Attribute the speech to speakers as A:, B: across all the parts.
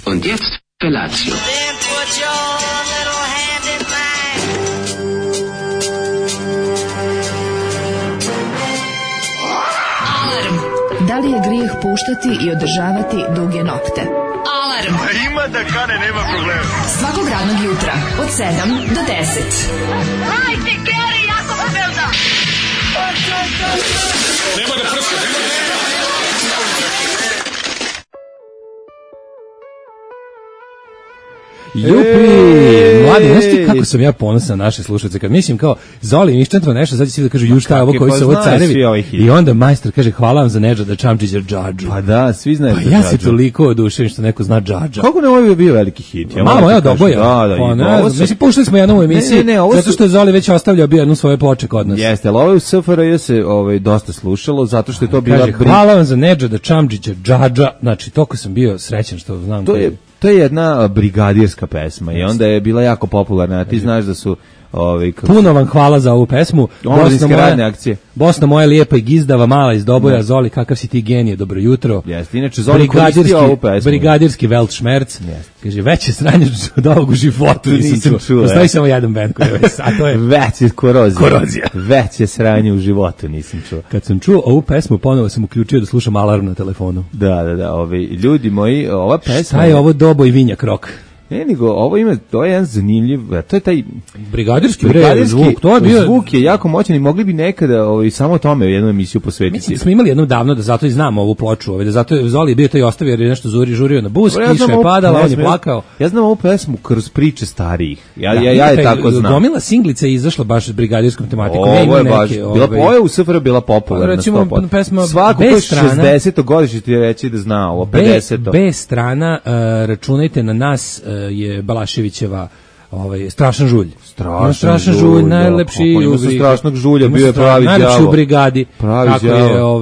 A: Und jetzt Felatio.
B: Then put your little hand in mine.
C: Alarm. Da li je grijeh puštati i održavati duge nokte? Alarm.
D: Ima da kane, nema problema.
C: Svakog radnog jutra od 7 do 10.
B: Hajde, Geri, jako se velda.
D: Nema da prska, nema da...
E: Jupi, mladi, znaš ti kako sam ja ponosan na naše slušalce, kad mislim kao Zoli Miščanstvo nešto, sad će svi da kažu ju šta je ovo koji su ovo carevi, i onda majstor kaže hvala vam za Nedžada Čamčića Džadžu.
F: Pa da, svi znaju.
E: Pa ja se toliko oduševim što neko zna Džadža.
F: Kako ne, ovo je bio veliki hit.
E: Malo, evo doboja.
F: Da,
E: mislim, puštali smo jednom u emisiji, zato što je Zoli već ostavljao bio jednu svoje ploče kod nas.
F: Jeste, ali ovo je u SFRJ se dosta slušalo, zato što je to bila...
E: Hvala vam za Nedžada Čamčića Džadža, znači, toliko sam bio srećan što znam.
F: To je jedna brigadirska pesma i onda je bila jako popularna, a ti znaš da su...
E: Puno vam hvala za ovu pesmu.
F: Omladinske radne akcije.
E: Bosna moja lijepa i gizdava, mala iz Doboja, Zoli, kakav si ti genije, dobro jutro.
F: Jeste, inače Zoli koristio ovu pesmu.
E: Brigadirski Weltschmerz. Kaže, veće sranje od ovog u životu nisam čuo. Postoji samo jedan band koji je a to je...
F: Veće korozija. Veće sranje u životu nisam čuo.
E: Kad sam čuo ovu pesmu, ponovo sam uključio da slušam alarm na telefonu.
F: Da, ljudi moji, ova pesma...
E: Šta je ovo Doboj Vinjak rock?
F: Ne, nego ovo ima, to je jedan zanimljiv, to je taj
E: brigadirski zvuk, to je bio...
F: Zvuk je jako moćan i mogli bi nekada samo tome jednu emisiju posvetiti.
E: Mislim, smo imali jednom davno, da zato i znamo ovu ploču, da zato je Zoli bio to i ostavio jer je nešto žurio na bus, kiša je padala, on je plakao.
F: Ja znam ovu pesmu kroz priče starijih, ja je tako znam.
E: Gomila singlica je izašla baš s brigadirskom tematikom.
F: Ovo je baš, bila u SFRJ bila popularna.
E: Recimo, pesma
F: svako ko je 60. godišnje ti reći da zna ovo, 50.
E: B strana, računajte na nas, je Balaševićeva Strašan žulj. Strašan žulj, najlepši
F: u strašnog žulja bio je pravi đavo.
E: Najlepši u brigadi.
F: Kako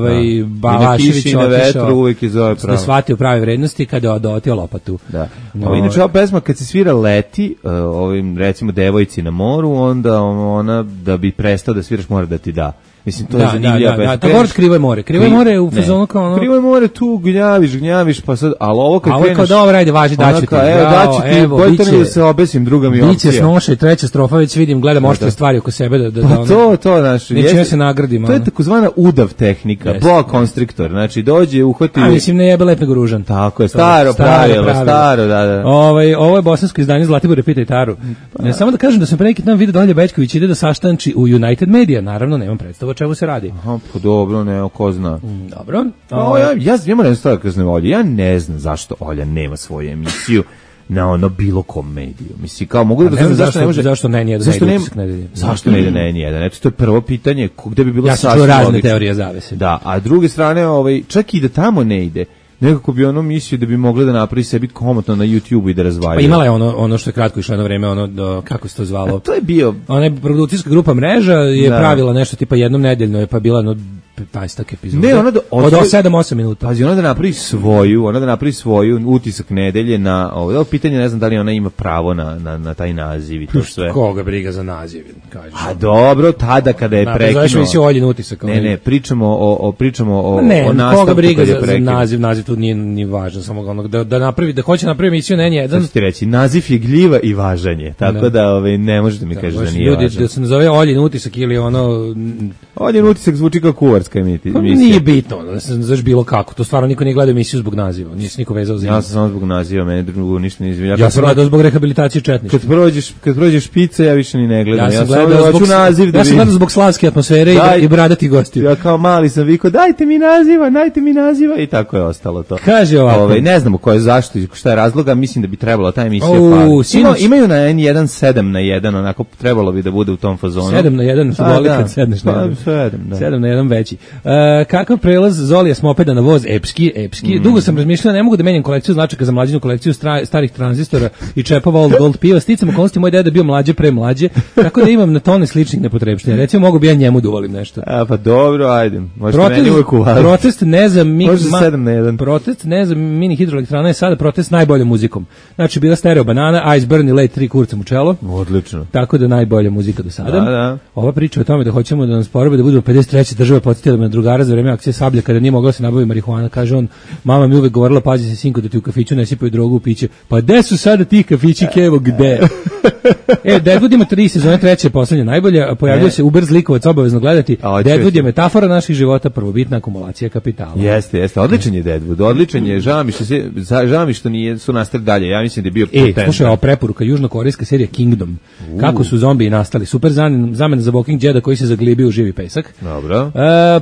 E: je Balašević
F: otišao
E: da shvatio prave vrednosti kada je odotio lopatu.
F: Da. Inače ova pesma kad se svira leti, recimo devojci na moru, onda ona da bi prestao da sviraš mora da ti da. Mislim, to je zanimljiva pesma.
E: Da, govor Krivo je more. Krivo je more u fazonu kao ono...
F: Krivo je more tu, gnjaviš, pa sad... Ali ovo kad kreneš...
E: A ovo kao dobro, ajde, važi, daću ti.
F: Evo, bolje to mi da se obesim, druga mi opcija.
E: Biće snoša i treća strofa, već vidim, gledam oštre stvari oko sebe da
F: pa to, znaš...
E: Neće ja se nagradim.
F: To je takozvana udav tehnika, boa konstriktor. Znači, dođe, uhvati...
E: A mislim, ne jebe lep nego ružan.
F: Tako je, staro pravilo, da.
E: Ovo je bosansko izdanje Zlatibore Pita i Taru. Samo da kažem da sam pre neki dan vidio Dalje Bećković ide da saštanči u United Media, naravno, nemam predstavu o čemu se radi.
F: Pa dobro, ne, ko zna.
E: Dobro.
F: Ja moram stvar kazne Olje, ja ne znam zašto Olja nema svoju emisiju na bilo kom mediju. Mislim, kao mogu da znam zašto ne može...
E: Zašto ne ide
F: Zašto ne ide na N1? Eto, to je prvo pitanje, gde bi bilo
E: sasvim logično. Ja sam čuo razne teorije zavese.
F: Da, a s druge strane, čak i da tamo ne ide, nekako bi ono mislio da bi mogla da napravi sebi komotno na YouTube i da razvalja.
E: Pa imala je ono što je kratko išlo jedno vreme, kako se to zvalo?
F: A to je bio...
E: Ona je produkcijska grupa Mreža je pravila nešto tipa jednom nedeljno, je pa bila 15 epizoda. Ne, od 7-8 minuta.
F: Pazi, ona da napravi svoju utisak nedelje na ovo pitanje, ne znam da li ona ima pravo na taj naziv i to sve.
E: Koga briga za naziv, kažeš.
F: A dobro, tada kada je prekinuo.
E: Znaš mi si Oljin utisak.
F: Ne, pričamo o
E: nastavku. Koga briga za naziv tu nije ni važan, samo da hoće napravi emisiju na N1.
F: Sad ću ti reći, naziv je gljiva i važanje, tako da ne možete mi kažeš da nije važan.
E: Ljudi, da se nazove Oljin utisak ili
F: Oljin utisak zvuči kao kuvarska emisija.
E: Nije bitno, da se znaš bilo kako. To stvarno niko nije gledao emisiju zbog naziva. Nije se niko vezao za
F: Ja sam samo zbog naziva, mene drugo ništa nije izvinjava.
E: Ja sam gledao zbog rehabilitacije četništva.
F: Kad prođeš špice, ja više ni ne gledam.
E: Ja sam gledao zbog slavske atmosfere i bradati gostiju.
F: Ja kao mali sam vikao, dajte mi naziva i tako je ostalo to.
E: Kaže ovako.
F: Ne znamo ko je zašto i šta je razloga, mislim da bi trebala ta emisija imaju na N1 7 na 1, onako trebalo bi da bude u tom fazonu.
E: 7 na 1 su boli kad sedneš na 1. 7 na 1 veći. Kakav prelaz Zolija s mopeda na voz epski. Dugo sam razmišljao, ne mogu da menjam kolekciju značaka za mlađinu, kolekciju starih tranzistora i čepova Old Gold piva. Sticam okolnosti, moj deda bio mlađe pre mlađe, tako da imam na tone sličnih nepotrebština. Recimo, mogu bi ja njemu da uvolim nešto.
F: Pa dobro, ajde. Možete meni uvek uvaliti.
E: Protest ne znam,
F: Protest
E: ne znam, mini hidroelektrana je sada protest najboljom muzikom. Znači, bila stereo banana, Ice Burn i Late 3 kurcem u čelo.
F: Odlično.
E: Tako da najbolja muzika do sada.
F: Da.
E: Ova priča o tome da hoćemo da nas proba da budemo 53. država podsjetila me na drugara za vreme akcije Sablja kada nije mogla se nabaviti marihuana, kaže on, mama mi uvek govorila, pazi se sinko da ti u kafiću ne sipaju drogu u piće. Pa gde su sada ti kafići, Kevo, gde? Deadwood ima 3 sezone, 3. je poslednja najbolja, pojavljuje se Uber zlikovac, obavezno gledati. Deadwood je metafora naših života, prvobitna akumulacija kapitala.
F: Jeste, odličan je Deadwood, odličan je, žao mi što nije su nastali dalje, ja mislim da je bio potentan.
E: Slušaj, ovo preporuka, južnokorejska serija Kingdom, kako su zombiji nastali, super zamena za Walking Deada koji se zaglibio u živi pesak.
F: Dobro.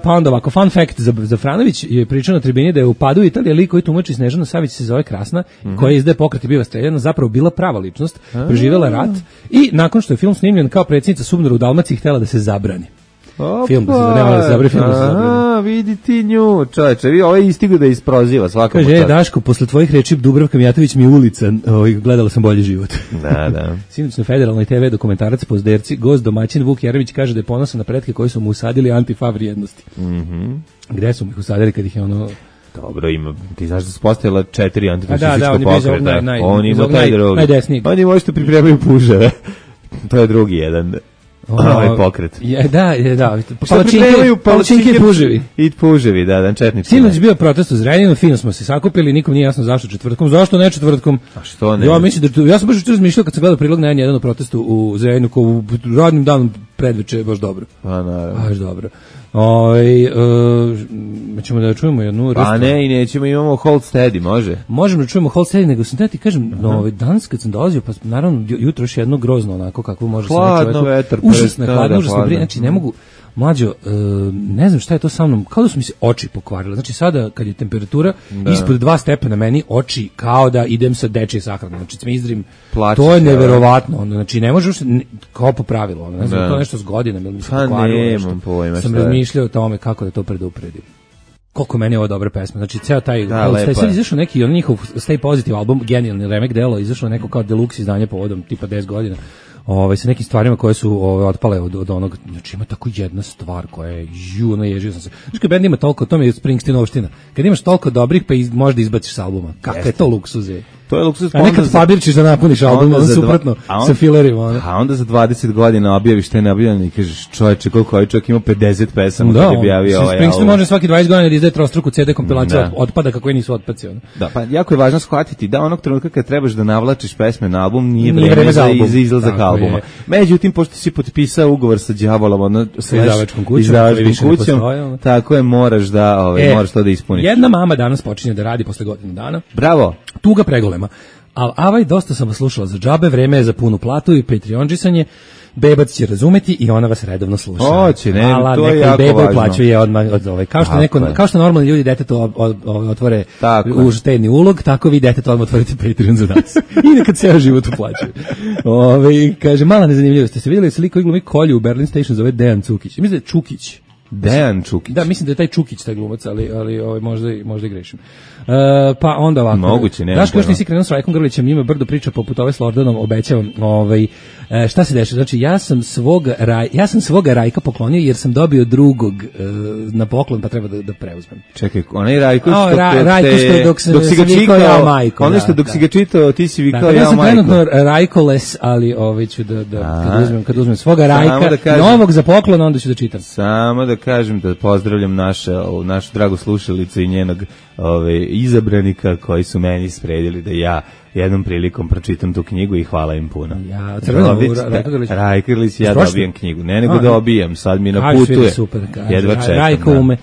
E: Pa onda ovako, fun fact, za Franović je pričao na tribini da je u padu Italije lik koji tumači Snežana Savić se zove Krasna, koja izdaje pokret i biva streljana, zapravo bila prava ličnost, preživjela rat i nakon što je film snimljen kao predsjednica Subnora u Dalmaciji htjela da se zabrani. Film da se zabrani, film da se zabrani.
F: Vidi ti nju, čoveče, ovo je istigo da isproziva svakako.
E: Kaže, Daško, posle tvojih reči Dubravka Mijatović mi je ulica, gledala sam bolji život.
F: Da.
E: Sinoć na Federalnoj TV dokumentarac Pozderci, gost domaćin Vuk Jeremić kaže da je ponosan na pretke koji su mu usadili antifa vrijednosti. Gde su mu ih usadili kad ih je ono...
F: Dobro, ima, ti znaš da su postavila 4 antifašistička pokreta.
E: On ima taj drugi. Najdesniji.
F: Oni možete pripremaju puževe. To je drugi jedan. Ovaj pokret.
E: Da.
F: Palačinke i puževi. I puževi, da, četnički.
E: Sinoć bio protest u Zrenjaninu, fino smo se sakupili, nikom nije jasno zašto četvrtkom. Zašto ne četvrtkom?
F: A što ne?
E: Ja mislim da ja sam baš juče razmišljao kad sam gledao prilog na N1 o protestu u Zrenjaninu, kao u radnim danom predveče, baš dobro.
F: Pa naravno.
E: Baš dobro. Ćemo da čujemo jednu
F: A ne, i nećemo, imamo Hold Steady, može?
E: Možemo da čujemo Hold Steady, nego sam ti kažem, danas kad sam dolazio, pa naravno jutro još jedno grozno onako kako može se
F: hladno vetar,
E: užasno brije, znači ne mogu, mlađo, ne znam šta je to sa mnom, kao da su mi se oči pokvarile, znači sada kad je temperatura ispod 2 stepena meni, oči kao da idem sa dečje sahrane, znači se mi izdrim, to je neverovatno, znači ne možeš, kao po pravilu, ne znam, to nešto s godinama, ili mi se pokvarilo nešto, sam razmišljao o tome kako da to predupredim. Koliko meni je ovo dobra pesma, znači ceo taj, sad izašao neki, on njihov Stay Positive album, genijalni remek delo, izašao neko kao deluxe izdanje povodom tipa 10 godina, sa nekim stvarima koje su otpale od onog, znači ima tako jedna stvar koja je, naježio sam se. Znači kad bend ima toliko, to mi je Springsteen-ovština, kad imaš toliko dobrih pa možda izbaciš s albuma, kakva je to luksuz je.
F: To je luksuz.
E: A nekad fabirčiš da napuniš album, on suprotno, sa filerima.
F: A onda za 20 godina objaviš te neobjavljene i kažeš, čoveče, koliko ovaj čovjek ima 50 pesama kad je objavio ovaj album.
E: Springsteen može svaki 20 godina da izdaje trostruku CD kompilaciju otpada kako nisu otpaci.
F: Da, pa jako je važno shvatiti da onog trenutka kad trebaš da navlačiš pesme na album, nije vreme za izlazak albuma. Međutim, pošto si potpisao ugovor sa đavolom, sa izdavačkom kućom, tako je, moraš to da ispuniš.
E: Jedna mama danas počinje da radi posle godinu dana.
F: Bravo.
E: Tuga pregolema. Ali dosta sam vas slušala za džabe, vreme je za punu platu i Patreonđisanje. Bebac će razumeti i ona vas redovno sluša.
F: Hoće, ne, to je jako važno.
E: Uplaćuje odmah od kao što normalni ljudi detetu otvore u štedni ulog, tako vi detetu odmah otvorite Patreon za nas. I nekad ceo život uplaćuje. Kaže, mala nezanimljivost, ste se vidjeli sliku i glumi Kolju u Berlin Station zove Dejan Cukić. Mislim da je Čukić.
F: Dejan Čukić.
E: Da, mislim da je taj Čukić taj glumac, ali možda i grešim. Pa onda ovako.
F: Moguće, ne.
E: Daško još nisi krenuo s Rajkom Grlićem, njima brdo priča poput ove s Lordanom, obećavam. Šta se dešava? Znači, ja sam svoga Rajka poklonio jer sam dobio drugog na poklon, pa treba da preuzmem.
F: Čekaj, onaj Rajko
E: što dok si ga vikao ja majko.
F: Ono što dok si ga čitao, ti si vikao ja majko.
E: Ja sam trenutno Rajkoles, ali ću kad uzmem svoga Rajka, novog za poklon, onda ću da čitam.
F: Samo da kažem da pozdravljam našu dragu slušalicu i njenog izabranika koji su meni spredili da ja jednom prilikom pročitam tu knjigu i hvala im puno.
E: Ja,
F: Rajko Grlić, ja dobijem knjigu. Ne nego dobijem, sad mi naputuje. Jedva čekam.
E: Rajko ume.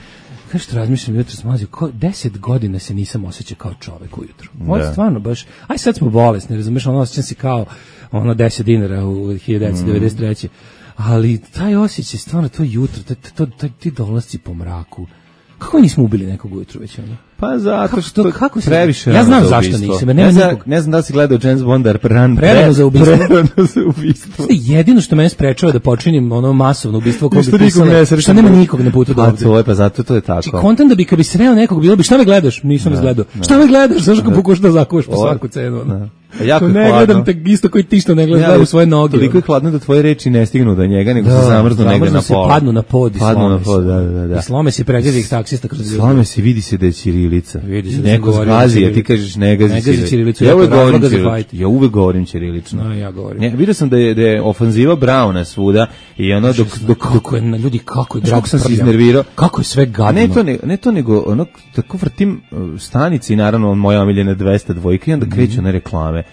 E: Kao što razmišljam jutro smazio, 10 godina se nisam osjećao kao čovek ujutru. Ovo je stvarno baš, sad smo bolesni, razumiješ, osjećam se kao 10 dinara u 1993. Ali taj osjećaj, stvarno, to jutro, ti dolasci po mraku, kako nismo ubili nekog ujutru već ono?
F: Pa zato što previše
E: ja znam zašto nisam.
F: Ne znam da li si gledao James Bonda
E: prerano za ubistvo. Jedino što mene sprečava da počinim masovno ubistvo koje bi pisalo, što nema nikog na putu do ovdje.
F: Pa zato to je tako.
E: Kontent da bi kad bi sreo nekog bilo bi, šta me gledaš? Nisam me gledao. Šta me gledaš? Zašto pokušaš da zakuvaš po svaku cenu?
F: Jako
E: ne gledam te isto koji ti što ne gledaš u svoje noge.
F: Toliko je hladno da tvoje reči ne stignu do njega, nego se zamrznu negde na pola.
E: Padnu na pod i slome se.
F: da.
E: I slome se pregledih taksista kroz
F: slome se, vidi se da je Ćirila ćirilica. Neko zgazi, a ti kažeš ne gazi ćirilicu. Ja uvek govorim ćirilično.
E: No, ja govorim.
F: Vidio sam da je ofanziva Brauna svuda i ono dok
E: kako je na ljudi, kako je
F: drag sam se iznervirao.
E: Kako je sve gadno.
F: Ne to nego ono tako vrtim stanici, naravno moja omiljena 200 dvojka i onda kreću na reklame.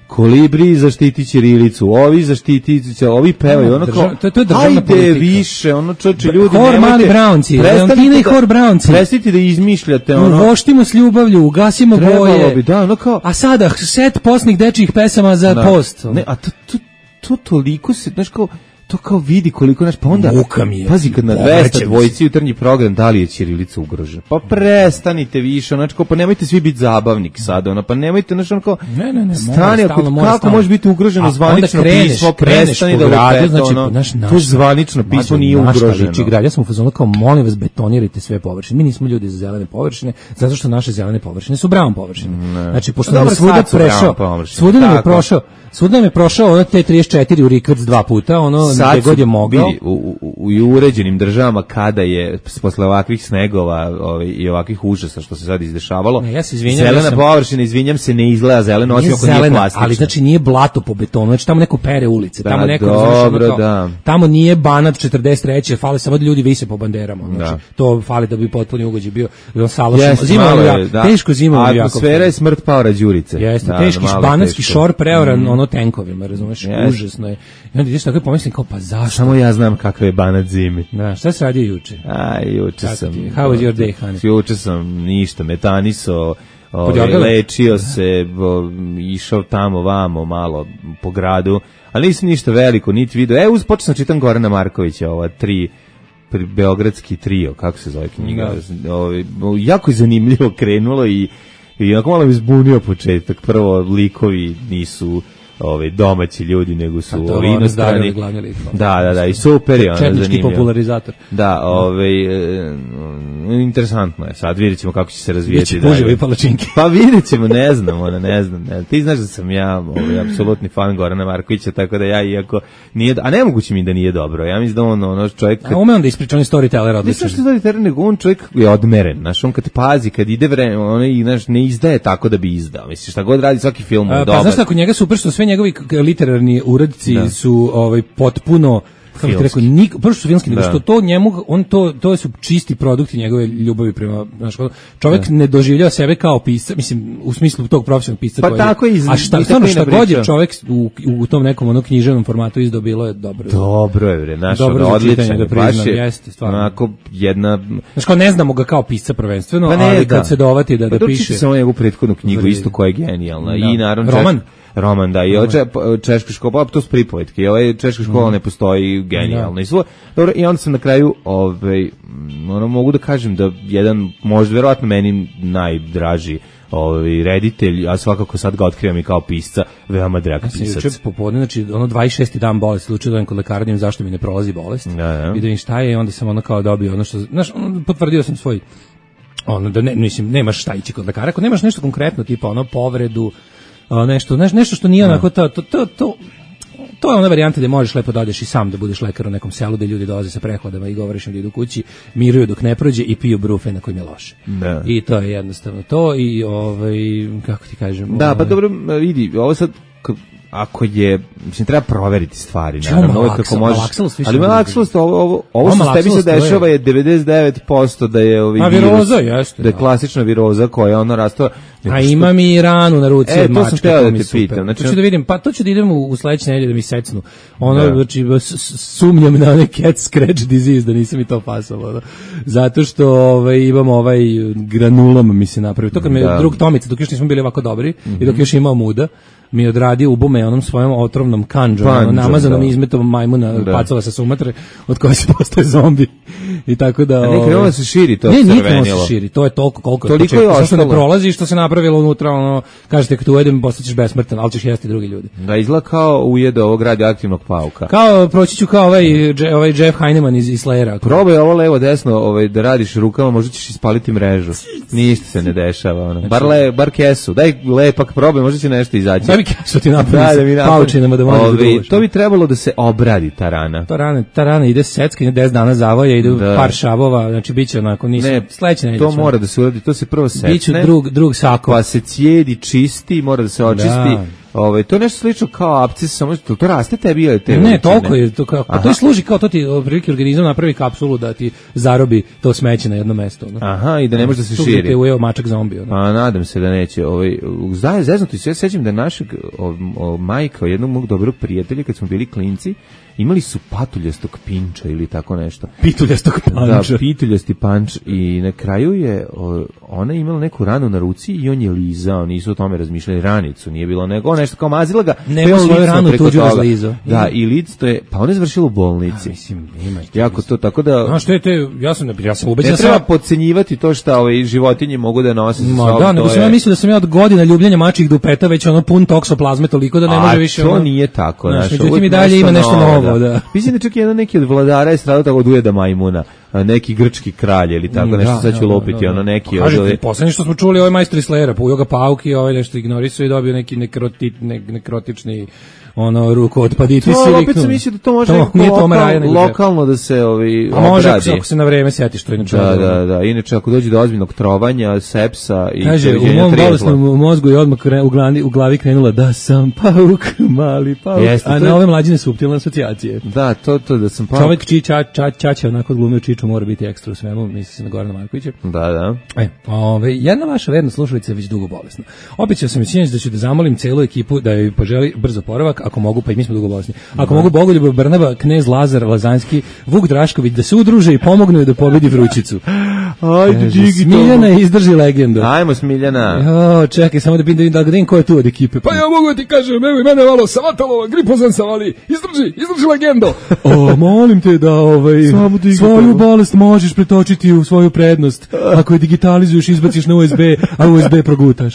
F: Kolibri zaštiti ćirilicu, ovi zaštiti, ovi pevaju, ono kao,
E: to je državna politika.
F: Ajde više, ono čoče ljudi,
E: Hor mali Brownci, Leontina i Hor Brownci.
F: Prestite da izmišljate, ono.
E: Voštimo s ljubavlju, ugasimo boje.
F: Trebalo bi, da, ono kao.
E: A sada, set postnih dečijih pesama za post.
F: Ne, a to toliko se, znaš kao, to kao vidi koliko naš, pa onda pazi kad na 200 dvojici jutarnji program da li je ćirilica ugrožena, pa prestanite više, znači kao, pa nemojte svi biti zabavnik sada, ono, pa nemojte, znači ono kao stani, kako može biti ugroženo zvanično pismo, prestani da lupete, znači, ono, to zvanično pismo nije ugroženo.
E: Ja sam u fazonu kao, molim vas, betonirajte sve površine, mi nismo ljudi za zelene površine, zato što naše zelene površine su brown površine, znači, pošto nam je svuda prešao, svuda nam je prošao ono T34 u Rikvrc 2 puta, ono gde god je mogao.
F: U uređenim državama kada je posle ovakvih snegova i ovakvih užasa što se sad izdešavalo, zelena površina, izvinjam se, ne izgleda zeleno, osim ako nije plastična.
E: Ali znači nije blato po betonu, znači tamo neko pere ulice, tamo neko,
F: dobro, da.
E: Tamo nije Banat 43, fali samo da ljudi vise po banderama, znači to fali da bi potpuni ugođaj bio salašno. Teško zimovno jako.
F: Atmosfera je smrt Paora Đurice.
E: Jeste, teški banatski šor preoran ono tenkovima, razumeš, užasno je. I onda ideš tako i pomislim kao, pa zašto?
F: Samo ja znam kakve je Banat zimi.
E: Da, šta se radio juče?
F: Juče sam.
E: How was your day, honey?
F: Juče sam ništa, metaniso, lečio se, išao tamo, vamo, malo po gradu, ali nisam ništa veliko, niti video. Počeo sam čitam Gorana Markovića, ova beogradski trio, kako se zove knjiga. Jako je zanimljivo krenulo i onako malo mi zbunio početak. Prvo, likovi nisu domaći ljudi, nego su inostrani. Da, i super je.
E: Četnički popularizator.
F: Da, interesantno je. Sad vidjet ćemo kako će se razvijeti.
E: Biće puževi palačinke.
F: Pa vidjet ćemo, ne znam. Ti znaš da sam ja apsolutni fan Gorana Markovića, tako da ja iako nije, a nemoguće mi da nije dobro. Ja mislim da on čovjek...
E: A ume on da ispriča, on je storyteller odličan.
F: Nisam što storyteller, nego on čovjek je odmeren. Znaš, on kad pazi, kad ide vreme, on ne izdaje tako da bi izdao. Misliš, šta god radi, svaki film je dobar.
E: Pa znaš tako, njega super što sve njegovi literarni uradci su potpuno, kako ti rekao, prvo su filmski, nego što to njemu, to su čisti produkti njegove ljubavi prema, znaš, čovjek ne doživljava sebe kao pisca, mislim, u smislu tog profesionalnog pisca.
F: Pa tako je.
E: A šta god je čovjek u tom nekom književnom formatu izdao, bilo je dobro.
F: Dobro je, bre, naš
E: odličan, baš je, jeste, stvarno.
F: Onako jedna...
E: Znaš, kao ne znamo ga kao pisca prvenstveno, ali kad se dovati da piše...
F: Dočite samo njegovu prethodnu knjigu, isto koja je genijalna. I naravno roman, da, i češka škola, to su pripovetke, i ovaj češka škola ne postoji genijalno. Dobro, i onda sam na kraju, mogu da kažem da jedan, možda verovatno meni najdraži reditelj, a svakako sad ga otkrivam i kao pisca, veoma drag pisac.
E: Juče popodne, znači 26. dan bolesti, slučaj da kod lekara, njim zašto mi ne prolazi bolest, vidim šta je, i onda sam kao dobio ono što, znaš, potvrdio sam svoj, da nemaš šta ići kod lekara, ako nemaš nešto konkretno, tipa povredu, nešto što nije onako to je ona varijanta gde možeš lepo da odeš i sam da budeš lekar u nekom selu gde ljudi dolaze sa prehladama i govoriš im da idu kući, miruju dok ne prođe i piju brufe na kojim je loše. Da. I to je jednostavno to i kako ti kažem...
F: Da, pa dobro, vidi, ovo sad ako je, mislim, treba proveriti stvari, naravno, ovo kako možeš, ali malaksost, ovo što s tebi se dešava je 99% da je
E: viroza, jeste,
F: da je klasična viroza koja rastava.
E: A imam i ranu na ruci od mačka.
F: To sam teo da te pitam.
E: To ću da vidim, pa to ću da idem u sledeće nedelje da mi secnu. Znači, sumnjam na onaj cat scratch disease, da nisam i to pasalo. Zato što imam granulom mi se napravio. To kad me drug Tomica, dok još nismo bili ovako dobri i dok još imao muda, mi odradio ubume onom svojom otrovnom kanđom, namazanom izmetom majmuna pacova sa Sumatre, od koje se postaje zombi. I tako da...
F: A nekrenulo da se širi to crvenilo.
E: Ne, nikrenulo se širi, to je toliko koliko je početno. Toliko je ostalo. Ne prolazi što se napravilo unutra, kažete kad ujedem postaćeš besmrtan, ali ćeš jesti drugi ljudi.
F: Da, izgleda kao ujede ovog radioaktivnog pauka.
E: Proći ću kao ovaj Jeff Heineman iz Slayera.
F: Probaj ovo levo desno da radiš rukama, možda ćeš ispaliti mrežu. Ništa se ne dešava. Bar kesu, daj lepak probaj, možda će nešto izaći.
E: mi kesu ti napravi paučinama da možeš da duvaš.
F: To bi trebalo da se obradi ta rana.
E: Ta rana ide secka, ide 10 dana zavoja, ide par šavova, znači biće onako, sledeće nedelje.
F: To mora da se uradi, to se prvo sekne.
E: Biću drug sako.
F: Pa se cijedi, čisti, mora da se očisti. To je nešto slično kao apces, samo to raste tebi ili te?
E: Ne, toliko je to kao. To služi kao to ti prilike organizam napravi kapsulu da ti zarobi to smeće na jedno mesto.
F: Aha, i da ne može da se širi.
E: Tu ujeo mačak zombi.
F: A nadam se da neće. Zeznuti se, ja sećam da našeg majka, jednog mog dobrog prijatelja, kad smo bili klinci, imali su patuljastog pinča ili tako nešto.
E: Pituljastog panča.
F: Da, pituljasti panč i na kraju je ona imala neku ranu na ruci i on je lizao, nisu o tome razmišljali, ranicu, nije bilo nego nešto kao mazila ga.
E: Nema svoju ranu tuđu razlizao.
F: Da, i lic to je, pa ona je završila u bolnici.
E: Mislim, ima.
F: Jako to, tako da...
E: Znaš što je te, ja sam ubeđen.
F: Ne treba podcenjivati to što životinje mogu da nose sa sobom.
E: Da, nego sam ja mislio da sam ja od godina ljubljenja mačjih dupeta već pun toksoplazme toliko da ne može više.
F: A to nije tako.
E: Međutim i dalje ima nešto novo, da.
F: Mislim da čak neki od vladara je stradao tako od ujeda majmuna, neki grčki kralj ili tako nešto, sad ću lopiti, neki...
E: Kažete, poslednje što smo čuli, ovaj majstor iz Slera, pojeo ga pauki, ovaj nešto ignorisao i dobio neki nekrotični ruku otpaditis.
F: To opet sam mislio da to može lokalno da se obradi.
E: Može ako se na vreme sjetiš to inače.
F: Da, inače ako dođe do ozbiljnog trovanja, sepsa i...
E: Kaže, u mom bolesnom mozgu je odmah u glavi krenula da sam pauk, mali pauk, a na ove mlađine suptilne asocijacije.
F: Da, to da sam pauk.
E: Čovjek Čača onako glumio Čiču mora biti ekstra u svemu, misli se na Gorana Markovića.
F: Da.
E: Jedna vaša verna slušalica je već dugo bolesna. Obećao sam da ću da zamolim celu ekipu da joj poželi brzo oporavak, ako mogu, pa i mi smo dugo bolesni. Ako mogu, Bogoljub Brnaba, Knez Lazar Lazanski, Vuk Drašković da se udruže i pomognu da pobedi vrućicu.
F: Ajde,
E: Smiljana izdrži legendu.
F: Ajmo Smiljana.
E: Čekaj, samo da vidim ko je tu od ekipe. Pa ja mogu ti kažem, evo i mene malo savatalo, gripozan savali. Izdrži legendo. Molim te da svoju bolest možeš pretočiti u svoju prednost. Ako je digitalizuješ, izbaciš na USB, a USB progutaš.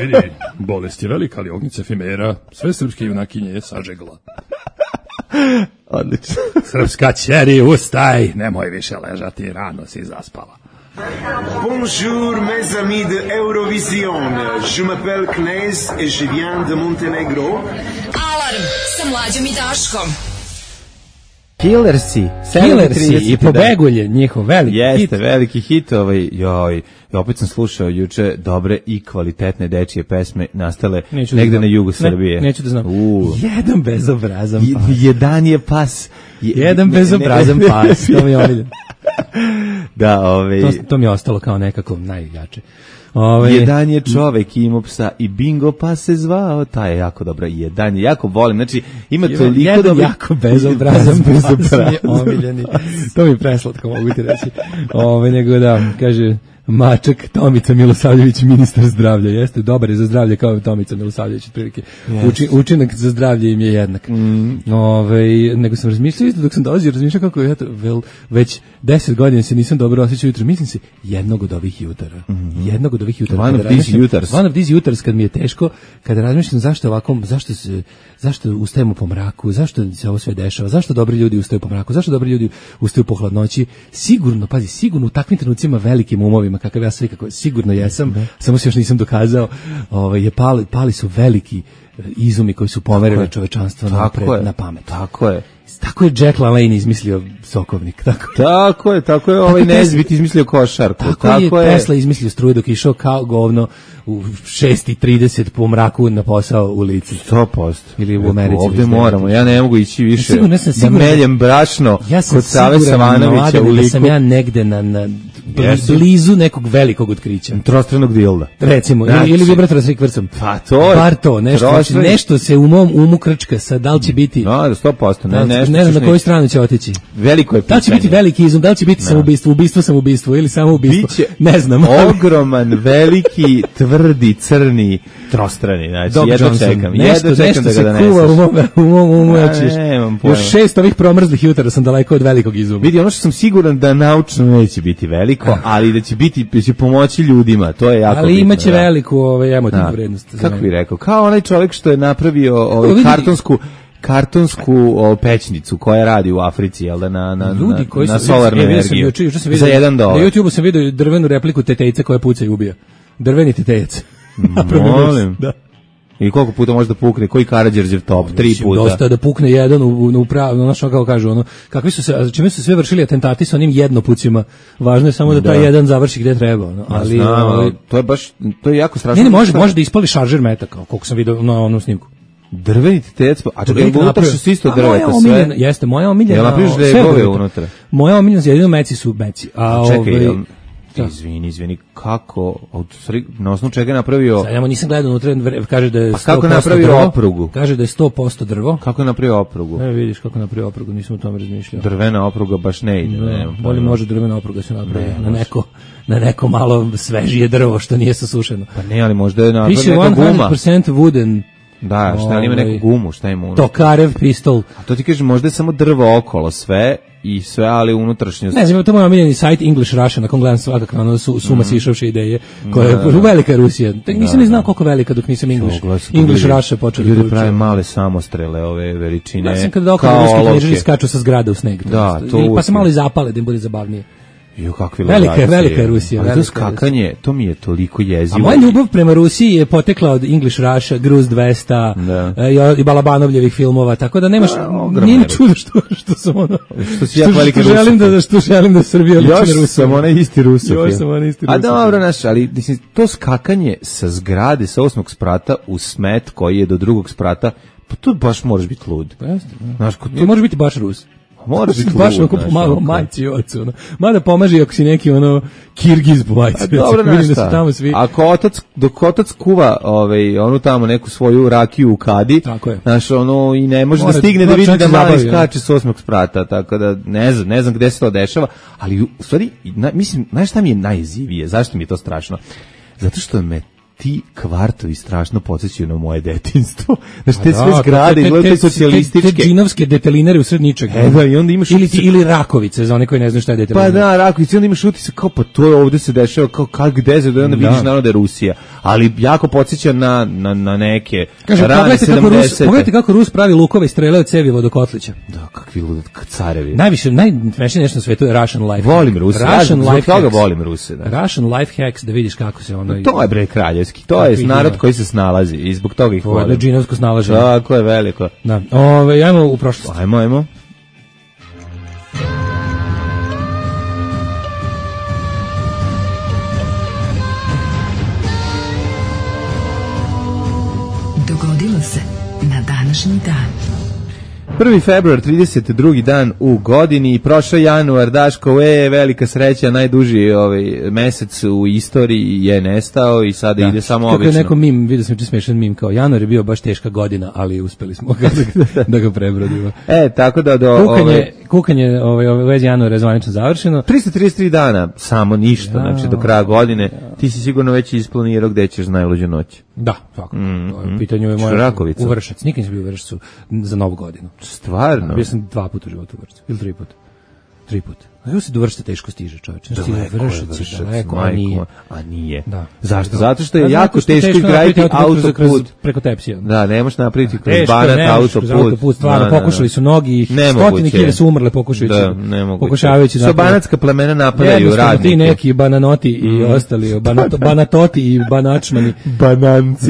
E: Vidi, bolest je velika, ali ognjica efimera, sve srpske junakinje je sažegla.
F: Odlično.
E: Srpska ćeri, ustaj, nemoj više ležati, rano si zaspala.
A: Bonjour mes amis de Eurovision, je m'appelle Knez et je viens de Montenegro.
B: Alarm sa Mlađom i Daškom.
F: Killersi
E: i Pobegulje, njihov veliki hit.
F: Jeste, veliki hit, opet sam slušao juče dobre i kvalitetne dečije pesme nastale negde na jugu Srbije.
E: Neću da znam. Jedan bezobrazan pas.
F: Jedan je pas.
E: Jedan bezobrazan pas, to mi je omiljen.
F: Da,
E: to mi je ostalo kao nekako najjače.
F: Jedan je čovek imao psa i Bingo pa se zvao, ta je jako dobra. Jedan je jako volim, znači ima toliko
E: dobro. Jako bezobrazan pas mi je omiljeni. To mi je preslatko, mogu ti reći. Nego da, kaže Mačak Tomica Milosavljević, ministar zdravlja. Jeste, dobar je za zdravlje kao Tomica Milosavljević, otprilike. Učinak za zdravlje im je jednak. Nego sam razmišljao, dok sam dolazio, kako je, već 10 godina se nisam dobro osjećao jutro. Mislim se, jednog od ovih jutara. Jednog od ovih jutara.
F: One
E: of these jutars, kad mi je teško, kada razmišljam zašto ustajemo po mraku, zašto se ovo sve dešava, zašto dobri ljudi ustaju po mraku, zašto dobri ljudi ustaju po hladnoći. Sigurno u takvim trenucima velikim umovima, kakav ja sve, sigurno jesam, samo se još nisam dokazao, pali su veliki izumi koji su pomerili čovečanstvo napred na pamet.
F: Tako je.
E: Tako je Jack LaLanne izmislio sokovnik.
F: Tako je Nezbit izmislio košarku.
E: Tako je Tesla izmislio struju dok je išao kao govno u 6:30 po mraku na posao u lici.
F: 100%.
E: Ili u Americi.
F: Ovdje moramo, ja ne mogu ići više da meljem brašno kod Save Savanovića u liku.
E: Da sam ja negde blizu nekog velikog otkrića.
F: Trostranog dilda.
E: Recimo, ili vibratora s rikvrcom.
F: Pa to je.
E: Nešto se u mom umu krčka, sad da li će biti...
F: Da, 100%.
E: Ne znam na koju stranu će otići.
F: Veliko je pitanje.
E: Da li će biti veliki izum, da li će biti samoubistvo ili samoubistvo, ne znam.
F: Ogroman, veliki, tvrdi, crni, trostrani, znači, jedno čekam da ga doneseš.
E: U mom umu, još 6 ovih promrzlih jutara sam daleko od velikog izuma.
F: Vidi, ono što sam siguran da naučno neće biti veliko, ali da će pomoći ljudima, to je jako bitno.
E: Ali imaće veliku emotivnu vrednost.
F: Kako bih rekao, kao onaj čovjek što je napravio kartonsku pećnicu koja radi u Africi, jel da, na solarnu energiju. Za $1.
E: Na YouTubeu sam vidio drvenu repliku tetejca koja puca i ubija. Drveni tetejac.
F: Molim.
E: Da.
F: I koliko puta može da pukne, koji Karađorđev top, 3 puta.
E: Dosta da pukne jedan u pravu, ono što kako kažu, ono, kakvi su se, čime su sve vršili atentati sa onim jednopucima, važno je samo da taj jedan završi gde treba, ono, ali...
F: to je baš, to je jako strašno.
E: Ne, može da ispali šaržer metaka, koliko sam vidio na onom snimku.
F: Drveni tec, a čekaj, unutra su isto drveta sve.
E: Jeste, moja omiljena.
F: Jel napriš legove unutra?
E: Moja omiljena, jedino meci su meci.
F: Čekaj, izvini, kako, na osnovu čega je napravio...
E: Sad, nisam gledao unutra, kaže da je 100%
F: kako je napravio
E: drvo,
F: oprugu?
E: Kaže da je 100% drvo.
F: Kako je napravio oprugu?
E: Ne, vidiš kako je napravio oprugu, nisam o tome razmišljao.
F: Drvena opruga baš ne ide.
E: Bolje može drvena opruga se napravi na neko malo svežije drvo što nije sasušeno.
F: Pa ne, ali možda je napravio neka guma.
E: Piše 100% wooden.
F: Da, šta ima neku gumu, šta ima unutra?
E: Tokarev pistol.
F: A to ti kaže, možda je samo drvo okolo sve i sve, ali unutrašnjost.
E: Ne znam, to je moj omiljeni sajt English Russia, na kom gledam svakako ono suma sišavše ideje, koja je velika Rusija. Nisam ni znao koliko velika dok nisam English Russia počeo.
F: Ljudi prave male samostrele ove veličine.
E: Ja sam kada okolo ruski knjižari skaču sa zgrade u sneg.
F: Da,
E: pa se malo i zapale da im bude zabavnije.
F: Velika
E: je Rusija.
F: Ali to skakanje, to mi je toliko jezivo.
E: A moja ljubav prema Rusiji je potekla od English Russia, Gruz 200 i Balabanovljevih filmova, tako da nemaš, nije ni čudo što sam ono, što želim da Srbija liči na Rusiju.
F: Još sam onaj isti Rusofil. A dobro, ali to skakanje sa zgrade, sa 8. sprata u smet koji je do 2. sprata, pa tu baš moraš biti lud.
E: To može biti baš Rus.
F: Moraš biti
E: baš onako pomagao majci i ocu. Mada pomaže ako si neki Kirgiz po majci.
F: Dobro, dok otac kuva onu tamo neku svoju rakiju u kadi, i ne može da stigne da vidi da mali skače s 8. sprata, tako da ne znam gde se to dešava, ali u stvari, mislim, znaš šta mi je najjezivije, zašto mi je to strašno? Zato što me ti kvartovi strašno podsjećaju na moje detinjstvo. Znači, te sve zgrade i gledaju socijalističke.
E: Te džinovske detelinare u sred ničega.
F: I onda imaš
E: ili Rakovice, za one koji ne znaju šta je detelinar.
F: Pa da, Rakovice, onda imaš utisak kao, pa to je ovde se dešava, kao gde se, onda vidiš naravno da je Rusija. Ali jako podsjeća na neke rane 70.
E: Pogledajte kako Rus pravi lukove i strele od cevi vodokotlića.
F: Da, kakvi ludat carevi.
E: Najsmešnije nešto na svetu je Russian life.
F: Volim Ruse. Volim Ruse.
E: Russian life hacks, da vidiš kako se ono...
F: To je bre kraljevski. To je narod koji se snalazi i zbog toga ih volim.
E: To je džinovsko snalaženje.
F: Tako je veliko.
E: Da. Ajmo u prošlost.
F: Ajmo.
C: Dogodilo se na današnji dan.
F: 1. februar, 32. dan u godini, prošao januar, Daško, velika sreća, najduži mesec u istoriji je nestao i sada ide samo obično.
E: Kako je neko mim, vidio sam smešan mim, kao januar je bio baš teška godina, ali uspeli smo da ga prebrodimo.
F: Tako da
E: kukanje u vezi januara je zvanično završeno.
F: 333 dana, samo ništa, znači do kraja godine. Ti si sigurno već isplanirao gde ćeš najluđu noć.
E: Da, tako. Pitanje je moja u Vršac. Nikad nisam bio u Vršacu za Novu godinu.
F: Stvarno?
E: Bio sam 2 puta u životu u Vršacu. Ili 3 puta. 3 puta. A se do Vršca teško stiže, čovječe. Daleko,
F: a nije.
E: Da.
F: Zašto? Zato što je jako teško izgraditi autoput.
E: Preko Tepsija.
F: Da, ne možeš napraviti kroz Banat autoput.
E: Stvarno, pokušali su mnogi, stotine hiljada su umrle pokušavajući.
F: Što banatska plemena napadaju radnike.
E: Ti neki bananoti i ostali, banatoti i banačmani.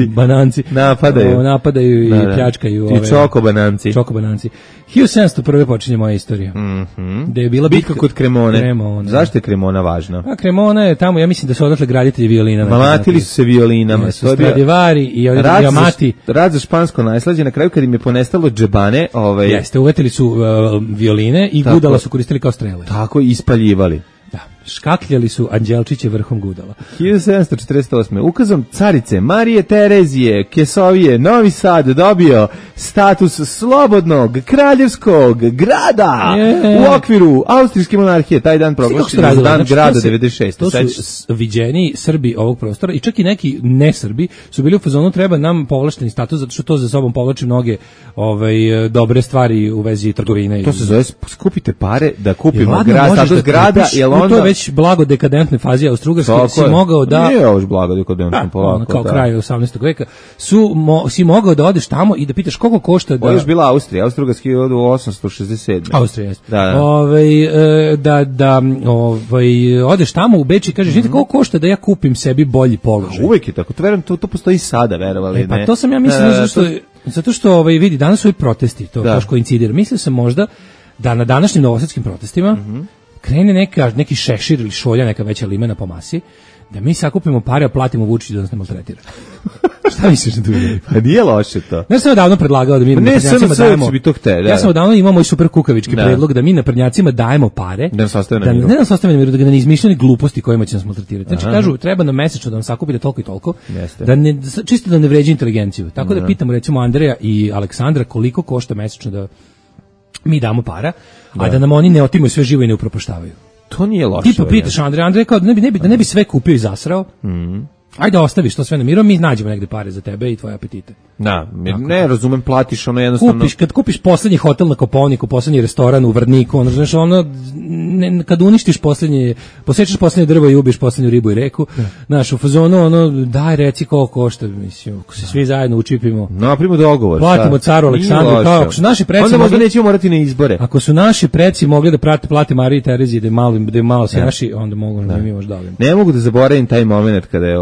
E: Bananci. Napadaju i pljačkaju.
F: I čokobananci.
E: 1701. počinje moja istorija. Da je bila
F: bitka kod Kremone. Zašto je Kremona važna?
E: A Kremona je tamo, ja mislim da su odatle graditelji violina.
F: Mamatili su se violinama.
E: Stradivari i Amati.
F: Rad za špansko najslađe, na kraju kad im je ponestalo džebane.
E: Jeste, uvetili su violine i gudala su koristili kao strele.
F: Tako i ispaljivali.
E: Da, škakljali su anđelčiće vrhom gudala.
F: 1748. Ukazom carice Marije Terezije Kesovije Novi Sad dobio status slobodnog kraljevskog grada u okviru austrijske monarhije. Taj dan proglašen za dan grada 96.
E: To su viđeni Srbi ovog prostora i čak i neki ne Srbi su bili u fazonu treba nam povlašteni status zato što to za sobom povlači mnoge dobre stvari u vezi trgovine.
F: To se zove skupite pare da kupimo status grada, jer onda
E: već blago dekadentnoj fazi Austro-Ugarske, si mogao da...
F: Nije ovo blago dekadentno polako.
E: Kao kraj 18. veka, si mogao da odeš tamo i da pitaš koliko košta da...
F: Ovo je bila Austrija, Austro-Ugarski je od 867.
E: Austrija, jeste. Odeš tamo u Beč i kažeš, vidite koliko košta da ja kupim sebi bolji položaj.
F: Uvek je tako, to postoji sada, verovali.
E: Pa to sam ja mislio, zato što vidi, danas su i protesti, to baš koincidira. Mislio sam možda da na današnjim novosadskim protestima krene neki Šešir ili Šolja, neka veća limena po masi, da mi sakupimo pare, a platimo Vučiću da nas ne maltretira. Šta misliš na tu ideju?
F: Pa nije loše to.
E: Ja sam odavno predlagao da mi naprednjacima dajemo... Ja sam odavno imao i super kukavički predlog da mi naprednjacima dajemo pare,
F: da nas ostave na miru.
E: Ne nas ostave na miru, da ga ne izmišljeni gluposti kojima će nas maltretirati. Znači kažu, treba nam mesečno da nam sakupite toliko i toliko, čisto da ne vređe inteligenciju. Tako da pitamo recimo Andreja i Aleksandra koliko košta mesečno da mi damo para, a da nam oni ne otimaju sve živo i ne upropaštavaju.
F: To nije loše.
E: Ti popitaš Andrej kao da ne bi sve kupio i zasrao. Ajde ostaviš to sve na miru, mi nađemo negde pare za tebe i tvoje apetite.
F: Da, ne razumem, platiš ono jednostavno.
E: Kad kupiš poslednji hotel na Kopaoniku, poslednji restoran u Vrdniku, znaš, kad uništiš posečeš poslednje drvo i ubiš poslednju ribu i reku, znaš, u fazonu, daj reci koliko košta, mislim, ako se svi zajedno učipimo.
F: Napravimo dogovor.
E: Platimo caru Aleksandru, kao ako su naši preci
F: onda možda nećemo morati na izbore.
E: Ako su naši preci mogli da plate Mariji Tereziji da je malo se naši, onda mogu da mi možda davimo.
F: Ne mogu da zaboravim taj moment kada je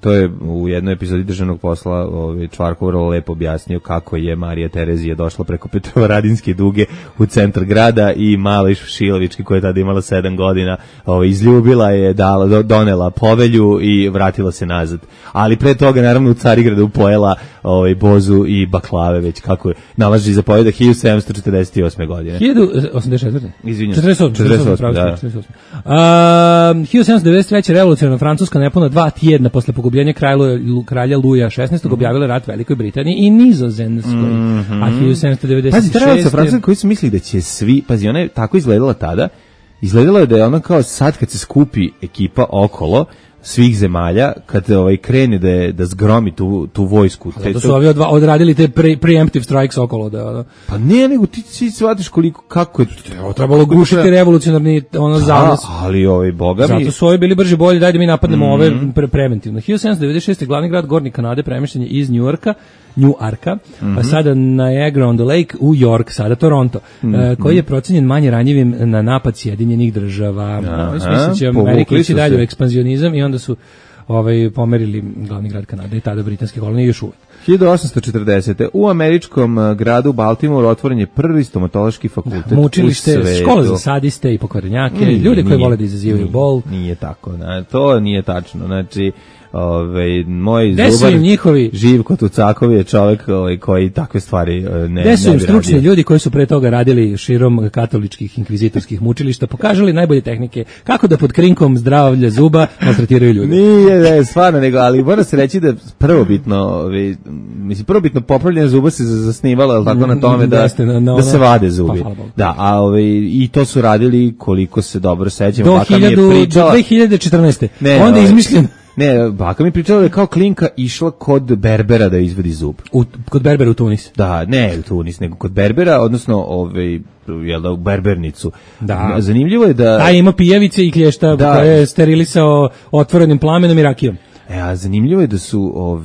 F: to je u jednoj epizodi Državnog posla Čvarko vrlo lepo objasnio kako je Marija Terezija došla preko Petrovaradinske duge u centar grada i Mala Šilovički koja je tada imala 7 godina izljubila je, donela povelju i vratila se nazad. Ali pre toga naravno u Carigradu pojela bozu i baklave već kako je nalaži zapoveda 1748. godine.
E: 1084.
F: Izvinjam.
E: 48. 1793. revolucionarna Francuska nepuna 2 tjedna posle pogubljenja kralja Luja XVI. Objavila rat Velikoj Britaniji i Nizozemskoj. A 1796.
F: Pazi, ta Francuska koji su mislili da će svi, pazi, ona je tako izgledala tada, izgledala je da je ona kao sad kad se skupi ekipa okolo svih zemalja, kad krene da zgromi tu vojsku.
E: Da su ovi odradili te preemptive strikes okolo.
F: Pa ne, nego ti shvatiš kako je...
E: Trebalo gušiti revolucionarni zanos.
F: Ali boga mi...
E: Zato su ovi bili brži bolji, daj da mi napadnemo ove preventivno. 1796. glavni grad Gornji Kanade premješten je iz New Arka, pa sada Niagara on the Lake u York, sada Toronto, koji je procenjen manje ranjivim na napad Sjedinjenih država. Mislim će Amerika ići dalje u ekspanzionizam i onda su pomerili glavni grad Kanade i tada britanske kolonije još uvijek.
F: 1840. u američkom gradu Baltimore otvoren je prvi stomatološki fakultet
E: mučilište, škola za sadiste i pokvarenjake, ljude koji vole da izazivaju bol.
F: Nije tako, to nije tačno. Znači, moj zubar Živko Tucakov je čovjek koji takve stvari ne bi radio.
E: Gde su im stručni ljudi koji su pre toga radili širom katoličkih inkvizitorskih mučilišta, pokažali najbolje tehnike kako da pod krinkom zdravlja zuba maltretiraju ljudi.
F: Nije, stvarno, nego, ali mora se reći da prvobitno popravljanje zuba se zasnivalo tako na tome da se vade zubi. Da, i to su radili koliko se dobro sećam.
E: Do 2014. Onda je izmišljen.
F: Ne, baka mi pričala da je kao klinka išla kod berbera da izvadi zub.
E: Kod berbera u Tunis?
F: Da, ne u Tunis, nego kod berbera, odnosno u berbernicu.
E: Da.
F: Zanimljivo je da...
E: ima pijevice i klješta koje je sterilisao otvorenim plamenom i rakijom.
F: A zanimljivo je da su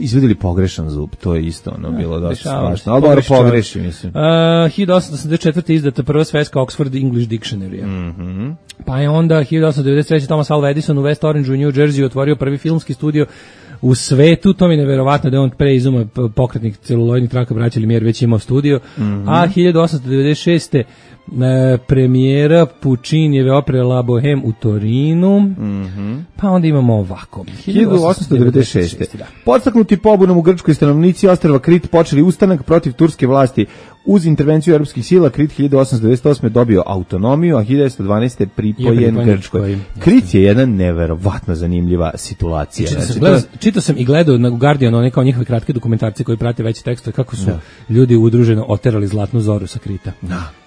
F: izvedili pogrešan zub, to je isto bilo dosta strašno, ali dobro pogreši, mislim.
E: 1884. izdata prva svetska Oxford English Dictionary. Pa je onda 1893. Thomas Alva Edison u West Orange u New Jersey otvorio prvi filmski studio u svetu, to mi je neverovatno da je on pre izuma pokretnih celuloidnih traka braća Lumière već imao studio, a 1896. premijera Puccinijeve opere La Bohème u Torinu, pa onda imamo ovako.
F: 1896. Podstaknuti pobunom u Grčkoj, stanovnici ostrva Krit počeli ustanak protiv turske vlasti. Uz intervenciju europskih sila Krit 1898. dobio autonomiju, a 1912. pripojen Grčkoj. Krit je jedna neverovatno zanimljiva situacija.
E: Čitao sam i gledao na Guardianu kao njihove kratke dokumentarce koji prate veće tekstove kako su ljudi udruženo oterali Zlatnu zoru sa Krita.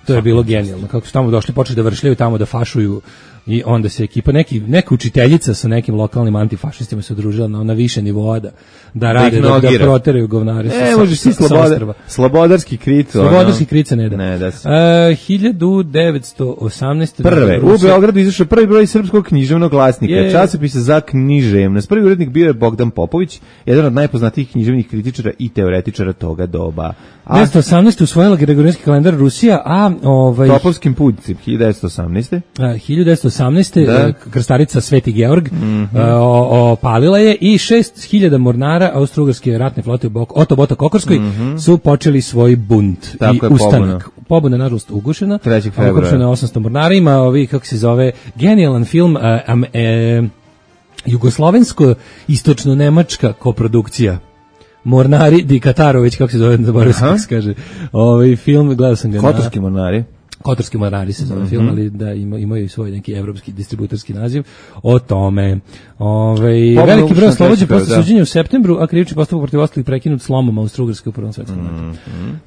E: To je bilo genijalno. Kako su tamo došli, počeli da vršljaju tamo, da fašuju i onda se ekipa, neka učiteljica sa nekim lokalnim antifašistima se udružila na više nivoa da rade, da proteraju govnare
F: možeš ti slobodarski Krit
E: Vodarski krica ne da.
F: Ne da se.
E: 1918.
F: Prve, u Beogradu izašao prvi broj srpskog književnog glasnika, časopisa za književnost. Prvi urednik bio je Bogdan Popović, jedan od najpoznatijih književnih kritičara i teoretičara toga doba.
E: 1918. usvojila Gregorijanski kalendar Rusija, a
F: Topovskim pucim, 1918.
E: 1918. Krstarica Sveti Georg opalila je i 6000 mornara Austro-Ugarske ratne flote u Otobota Kokorskoj su počeli svoj bunt i ustanak. Pobuna nažalost ugušena.
F: 3. februara.
E: Ugušena 800 mornara, ima kako se zove, genijalan film jugoslovensko-istočno-nemačka koprodukcija. Mornari Di Katarović, kako se zove, zaboravio sam se kaže. Film, gledao sam ga.
F: Kotorski mornari.
E: Kotorski mornari se zove film, ali da imaju i svoj neki evropski distributorski naziv o tome. Veliki broj oslobođen posle suđenja u septembru, a krivični postupak protiv ostalih prekinut slomom Austro-Ugarske u Prvom svetskom ratu.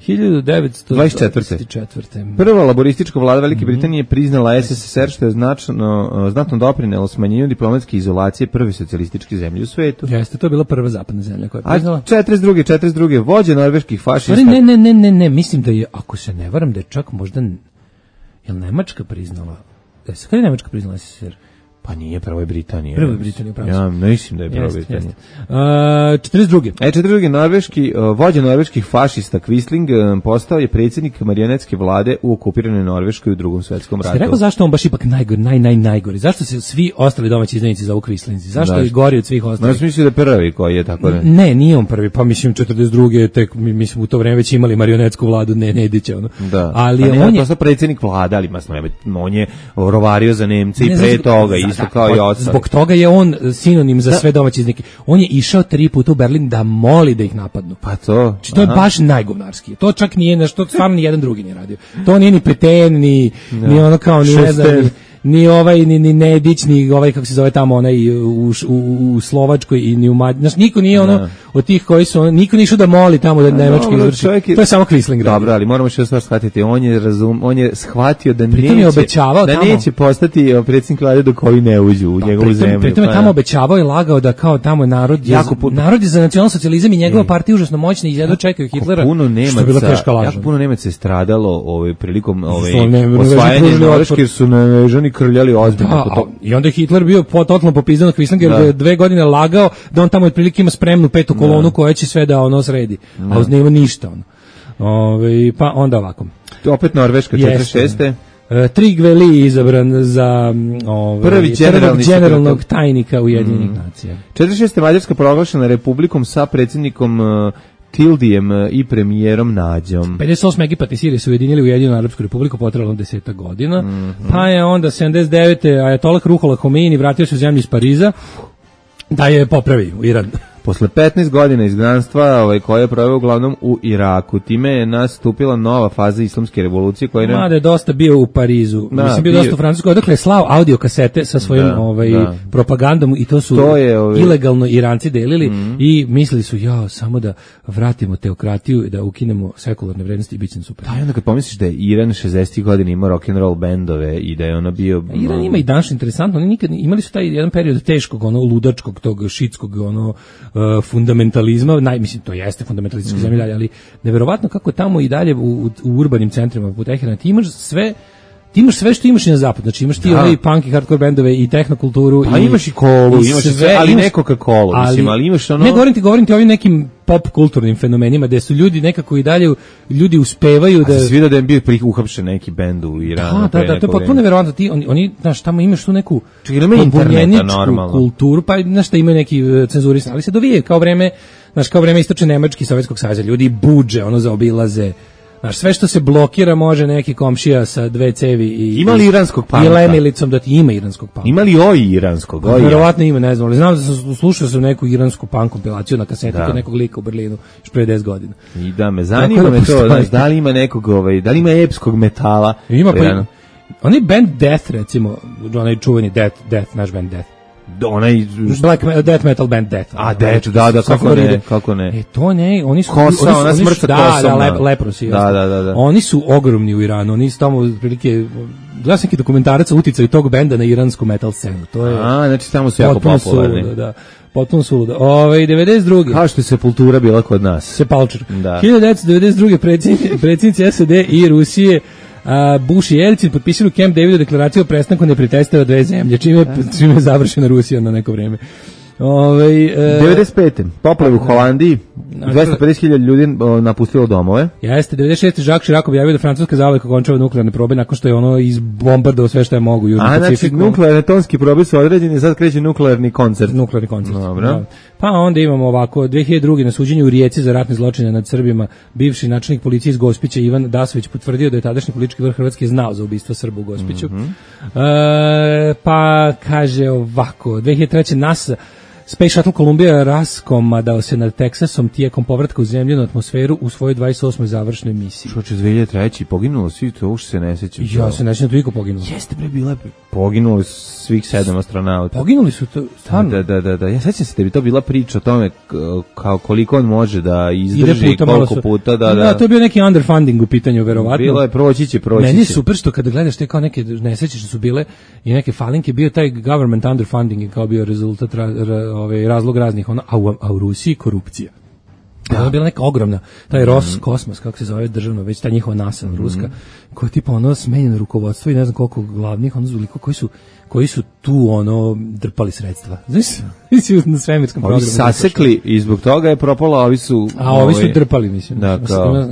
E: 1924.
F: Prva laboristička vlada Velike Britanije priznala SSSR, što je znatno doprinelo smanjenju diplomatske izolacije prve socijalističke zemlje u svetu.
E: Jeste, to je bila prva zapadna zemlja koja je priznala.
F: 42. vođa norveških fašista.
E: Ne, mislim da je, ako se ne varam, da je čak možda jel Nemačka priznala? Kada je Nemačka priznala SSSR?
F: Pa nije, prvo je Britanija.
E: Prvo je Britanija, upravo.
F: Ja mislim da je prvo Britanija.
E: 42.
F: 42. Norveški, vođa norveških fašista Quisling postao je predsjednik marionetske vlade u okupiranoj Norveškoj u Drugom svetskom ratu.
E: Ste rekao zašto on baš ipak najgori? Zašto se svi ostali domaći izdajnici zovu Quislinzi? Zašto je gori od svih ostalih?
F: No, mislim da je prvi koji je tako ne.
E: Ne, nije on prvi, pa mislim 42. tek mislim u to vreme već imali marionetsku vladu Nedića, ono.
F: Da.
E: Ali
F: pa
E: on je
F: postao predsjednik vlade, ali on je rovario za Nemce i pre toga isto kao i ostali.
E: Zbog toga je on sinonim za sve domaće izdajnike. On je išao 3 puta u Berlin da moli da ih napadnu.
F: Pa to.
E: Znači, to je baš najgovnarski. To čak nije nešto, stvarno ni jedan drugi nije radio. To nije ni Peten, ni ono kao, ni ne znam, ni ovaj, ni Nedić, ni ovaj, kako se zove tamo, onaj u Slovačkoj i ni u Mađarskoj. Znači, niko nije ono, od tih koji su, niko nije išao da moli tamo da Nemački izvrši. To je samo Quisling.
F: Dobro, ali moramo što stvar shvatiti. On je shvatio da neće postati predsjednik vlade dok ovi ne uđu u njegovu zemlju.
E: Pritom je tamo obećavao i lagao da kao tamo narod je za nacionalsocijalizam i njegova partija užasno moćna i jedno čekaju Hitlera.
F: Što je bila teška laž. Jako puno Nemaca je stradalo prilikom osvajanja Norveške, jer su nežani krljali ozbiljno.
E: I onda je Hitler bio totalno popizdan od Quislinga, jer je 2 godine lagao da on tamo otprilike ima spremnu 5. kolonu koja će sve da ono sredi. A uz nema ništa. Pa onda ovako.
F: Opet Norveška, 46.
E: Trygve izabran za prvog generalnog tajnika Ujedinjenih nacija.
F: 46. Mađarska proglašena republikom sa predsjednikom Tildijem i premijerom Nađom.
E: 58. Egipat i Sirija su ujedinili Ujedinjenu Arapsku republiku, potrebalo 10 godina. Pa je onda 79. Ajatollah Ruhollah Homeini vratio se u zemlju iz Pariza da je popravi u Iran.
F: Posle 15 godina izgnanstva koje je proveo uglavnom u Iraku, time je nastupila nova faza islamske revolucije koja je...
E: Mada je dosta bio u Parizu, mislim bio dosta u Francuskoj, odakle je slao audio kasete sa svojim propagandom i to su ilegalno Iranci delili i mislili su samo da vratimo teokratiju, da ukinemo sekularne vrednosti i bit će super.
F: Da, i onda kad pomisliš da je Iran 60. godina imao rock'n'roll bendove i da je ono bio...
E: Iran ima i danas interesantno, oni nikad imali su taj jedan period teškog, ludačkog, tog šitskog, fundamentalizma, mislim to jeste fundamentalistička zemlja, ali neverovatno kako tamo i dalje u urbanim centrima poput Teherana ti imaš sve što imaš i na zapadu, znači imaš ti ovaj punk i hardcore bendove i tehnokulturu
F: i imaš i kolu, imaš sve, ali ne Coca-Cola, mislim, ali imaš ono...
E: Ne, govorim ti o ovim nekim pop kulturnim fenomenima gde su ljudi nekako i dalje ljudi uspevaju da...
F: A si vidio da je bio uhapšen neki bend u Iranu?
E: Da, to je potpuno neverovatno. Oni, znaš, tamo imaš tu neku pobunjeničku kulturu, pa znaš šta imaju neki cenzurisan, ali se dovije kao vreme istočne Nemačke i Sovjetskog saveza, ljudi budže, zaobilaze. Znaš, sve što se blokira može neki komšija sa 2 cevi
F: ima li iranskog panka?
E: I lemilicom da ti ima iranskog panka.
F: Ima li iranskog?
E: Vjerovatno ima, ne znam, ali znam da sam slušao neku iransku punk kompilaciju na kaseti kod nekog lika u Berlinu još pre 10 godina.
F: I da me zanima to, znaš, da li ima nekog, da li ima epskog metala?
E: Ima pa onaj band Death, recimo, onaj čuveni Death, naš band Death.
F: Onaj
E: death metal band Death.
F: A Death, kako ne.
E: To ne, oni su
F: kosa, ona smrt sa kosom.
E: Da, leprosi.
F: Da.
E: Oni su ogromni u Iranu, oni su tamo otprilike, gledao sam neki dokumentarac o uticaju tog benda na iransku metal scenu. To je
F: znači tamo su jako popularni.
E: Da. Potpuno suludo. 92.
F: Kao što je Sepultura bila kod nas.
E: Sepulture.
F: Da.
E: 1992. predsjednici SAD i Rusije Bush i Jelcin potpisali u Camp Davidu deklaraciju o prestanku neprijateljstva dve zemlje, čime je završena Rusija na neko vreme.
F: 95. Poplave u Holandiji, 250.000 ljudi napustilo domove.
E: Jeste, 96. Jacques Chirac objavio da Francuska zauvek okončava nuklearne probe nakon što je ono izbombardovao sve što je mogu u Južnom Pacifiku.
F: Znači, nuklearne tonski probe su određeni, sad kreće nuklearni koncert.
E: Nuklearni koncert.
F: Dobro.
E: Da. Pa onda imamo ovako, 2002. na suđenju u Rijeci za ratne zločine nad Srbima, bivši načelnik policije iz Gospića Ivan Dasović potvrdio da je tadašnji politički vrh Hrvatske znao za ubistvo Srba u Gospiću. Pa kaže ovako, 2003. NASA Space Shuttle Columbia raskomadao se nad Teksasom tijekom povratka u zemljenu atmosferu u svojoj 28. završnoj misiji.
F: Što će 2003. poginulo svi, to uopšte se ne sećam.
E: Ja se ne sećam toliko poginulo.
F: Jeste bre, bila poginuli su svih 7 astronauta.
E: Poginuli su to stvarno.
F: Da. Ja sećam se da bi to bila priča o tome kao koliko on može da izdrži koliko puta.
E: Da, to je bio neki underfunding u pitanju, verovatno.
F: Bilo je proći će.
E: Meni je super što kada gledaš te kao neke nesreće što su bile i neke falinke, bio taj government underfunding i kao bio rezultat razlog raznih, a u Rusiji korupcija. To je bila neka ogromna, taj Roskosmos, kako se zove državno, već ta njihova NASA ruska, koja je tipa ono smenjeno rukovodstvo i ne znam koliko glavnih, ono zuliko, koji su tu drpali sredstva. Znaš, na svemirskom programu.
F: Ovi sasekli i zbog toga je propalo, a ovi su...
E: A ovi su drpali, mislim.
F: Da,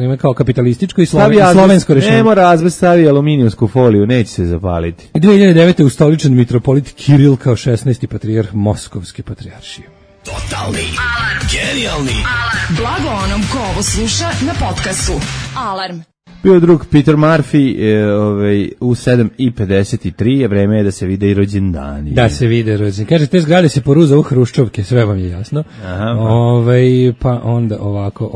E: ima kao kapitalističko i slovensko rešenje.
F: Ne mora azbest, stavi aluminijumsku foliju, neće se zapaliti.
E: 2009. ustoličen mitropolit Kiril kao 16. patrijarh Moskovske patrijaršije.
B: Totalni alarm. Genijalni alarm. Blago onom ko ovo sluša na podcastu. Alarm.
F: Bio drug Peter Murphy u 7:53 je vreme je da se vide i rođendani.
E: Da se vide rođendani. Kaže, te zgrade se poruza u Hruščovke, sve vam je jasno.
F: Aha,
E: pa onda ovako,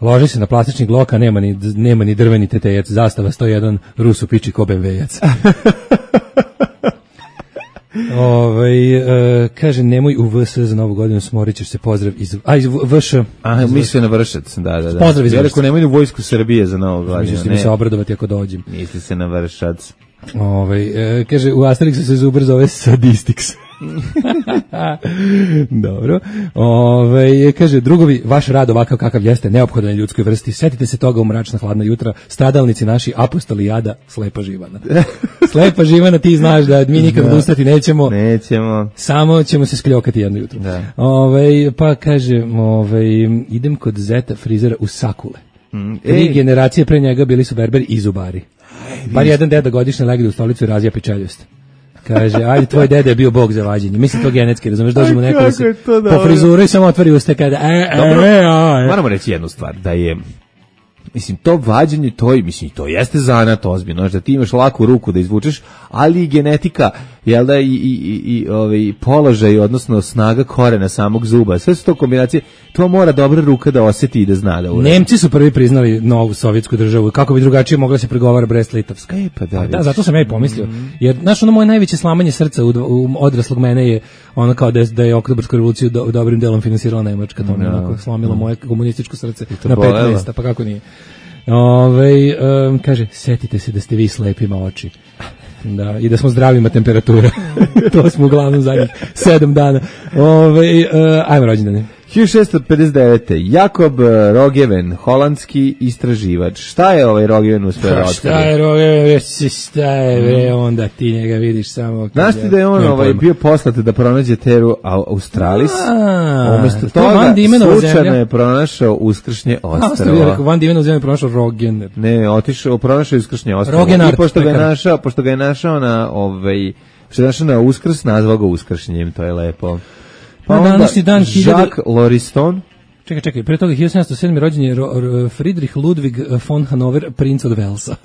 E: loži se na plastičnih gloka, nema ni drveni tetejac, zastava 101, Rusu piči ko BMW-jac. Kaže, nemoj u VS za novu godinu, smorit ćeš se, pozdrav iz VŠ.
F: Misli na Vršac, da.
E: Pozdrav iz Vršac.
F: Ja rekao, nemoj u vojsku Srbije za novu godinu.
E: Mislim mi se obradovati ako dođem.
F: Misli se na Vršac.
E: Kaže, u Asterixu se Zuber zove Sadistix. Dobro. Kaže, drugovi, vaš rad ovakav kakav jeste neophodan je ljudskoj vrsti. Setite se toga u mračna hladna jutra. Stradalnici naši, apostoli jada, slepa živana. Slepa živana, ti znaš da mi nikad odustati nećemo. Samo ćemo se skljokati jedno jutro. Pa kaže, idem kod zeta frizera u Sakule. 3 generacije pre njega bili su berberi i zubari. Bar jedan deda godišnje legne u stolicu i razija pičeljost. Kaže, ajde, tvoj deda je bio bog za vađenje. Mislim to genetski, razumeš, dođemo neko da se po frizuru i samo otvori usta kada...
F: Moramo reći jednu stvar, da je... Mislim, to vađenje, to jeste zanat ozbiljno, da ti imaš laku ruku da izvučeš, ali i genetika, jel da, i položaj, odnosno snaga korena samog zuba, sve su to kombinacije, to mora dobra ruka da osjeti i da zna da uradi.
E: Nemci su prvi priznali novu sovjetsku državu, kako bi drugačije mogla se pregovara Brest-Litovska. Da, zato sam ja i pomislio, jer, znaš, moje najveće slamanje srca u odraslog mene je ono kao da je Oktobarsku revoluciju dobrim delom finansirala Nemačka, to me onako slomilo moje komunističko srce na 5 mjesta, pa kako nije. Kaže, setite se da ste vi slepima oči. Da, i da smo zdravima temperatura. To smo uglavnom zadnjih 7 dana. Ajmo rođendane.
F: 1659. Jakob Rogeven, holandski istraživač. Šta je ovaj Rogeven uspeo da otkrivi?
E: Šta je Rogeven, šta je onda ti njega vidiš samo...
F: Znaš ti da je on bio poslat da pronađe teru Australis? Umesto toga slučajno je pronašao uskršnje ostrvo.
E: Van Diemenov zemlja je pronašao Rogener.
F: Ne, pronašao je uskršnje ostrvo. I pošto ga je našao na Uskrs, nazvao ga Uskršnjem, to je lepo.
E: Pa onda
F: Jacques Lauriston.
E: Čekaj, pre toga 1707. rođen je Friedrich Ludwig von Hanover, princ od Velsa.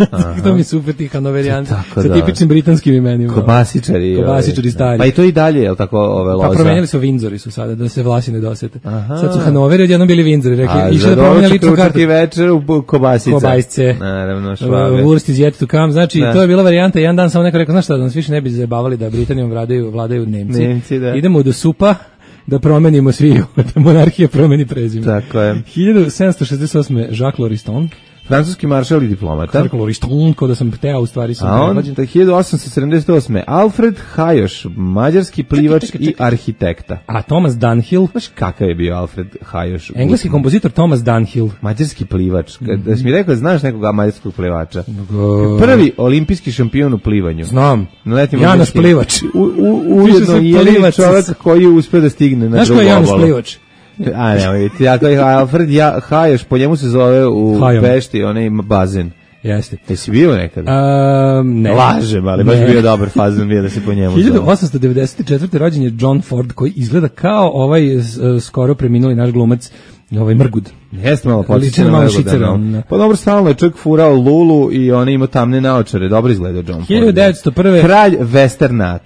E: To mi super ti Hanoverijanci, sa tipičnim britanskim imenima.
F: Kobasičari
E: stari.
F: Pa i to i dalje, je li tako loza?
E: Pa promenjali su Windsori su sada, da se vlasi ne dosete. Sad su Hanoveri, odjednom bili Windsori, rekli, išli da promene ličnu kartu.
F: I večer u Kobasice.
E: Kobasice.
F: Naravno, Švabe.
E: Wurst is yet to come, znači to je bila varijanta, jedan dan samo neko rekao, znaš šta, da nas više ne bi zabavali da Britanijom vladaju Nemci. Idemo do supa, da promenimo svi, da monarhija promeni prezime.
F: Tako je.
E: 1768. Jacques Lauriston,
F: francuski maršal i diplomata.
E: Ko da sam hteo, u stvari sam
F: a on, 1878. Alfred Hajoš, mađarski plivač i arhitekta.
E: A Thomas Dunhill?
F: Znaš kakav je bio Alfred Hajoš?
E: Engleski kompozitor Thomas Dunhill.
F: Mađarski plivač. Da si mi rekao, znaš nekoga mađarskog plivača? Prvi olimpijski šampion u plivanju.
E: Znam. Januš Plivač.
F: Ujedno je čovjek koji uspio da stigne na drugu obalu.
E: Januš Plivač?
F: A ne, tako je Alfred Hajoš, po njemu se zove u Pešti, onaj ima bazen.
E: Jeste.
F: Jesi bio nekada?
E: Ne.
F: Lažem, ali baš bio dobar fazon bio da se po njemu zove.
E: 1894. rođen je John Ford, koji izgleda kao ovaj skoro preminuli naš glumac, ovaj Mrgud.
F: Jeste malo podsjećeno na Mrguda. Pa dobro, stalno je čak furao Lulu i on ima tamne naočare. Dobro izgleda John Ford.
E: 1901.
F: Kralj westerna.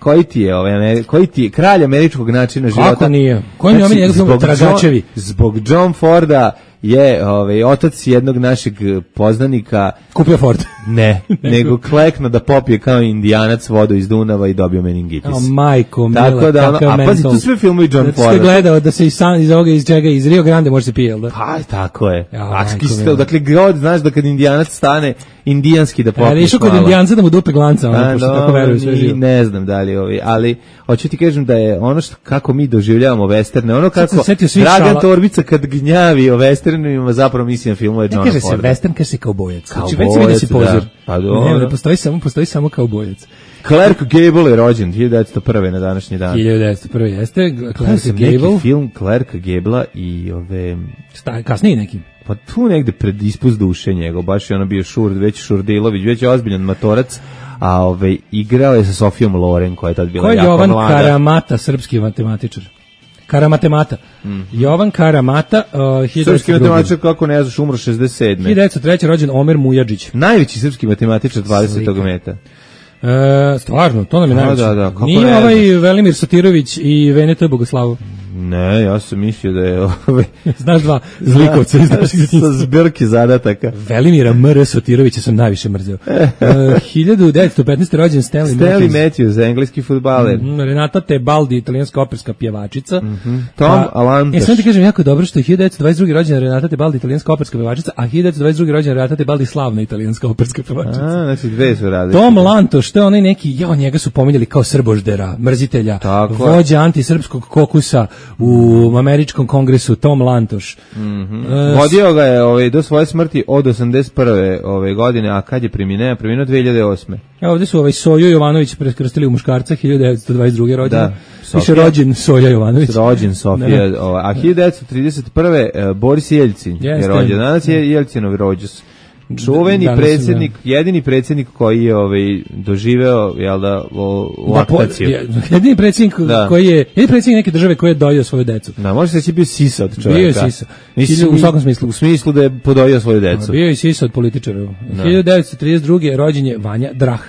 F: Koji ti je kralj američkog načina života?
E: Kako nije? Koji mi je njegov Tragačevi?
F: Zbog John Forda je otac jednog našeg poznanika
E: kupio Ford.
F: Ne, nego klekno da popije kao Indijanac vodu iz Dunava i dobio meningitis.
E: Majko mila,
F: tako da a pazi, tu sve filmovi John Ford.
E: Ste gledao da se iz ovoga iz Rio Grande može se pije, jel da?
F: Pa, tako je. Dakle, god znaš da kad Indijanac stane indijanski da popije. Ali
E: išao kod Indijanca da mu dupe glanca, pošto tako veruju sve živo.
F: Ne znam da li ali hoću ti kažem da je ono kako mi doživljavamo westerne, ono kako Dragan Torbica kad gnjavi o westernima zapravo misli na filmove Johna Forda.
E: Ne kaže se western, kaže se kaubojac. Znači već se vidi si pozor.
F: Pa dobro.
E: Ne, postoji samo kaubojac.
F: Clark Gable je rođen 1901. na današnji dan.
E: 1901. jeste Clark Gable.
F: Neki film Clarka Gablea i ove...
E: Kasniji neki.
F: Pa tu negde pred ispust duše njegov, baš je ono bio Šurdilović, već je ozbiljan matorac, a igrao je sa Sofijom Loren, koja je tad bila jako mlada.
E: Jovan Karamata, srpski matematičar. Karamatemata. Jovan Karamata,
F: srpski matematičar, kako ne znaš, umro 67.
E: 1903. rođen Omer Mujadžić.
F: Najveći srpski matematičar 20. meta.
E: Stvarno, to nam je najveći.
F: Da.
E: Nije ovaj Velimir Satirović i Veneta Bogoslavov.
F: Ne, ja sam mislio da je
E: znaš dva zlikovca
F: sa zbirke zadataka.
E: Velimira M.R. Sotirovića sam najviše mrzeo. 1915. rođen Stanley
F: Matthews, engleski fudbaler.
E: Renata Tebaldi, italijanska operska pjevačica.
F: Tom Alantaš.
E: Ja sam ti kažem jako dobro što je 1922. rođena Renata Tebaldi, italijanska operska pjevačica, a 1922. rođena Renata Tebaldi, slavna italijanska operska pjevačica.
F: Znači dve su radili.
E: Tom Lantoš, što je onaj neki, njega su pominjali kao srboždera, mrzitelja, vođa antisrpskog kokusa u američkom kongresu, Tom Lantoš.
F: Vodio ga je do svoje smrti od 81. godine, a kad je preminuo 2008.
E: Ovdje su Soju Jovanović prekrstili u muškarca, 1922. rođen.
F: Da.
E: Piše rođen Soja Jovanović.
F: Rođen Sofija, a 1931. Boris Jeljcin je rođen. Danas je Jeljcinov rođus. Čuveni predsjednik, jedini predsjednik koji je doživeo, jel da, laktaciju.
E: Jedini predsjednik koji je, jedini predsjednik neke države koji je dojio svoju decu.
F: Da, može se bio sisa od čovjeka.
E: Bio je sisa.
F: U svakom smislu. U smislu da je podojio svoju decu.
E: Bio je sisa od političara. 1932. rođen je Vanja Drah.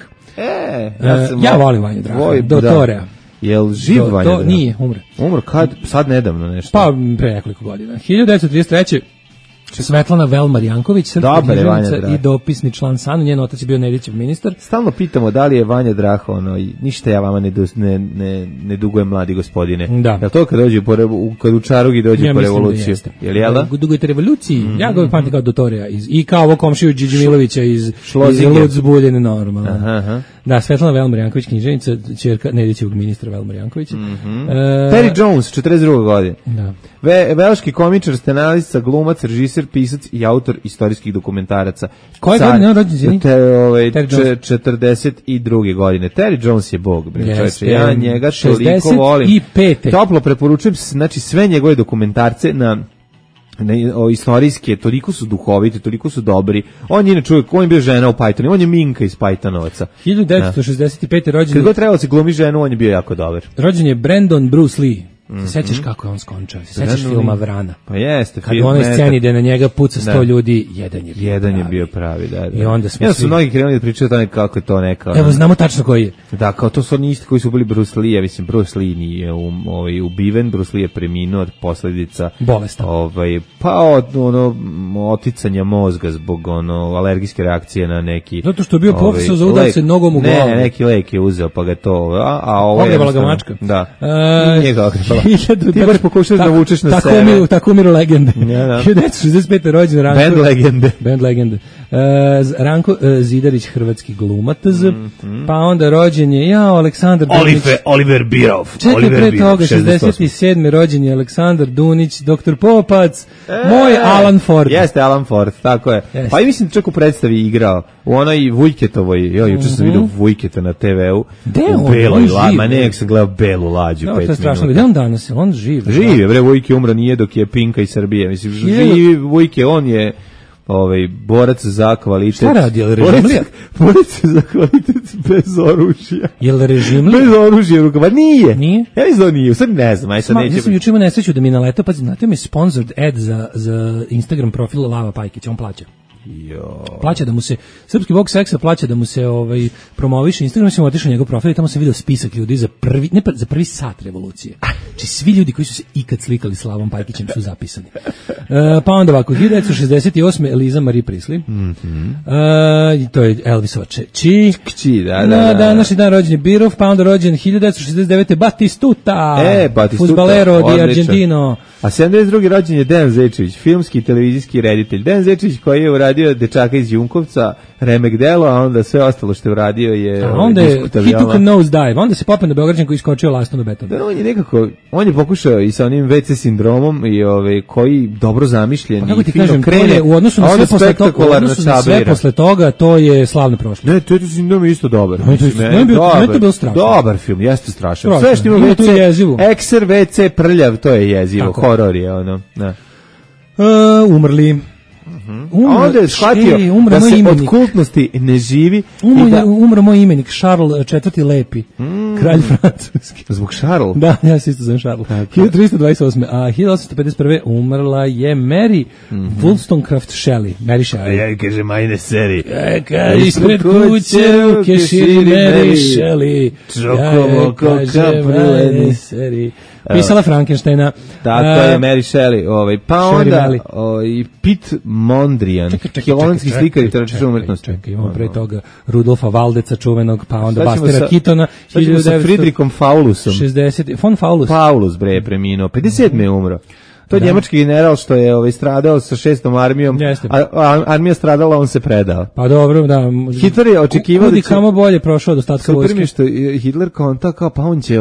E: Ja volim Vanja Draha, dotorea.
F: Jel živ Vanja Drah?
E: Nije, umre.
F: Umre kad? Sad nedavno nešto.
E: Pa, pre nekoliko godina. 1933. Svetlana Velmar Janković, srpska književnica i dopisni član SANU, njen otac je bio Nedićev ministar.
F: Stalno pitamo da li je Vanja Drah ništa ja vama ne dugujem, mladi gospodine.
E: Da.
F: Jel to kad dođe kad u Čarugi dođe po revoluciju? Jel da?
E: Dugujete revoluciji? Ja ga pamtim kao dotorija i kao ovo komšiju Điđi Milovića iz Ludzbuljene normalno.
F: Aha.
E: Da, Svetlana Velmar Janković, književnica, ćerka Nedićevog ministra Velmar Jankovića.
F: Terry Jones, 42. godine. Da. Velški komičar, scenarista, glumac, režiser, pisac i autor istorijskih dokumentaraca.
E: Koje godine on rođen?
F: 42. godine. Terry Jones je bog, ja njega toliko volim. Toplo preporučujem, znači sve njegove dokumentarce istorijske, toliko su duhoviti, toliko su dobri. On je inače uvijek, on je bio žena u Pythonu, on je Minka iz Pythonovaca.
E: 1965. rođen.
F: Kad god trebalo se glumi ženu, on je bio jako dobar.
E: Rođen je Brandon Bruce Lee. Se sećaš kako je on skončao? Se sećaš filma Vrana?
F: Pa jeste.
E: Kad u onoj sceni da na njega puca 100 ljudi, jedan je bio
F: pravi. Da.
E: I onda smo
F: su mnogi krenuli da pričaju o tome kako je to neka...
E: Evo, znamo tačno koji je.
F: Da, kao to su oni isti koji su bili Bruce Lee, mislim, Bruce Lee nije ubiven, Bruce Lee je preminuo od posljedica...
E: Bolesta.
F: Pa od oticanja mozga zbog alergijske reakcije na neki...
E: Zato što je bio profesor za udar se nogom u glavu.
F: Ne, neki lek je uzeo, pa ga to...
E: Ogrebala ga mačka.
F: Da. Nije ga ostalo. Ti baš pokušaš da vučeš na
E: sebe. Tako umiru legende. 1965. rođen Ranko. Band legende. Ranko Zidarić, hrvatski glumac. Pa onda rođen je Aleksandar Dunić.
F: Oliver Birov.
E: Čekaj, pre toga, 67. rođen je Aleksandar Dunić, Dr. Popac, moj Alan Ford.
F: Jeste Alan Ford, tako je. Jeste. Pa i mislim čak u predstavi igrao. U onoj Vujketovoj, juče sam vidio Vujketa na TV-u.
E: U beloj
F: lađi, ma nek se gleda belu lađu 5 minuta.
E: To je strašno, gde on danas? On živ.
F: Živ je, bre, Vujke umra nije dok je Pinka iz Srbije. Mislim, živi Vujke, on je borac za kvalitet.
E: Šta radi, je li režimlija?
F: Borac za kvalitet bez oružja.
E: Je li režimlija?
F: Bez oružja u rukama. Nije.
E: Nije?
F: Ja mislim da nije, sad ne znam, aj sad neće.
E: Ja sam juče imao nesreću da mi naletao, pa znate mi sponsored ad za Instagram profil Lava Pajkić, on plaća. Plaća da mu se srpski bog seksa plaća da mu se promoviše Instagram, sam otišao na njegov profil i tamo sam video spisak ljudi za prvi sat revolucije. Znači svi ljudi koji su se ikad slikali s Lavom Pajkićem su zapisani. Pa onda ovako 1968. Eliza Marie Priestley. To je Elvisova kći.
F: Da.
E: Današnji dan rođen je Birov, pa onda rođen 1969. Batistuta. Fudbalero di Argentino.
F: A 72. rođen je Dejan Zečević, filmski i televizijski reditelj. Dejan Zečević koji je uradio Dečaka iz Junkovca, remek delo, a onda sve ostalo što je uradio je...
E: A onda je He Took a Nose Dive, onda se popeo na Beograđan koji iskočio lastom do betona.
F: Da, on je pokušao i sa onim WC sindromom i koji dobro zamišljen
E: i fino krene, u odnosu na sve posle toga, to je slavno prošlo.
F: Ne, to je sindrom isto dobar.
E: To je bilo strašno.
F: Dobar film, jeste strašan. Sve što ima WC, ekser, WC, prljav, to je jezivo, horor je ono.
E: Umrli.
F: A onda je shvatio da se od kultnosti ne živi.
E: Umro moj imenik, Charles IV. Lepi, kralj francuski.
F: Zbog Charles?
E: Da, ja se isto zovem Charles. 1328. A 1851. umrla je Mary Wollstonecraft Shelley. Mary Shelley.
F: Ja kaže majne seri.
E: Ispred kuće u keširi Mary Shelley.
F: Čokovo koka pruleni
E: seri. Pisala Frankensteina.
F: Tako je Mary Shelley. Pa onda i Piet Mondrian, holandski slikar i teoretičar umetnosti.
E: Čekaj, imamo pre toga Rudolfa Valdeca čuvenog, pa onda Bastera Kitona.
F: Šta ćemo sa Friedrichom Paulusom?
E: 60. Von Paulus.
F: Paulus, bre, preminuo. 57. je umro. To je njemački general što je stradao sa 6. armijom, a armija stradala, on se predao.
E: Pa dobro, da.
F: Hitler je očekivao da će...
E: kamo bolje prošao od ostatka vojske.
F: Super mi što Hitler kao pa on će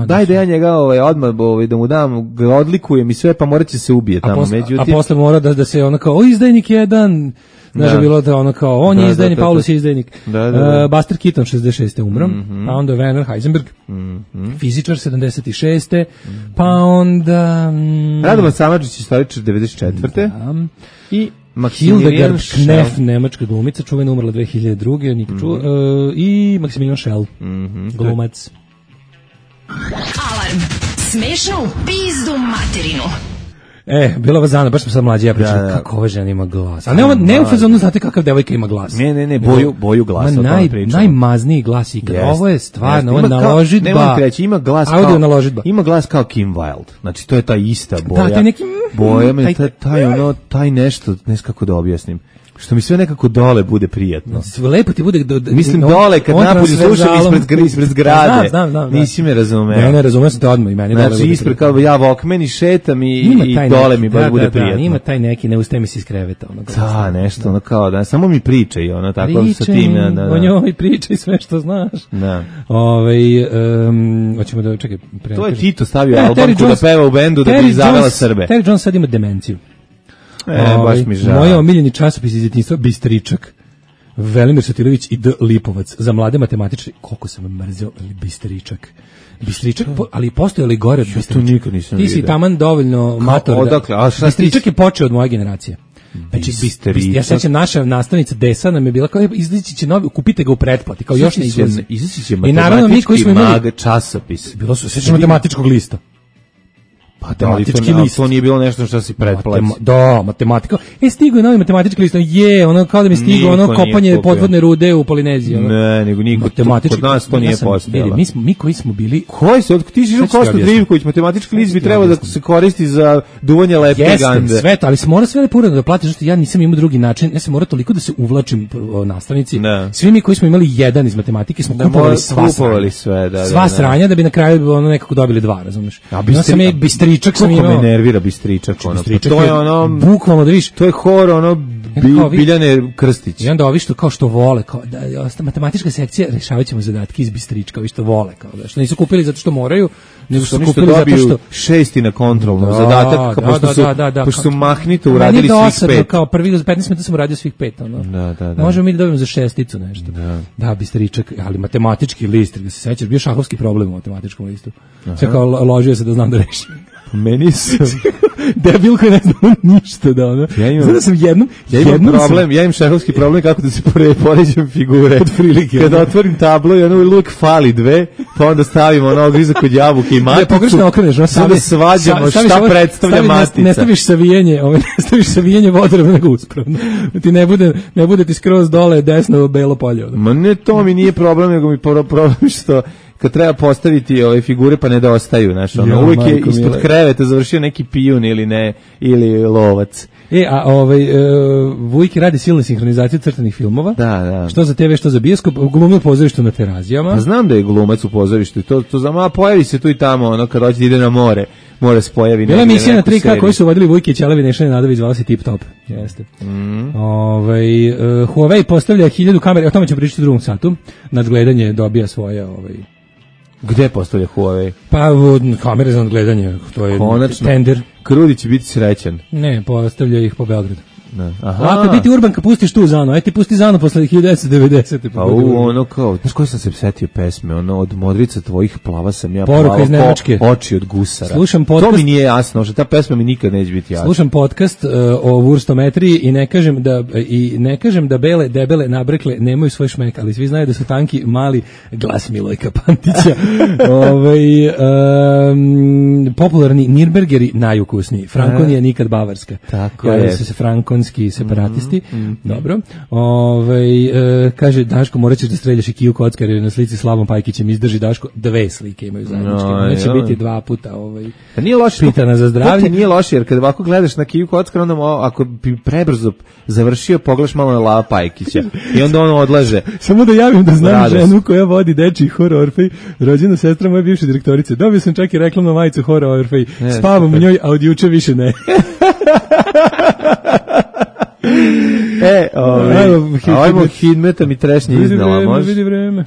F: daj da ja njega odmah da mu dam, ga odlikujem i sve, pa morat će se ubije tamo.
E: A posle mora da se ono kao, izdajnik jedan... Znaš, bilo da ono kao, on je izdajnik, Paulus je izdajnik. Buster Keaton 66. umro, pa onda Werner Heisenberg, fizičar 76. Pa onda...
F: Radovan Samardžić, istoričar 94. I
E: Hildegard Knef, nemačka glumica, čuvena, umrla 2002. Nikad čuo. I Maximilian Schell, glumac.
B: Alarm, smešno u pizdu materinu.
E: Bilo vas dana, baš smo sad mlađi, ja pričam kako ova žena ima glas. A ne u fazonu, znate kakav devojka ima glas.
F: Ne, boju glasa.
E: Najmazniji glas ikad. Ovo je stvarno, ovo je naložitba.
F: Nemoj treći, ima glas kao... Ima glas kao Kim Wilde. Znači, to je ta ista boja.
E: Da, taj neki...
F: Boja, taj nešto, ne znam kako da objasnim. Što mi sve nekako dole bude prijatno.
E: Lepo ti bude...
F: Mislim dole, kad napolju slušam ispred zgrade.
E: Znam.
F: Nisi me razumeo.
E: Ne, razumeo sam te odmah i meni dole.
F: Znači, ispred kao ja Walkman i šetam i dole mi bude prijatno.
E: Ima taj neki, ne ustaje mi se iz kreveta.
F: Da, nešto, ono kao da, samo mi pričaj, ono, tako sa tim.
E: O njoj pričaj sve što znaš.
F: Da.
E: Hoćemo da, čekaj.
F: To je Tito stavio albumku da peva u bendu da bi zavela Srbe.
E: Terry Jones sad ima demenciju.
F: Baš mi žao.
E: Moj omiljeni časopis iz djetinjstva Bistričak. Velimir Satilović i D. Lipovac. Za mlade matematičare. Koliko sam mrzio Bistričak. Ali postoje li gore od Bistričaka? Ti si taman dovoljno mator. Bistričak je počeo od moje generacije. Znači, ja sećam, naša nastavnica Desa nam je bila kao, izlići će novi, kupite ga u pretplati, kao još ne izlazi.
F: Izaći će matematički mag časopis.
E: Bilo su, sećam matematičkog lista. matematički list.
F: To nije bilo nešto što si pretplaćao.
E: Matematika. Stigo je novi matematički list. Ono kao da mi stigo kopanje podvodne rude u Polineziji.
F: Ne, nego niko. Kod nas to nije postojalo.
E: Mi koji smo bili...
F: Koji se, ti si Kosta Drivković, matematički list bi trebao da se koristi za duvanje lepke gande.
E: Sve to, ali se mora sve lepo da platiš, što ja nisam imao drugi način, ja sam morao toliko da se uvlačim nastavnici. Svi mi koji smo imali 1 iz matematike smo kupovali sva sranja da bi na kraju nekako dobili 2, razumeš? Bistričak sam imao.
F: Kako me nervira Bistričak, to je ono,
E: bukvalno da vidiš,
F: to je hor, Biljane Krstić.
E: I onda ovi što što vole, kao da matematička sekcija, rešavaćemo zadatke iz Bistrička, ovi što vole, kao da što nisu kupili zato što moraju, nego su kupili zato što
F: 6 na kontrolnu zadatak, pošto su mahnito uradili svih 5.
E: Kao prvi 15 minuta sam uradio svih 5, ono. Da. Možemo mi da dobijemo za 6 nešto. Da, Bistričak, ali matematički list, da se sećaš, bio šahovski problem u matematičkom listu. Sve kao ložio se da znam da rešim.
F: Meni su
E: debil koji ne znam ništa da ono. Sada sam jednom
F: problem, ja imam šahovski problem kako da se poređam figure.
E: Od prilike.
F: Kada otvorim tablo i ono uvijek fali 2, pa onda stavimo ono ogrizak kod jabuke i maticu.
E: Pogrešno okreneš, no
F: sada svađamo šta predstavlja matica.
E: Ne staviš savijenje vodorobno nego uspravno. Ti ne bude ti skroz dole desno belo polje.
F: Ma ne, to mi nije problem, nego mi problem što kad treba postaviti ove figure pa ne dostaju, znaš, ono, uvijek je ispod kreveta završio neki pijun ili lovac.
E: Vujki radi silne sinhronizacije crtanih filmova.
F: Da.
E: Što za TV, što za bioskop, glumi u pozorištu na Terazijama.
F: Pa znam da je glumac u pozorištu i to znam, a pojavi se tu i tamo, ono, kad hoće da ide na more se pojavi.
E: Bila emisija na 3K koji su vodili Vujki i Ćelavi Nešane Nadović, zvala se Tip Top. Jeste. Huawei postavlja 1000 kamera, o tome ćemo pričati u drugom satu. Nadgledanje dobija svoje
F: Gde postavlja Huawei?
E: Pa kamere za nadgledanje, to je tender.
F: Krudi će biti srećan.
E: Ne, postavlja ih po Beogradu.
F: Aha.
E: Lako biti urban kad pustiš tu Zanu, aj ti pusti Zanu posle 1990.
F: Pa ono kao, znaš koji sam se setio pesme, ono od modrica tvojih plava sam ja
E: Poruka iz Nemačke.
F: Oči od gusara.
E: Slušam podcast,
F: to mi nije jasno, že ta pesma mi nikad neće biti jasna.
E: Slušam podcast o vurstometriji i ne kažem da bele, debele, nabrekle nemaju svoj šmek, ali svi znaju da su tanki, mali, glas Milojka Pantića. Popularni Nürnbergeri najukusniji. Frankonija nikad bavarska.
F: Tako je.
E: Se Frankon separatisti. Dobro. Kaže Daško, morat ćeš da streljaš i Kiju Kockar, jer na slici Slavom Pajkićem izdrži Daško 2 slike imaju zajedničke. Neće biti 2 puta
F: nije loše,
E: pitana za zdravlje.
F: To nije loše, jer kad ovako gledaš na Kiju Kockar, onda ako bi prebrzo završio, pogledaš malo na Lava Pajkića i onda ono odlaže.
E: Samo da javim da znam ženu koja vodi dečiji hor Orfej, rođena sestra moje bivše direktorice. Dobio sam čak i reklamnu majicu hora Orfej. Spavam u njoj, a od juče više ne.
F: Ajmo Hidmeta mi trešnje iznala, može?
E: Vidi vreme.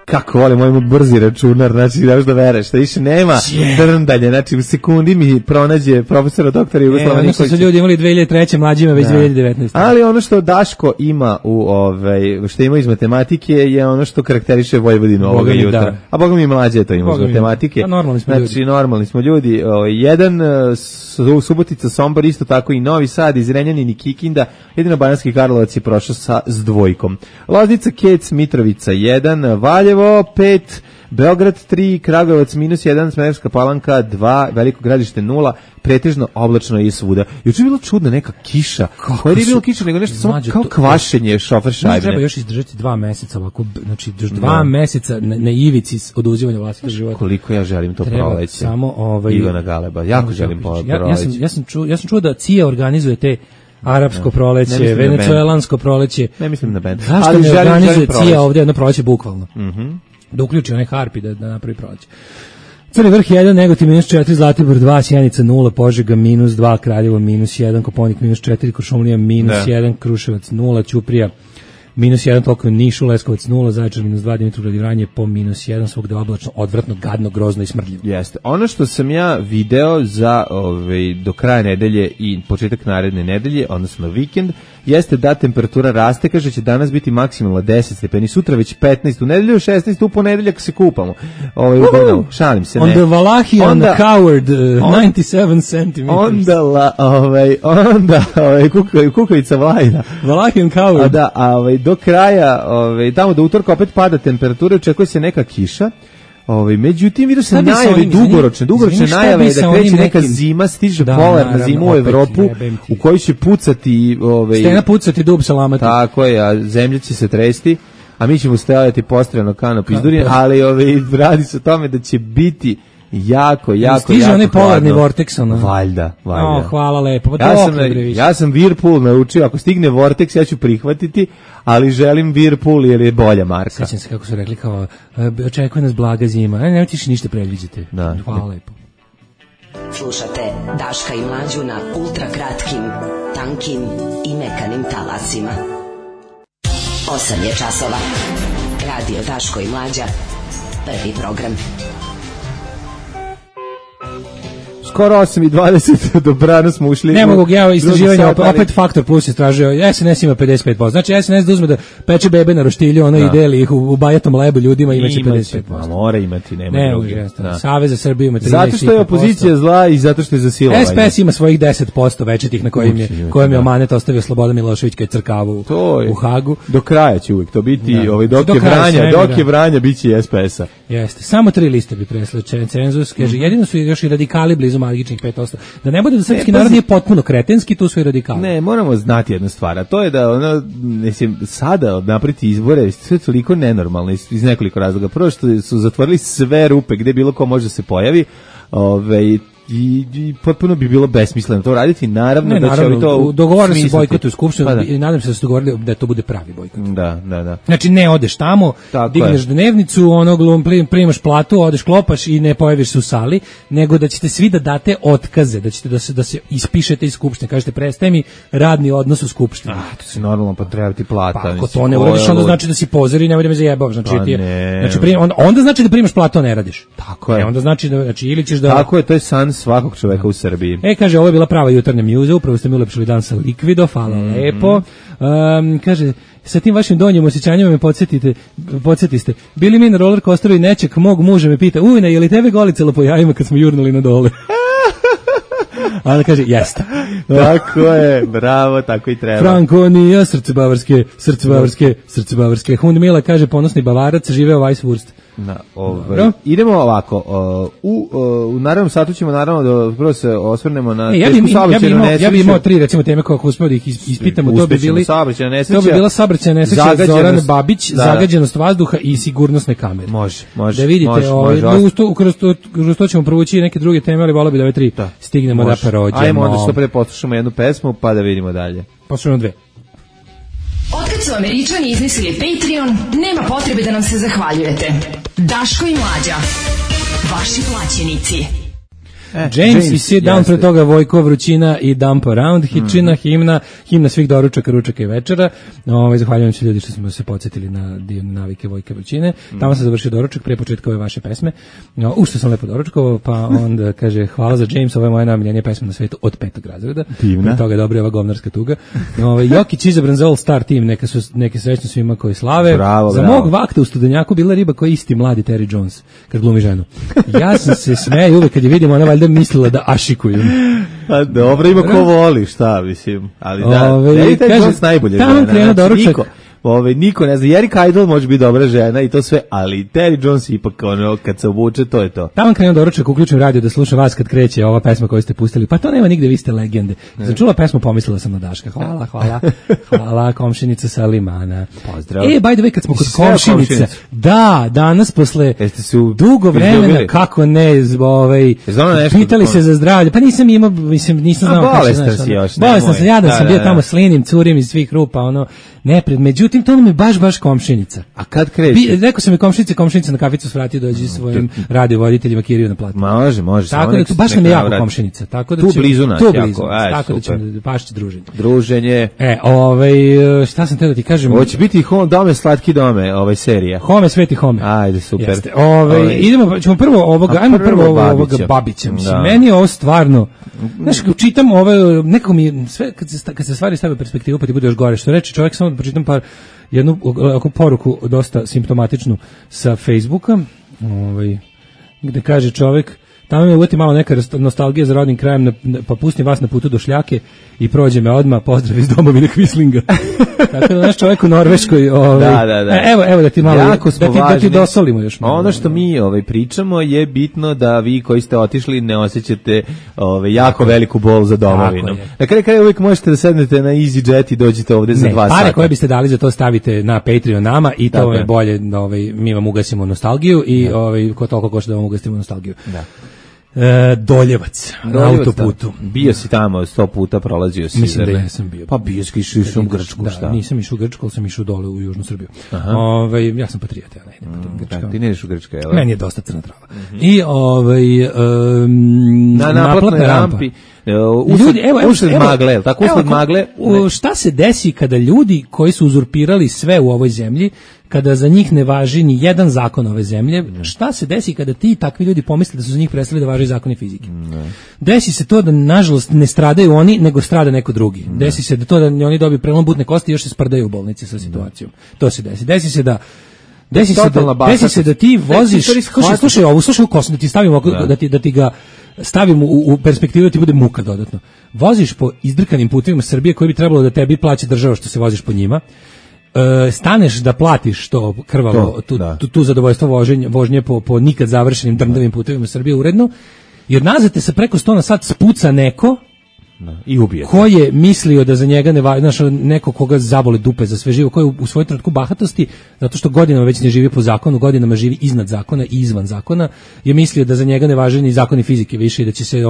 F: Kako volim moj brzi računar, znači da da vereš, da više nema drndanje, znači u sekundi mi pronađe profesora doktora Jugoslava Nikolića.
E: Su ljudi imali 2003. mlađima već 2019.
F: Ali ono što Daško ima što ima iz matematike je ono što karakteriše Vojvodinu ovoga jutra. A boga mi mlađe to ima iz matematike. Znači normalni smo ljudi. Jedan Subotica, Sombor, isto tako i Novi Sad, iz Renjanin i Kikinda. Jedino Banatski Karlovac je prošao s 2. Loznica, Kec, Mitrovica 1, Valjevo 5, Beograd 3, Kragujevac -1, Smederevska Palanka 2, Veliko Gradište 0, pretežno oblačno i svuda. Juče je bila čudna neka kiša. Koja nije bilo kiša, nego nešto samo kao kvašenje šofer šajbne.
E: Treba još izdržati 2 meseca ovako, znači još 2 meseca na ivici oduzimanja vlastitog života.
F: Koliko ja želim to proleće.
E: Samo
F: Ivana Galeba, jako želim proleće.
E: Ja sam čuo da CIA organizuje te arapsko proleće, venecuelansko proleće.
F: Ne mislim na bend.
E: Zašto ne organizuje CIA ovdje jedno proleće bukvalno? Da uključi onaj harpi da napravi proleće. Crni vrh 1, Negotin -4, Zlatibor 2, Sjenica 0, Požega -2, Kraljevo -1, Koponik -4, Kuršumlija -1, Kruševac 0, Ćuprija -1, toliko Nišu, Leskovac 0, Zaječar -2, Dimitrovgrad i Vranje po -1, svugde oblačno, odvratno, gadno, grozno i smrdljivo.
F: Jeste. Ono što sam ja video za do kraja nedelje i početak naredne nedelje, odnosno vikend, jeste da temperatura raste, kaže će danas biti maksimalno 10 stepeni, sutra već 15, u nedelju 16, u ponedeljak se kupamo. Šalim se, ne.
E: On the Valachian Coward, 97 cm.
F: Onda kukavica Vlajna.
E: Valachian Coward.
F: Da, do kraja, tamo do utorka opet pada temperatura, očekuje se neka kiša. Međutim, vidio se najave dugoročne najave da kreće neka zima, stiže polarna zima u Evropu u kojoj će pucati...
E: Stena pucati, dub se lamati.
F: Tako je, a zemlja će se tresti, a mi ćemo stajati postrojeno kanop izdurjen, ali radi se o tome da će biti jako
E: stiže onaj polarni vorteks, ono.
F: Valjda.
E: Hvala lepo.
F: Ja sam Whirlpool naučio, ako stigne vorteks ja ću prihvatiti, ali želim Whirlpool jer je bolja marka.
E: Sjećam se kako su rekli kao, očekuje nas blaga zima, nemojte više ništa predviđate. Hvala lepo.
G: Slušate Daška i Mlađu na ultra kratkim, tankim i mekanim talasima. 8 je časova. Radio Daško i Mlađa. Prvi program.
F: Skoro 8:20, dobrano smo ušli.
E: Ne mogu ja istraživanje, opet Faktor Plus istražio, SNS ima 55%. Znači SNS da uzme da peče bebe na roštilju, i deli ih u bajatom lebu ljudima, imaće 55%.
F: Mora imati, nema drugi.
E: Savez za Srbiju ima 35%.
F: Zato što je opozicija zla i zato što je za silovanje.
E: SPS ima svojih 10% večitih na kojim je Omanet ostavio Slobodan Milošević kad je crkavu u Hagu.
F: Do kraja će uvijek to biti, dok je Vranja biće i SPS-a.
E: Jeste, samo 3 liste bi presle cenzus, kaže, jedino su još i radikali blizu magičnih 5%. Da ne bude da srpski narod nije potpuno kretenski, tu su i radikali.
F: Ne, moramo znati jednu stvar, a to je da sada napriti izbore sve toliko nenormalno iz nekoliko razloga. Prvo što su zatvorili sve rupe gde bilo ko može da se pojavi, i potpuno bi bilo besmisleno to raditi. Naravno da će oni to
E: dogovorili se bojkot u skupštini i nadam se da su dogovorili da to bude pravi bojkot.
F: Da.
E: Znači ne odeš tamo, digneš dnevnicu, primaš platu, odeš klopaš i ne pojaviš se u sali, nego da ćete svi da date otkaze, da ćete da se ispišete iz skupštine, kažete prestaje mi radni odnos u skupštini.
F: To se normalno pa treba ti plata.
E: Pa ako to ne uradiš, onda znači da si pozor i nemoj da me zajebavaš. Onda znači da primaš platu, a ne radiš.
F: Tako je.
E: Onda znači da ili ćeš da...
F: Tako je, to je san svakog čoveka u Srbiji.
E: Kaže, ovo je bila prava jutarnja mjuza, upravo ste mi ulepšili dan sa Liquido, hvala lepo. Kaže, sa tim vašim donjim osjećanjima me podsjetiste. Bili mi na roller coasteru i neček mog muža me pita, ujne, je li tebe golicalo po jajima kad smo jurnuli na dole? A ona kaže, jeste.
F: Tako je, bravo, tako i treba.
E: Frankonija, srce bavarske. Hundmila kaže, ponosni Bavarac, živeo Weisswurst.
F: Idemo ovako, u narednom satu ćemo naravno da prvo se osvrnemo na tešku saobraćajnu nesreću.
E: Ja bih imao 3 recimo teme kako uspeo da ih ispitamo. To bi bila saobraćajna nesreća Zoran Babić, zagađenost vazduha i sigurnosne kamere.
F: Može.
E: Da vidite, kroz to ćemo provući neke druge teme, ali volio bi da ove 3 stignemo da prođemo.
F: Ajmo onda što pre poslušamo jednu pesmu pa da vidimo dalje.
E: Poslušamo 2.
B: Otkad su Američani izmislili Patreon, nema potrebe da nam se zahvaljujete. Daško i Mlađa, vaši plaćenici.
E: James i Sit Down, pre toga Vojko, Vrućina i Dump Around, Hitčina, himna svih doručaka, ručaka i večera. Zahvaljujem se ljudi što smo se podsjetili na divne navike Vojke Vrućine. Tamo sam završio doručak prije početka ove vaše pesme. Što sam lepo doručkovao, pa onda kaže hvala za James, ovo je moja najomiljenija pesma na svetu od 5. razreda.
F: Divna.
E: Pre toga je dobra ova govnarska tuga. Jokić izabran za All Star team, neke srećno svima koji slave.
F: Bravo,
E: za mog vakta u Studenjaku bila riba koja je isti mladi Terry Jones, kad glumi ženu. Ja sam se smejao uvek kad je vidim, ona valjda mislila da ašikuju.
F: Pa dobro, ima ko voli, šta mislim. Ali Terry Jones najbolje žena. Niko ne zna, Eric Idle može biti dobra žena i to sve, ali Terry Jones ipak kad se obuče, to je to.
E: Tamo krenuo doručak, uključujem radio da slušam vas kad kreće ova pesma koju ste pustili, pa to nema nigde, vi ste legende. Sam čula pesmu, pomislila sam na Daška. Hvala, komšinica sa Limana.
F: Pozdrav.
E: By the way, kad smo kod komšinice, danas posle dugo vremena, kako ne, pitali se za zdravlje, pa nisam imao, nisam znao.
F: Bolestan si još.
E: Bolestan sam, ja da sam bio tamo s linim, curim iz svih rupa, međutim tim tonom je baš komšinica.
F: A kad kreće?
E: Rekao sam mi komšinica na kaficu svrati dođi svojim radiovoditeljima Kiriju na platu.
F: Može.
E: Tako da tu baš nam je jako komšinica. Tako da
F: tu blizu nas jako.
E: Tako da ćemo pašći
F: druženje.
E: Šta sam teo da ti kažem?
F: Hoće biti Dome, slatki dome, serija.
E: Home, sveti home.
F: Ajde, super.
E: Ćemo prvo ovoga Babića. Mislim, meni je ovo stvarno, znaš, čitam nekako mi, sve, kad se stvari stave u perspektivu, pa ti bude još gore, što reče čovjek, samo da pročitam jednu poruku dosta simptomatičnu sa Facebooka, gde kaže čovjek, tamo me uveti malo neka nostalgija za rodnim krajem, pa pustim vas na putu do Šljake i prođe me odmah, pozdrav iz domovine Kvislinga. Tako da naš čovjek u Norveškoj,
F: da.
E: Evo da ti malo, da ti dosolimo još malo.
F: Ono što mi pričamo je bitno da vi koji ste otišli ne osjećate jako veliku bol za domovinom. Na kraju uvijek možete da sednete na EasyJet i dođete ovde za 2 sata.
E: Pare koje biste dali za to stavite na Patreon nama i to je bolje, mi vam ugasimo nostalgiju i ko toliko košta da vam ugasimo nostalgiju. Da. Doljevac, na autoputu.
F: Bio si tamo 100 puta, prolazio si.
E: Mislim da jesam bio.
F: Pa bio si išao u Grčku, šta?
E: Da, nisam išao u Grčku, ali sam išao dole u Južnu Srbiju. Ja sam patriot, ja ne idem po Grčka.
F: Ti ne ideš u Grčka, jel?
E: Meni je dosta crna trava. I
F: na naplatnoj rampi. Usled magle, tako usled magle.
E: Šta se desi kada ljudi koji su uzurpirali sve u ovoj zemlji, kada za njih ne važi ni jedan zakon ove zemlje, šta se desi kada ti takvi ljudi pomisle da su za njih prestali da važi zakoni fizike? Desi se to da, nažalost, ne stradaju oni, nego strada neko drugi. Desi se da to da oni dobiju prelom butne kosti i još se sprdaju u bolnici sa situacijom. To se desi. Desi se da ti voziš, slušaj ovu kosu, da ti stavimo, da ti ga stavimo u perspektivu da ti bude muka dodatno. Voziš po izdrkanim putevima Srbije koji bi trebalo da tebi plaća država što se voziš po njima. Staneš da platiš to krvavo, tu zadovoljstvo vožnje po nikad završenim drndavim putevima Srbije uredno, i odnazad te se preko 100 na sat spuca neko
F: i ubije.
E: Ko je mislio da za njega ne važi, znaš, neko koga zabole dupe za sve živo, ko je u svojoj trenutku bahatosti, zato što godinama već ne živi po zakonu, godinama živi iznad zakona i izvan zakona, je mislio da za njega ne važi ni zakoni fizike više i da će se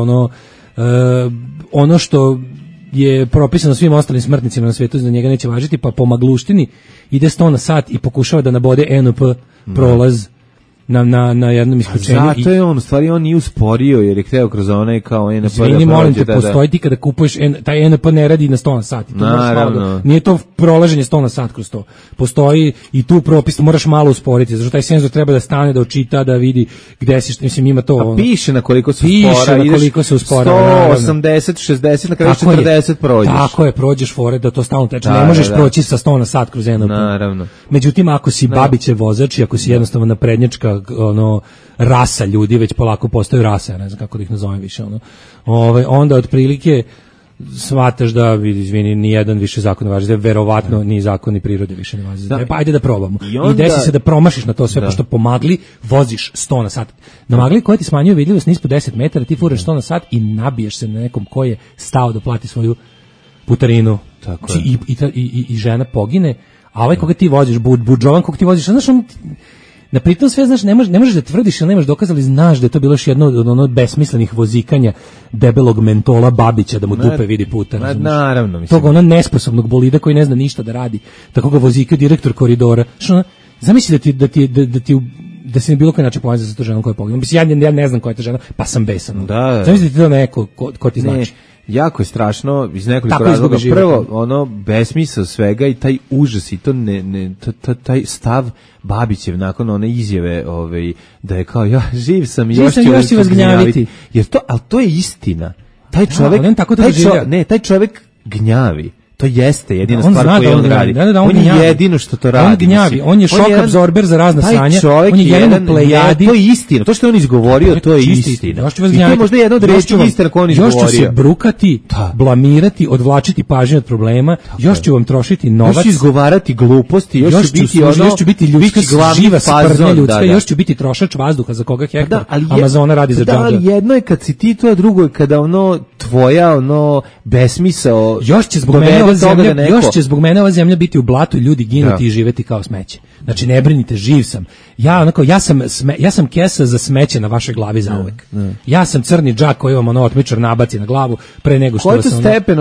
E: ono što je propisano svim ostalim smrtnicima na svijetu za njega neće važiti, pa po magluštini ide 100 na sat i pokušava da nabode NP prolaz na jednom isključenju.
F: Zato je on, u stvari on nije usporio jer je hteo kroz onaj kao NP.
E: Izvini, molim te, postoji ti kada kupuješ, taj NP ne radi na 100 na sat. Nije to prolaženje 100 na sat kroz to. Postoji i tu propis, moraš malo usporiti, zato taj senzor treba da stane, da očita, da vidi gde si, mislim ima to.
F: A piše na koliko se
E: uspora.
F: 180, 60, na kraju 40 prođeš.
E: Tako je, prođeš fore da to stalno teče. Ne možeš proći sa 100 na sat kroz NP.
F: Naravno.
E: Međutim, ako si Babićev vozač i ako si jednostavno naprednjačka rasa ljudi, već polako postaju rasa, ja ne znam kako da ih nazovem više, onda otprilike shvataš da, izvini, ni jedan više zakon ne važi, da verovatno ni zakon ni prirode više ne važi. Pa ajde da probamo. I desi se da promašiš na to sve, pošto po magli voziš 100 na sat. Na magli koja ti smanjuje vidljivost nispod 10 metara, ti furaš 100 na sat i nabiješ se na nekom ko je stao da plati svoju putarinu.
F: Tako
E: I žena pogine, a ovaj koga ti voziš, budžovan koga ti voziš, znaš, on na pritom sve, znaš, ne možeš da tvrdiš ili nemaš dokaz, ali znaš da je to bilo još jedno od besmislenih vozikanja debelog mentola Babića da mu dupe vidi puta.
F: Naravno, mislim.
E: Toga nesposobnog bolida koji ne zna ništa da radi. Tako ga vozikaju direktor koridora. Zamisli da se ne bilo koji način povezan sa to ženom koja je poginula. Mislim, ja ne znam koja je ta žena, pa sam besan. Zamisli ti to neko ko ti znači.
F: Jako je strašno iz nekoliko razloga. Prvo, besmisao svega i taj užas i to taj stav Babićev nakon one izjave da je kao ja živ sam i još ću vas gnjaviti. Jer to je istina. Taj čovjek gnjavi. To jeste jedina stvar koju on radi. On je jedino što to radi.
E: On gnjavi, on je šok absorber za razna sranja. On je jedan plejadi.
F: To je istina. To što je on izgovorio, to je istina. I to je možda jedna od reči istina koju on izgovorio.
E: Još ću se brukati, blamirati, odvlačiti pažnju od problema, još ću vam trošiti novac.
F: Još ću izgovarati gluposti, još
E: ću biti ljudska živa sprnja ljudska, još ću biti trošač vazduha za koga hektar Amazona radi za džabe.
F: Da, ali jedno je kad si ti to, a drugo je kada tvoja besmisao
E: još će zbog mene još će zbog mene ova zemlja biti u blatu i ljudi ginuti i živeti kao smeće. Znači ne brinite, živ sam. Ja sam kesa za smeće na vašoj glavi zauvek. Ja sam crni džak koji vam otmičar nabaci na glavu pre nego što vas
F: stepen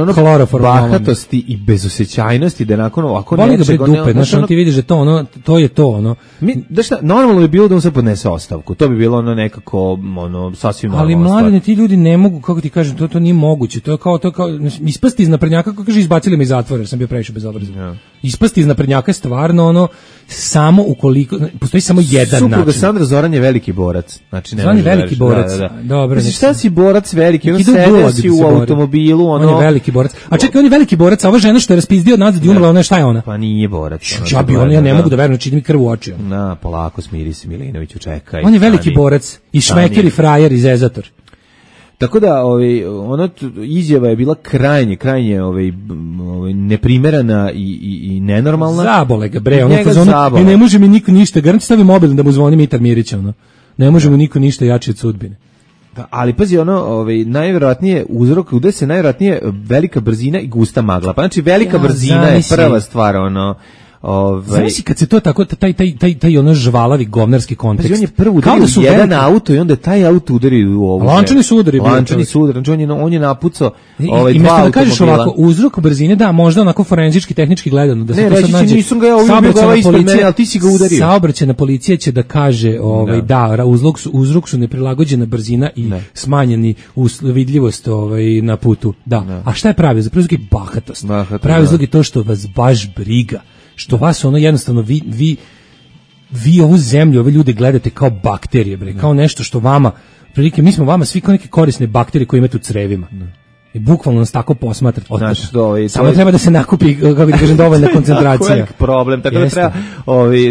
F: bahatosti i bezosećajnosti da nakon ovako
E: nečeg dupe, znači ti vidiš da to je to
F: da šta, normalno bi bilo da on se podnese ostavku. To bi bilo nekako sasvim normalno.
E: Ali mladine, ti ljudi ne mogu, kako ti kažem, to nije moguće. To je kao ispasti iz naprednjaka, kako kaže, izbacili me iz zatvora jer sam bio previše bezobrazan. Ispasti iz naprednjaka je stvarno samo ukoliko postoji samo jedan način.
F: Supruga Sandra Zoran je veliki borac. Znači ne
E: može veliki borac. Dobro.
F: Znači šta si borac veliki? On sede si u automobilu,
E: on je veliki borac. A čekaj, on je veliki borac, a ova žena što je raspizdio nazad i umrla, ona šta je ona?
F: Pa nije borac.
E: Ja ne mogu da verujem, čini mi krv u oči.
F: Na, polako, smiri se Milinoviću, čekaj.
E: On je veliki borac i šmeker i frajer i zezator.
F: Tako da izjava je bila krajnje neprimerena i nenormalna.
E: Zabole ga bre, i ne može mi niko ništa, garant stavi mobil da mu zvoni Mitar Mirića, ne može mu niko ništa jači od sudbine.
F: Da, ali pazi, najvjerojatnije uzrok, gde se najvjerojatnije velika brzina i gusta magla. Pa znači velika brzina je prva stvar,
E: Znaš kad se to tako, taj žvalavi govnarski kontekst.
F: On je prvo udario jedan auto i onda je taj auto udario u ovu.
E: Lančani su udari.
F: On je napucao dva
E: automobila. Da kažeš ovako, uzrok brzine, da, možda onako forenzički, tehnički gledano. Da
F: ne, reći će, nisam ga ja ispred mene, ali ti si ga udario.
E: Saobraćajna policija će da kaže, uzrok su neprilagođena brzina i smanjeni vidljivost na putu. Da. A šta je pravi? Za uzrok je bahatost. Pravi uzrok je to što vas baš briga. Što vas jednostavno vi ovu zemlju, ove ljude gledate kao bakterije, bre, kao nešto što vama, prilike, mi smo vama svi kao neke korisne bakterije koje imate u crevima. I bukvalno nas tako posmatrati. Samo treba da se nakupi, kako da kažem, dovoljna koncentracija.
F: Tako je problem, tako da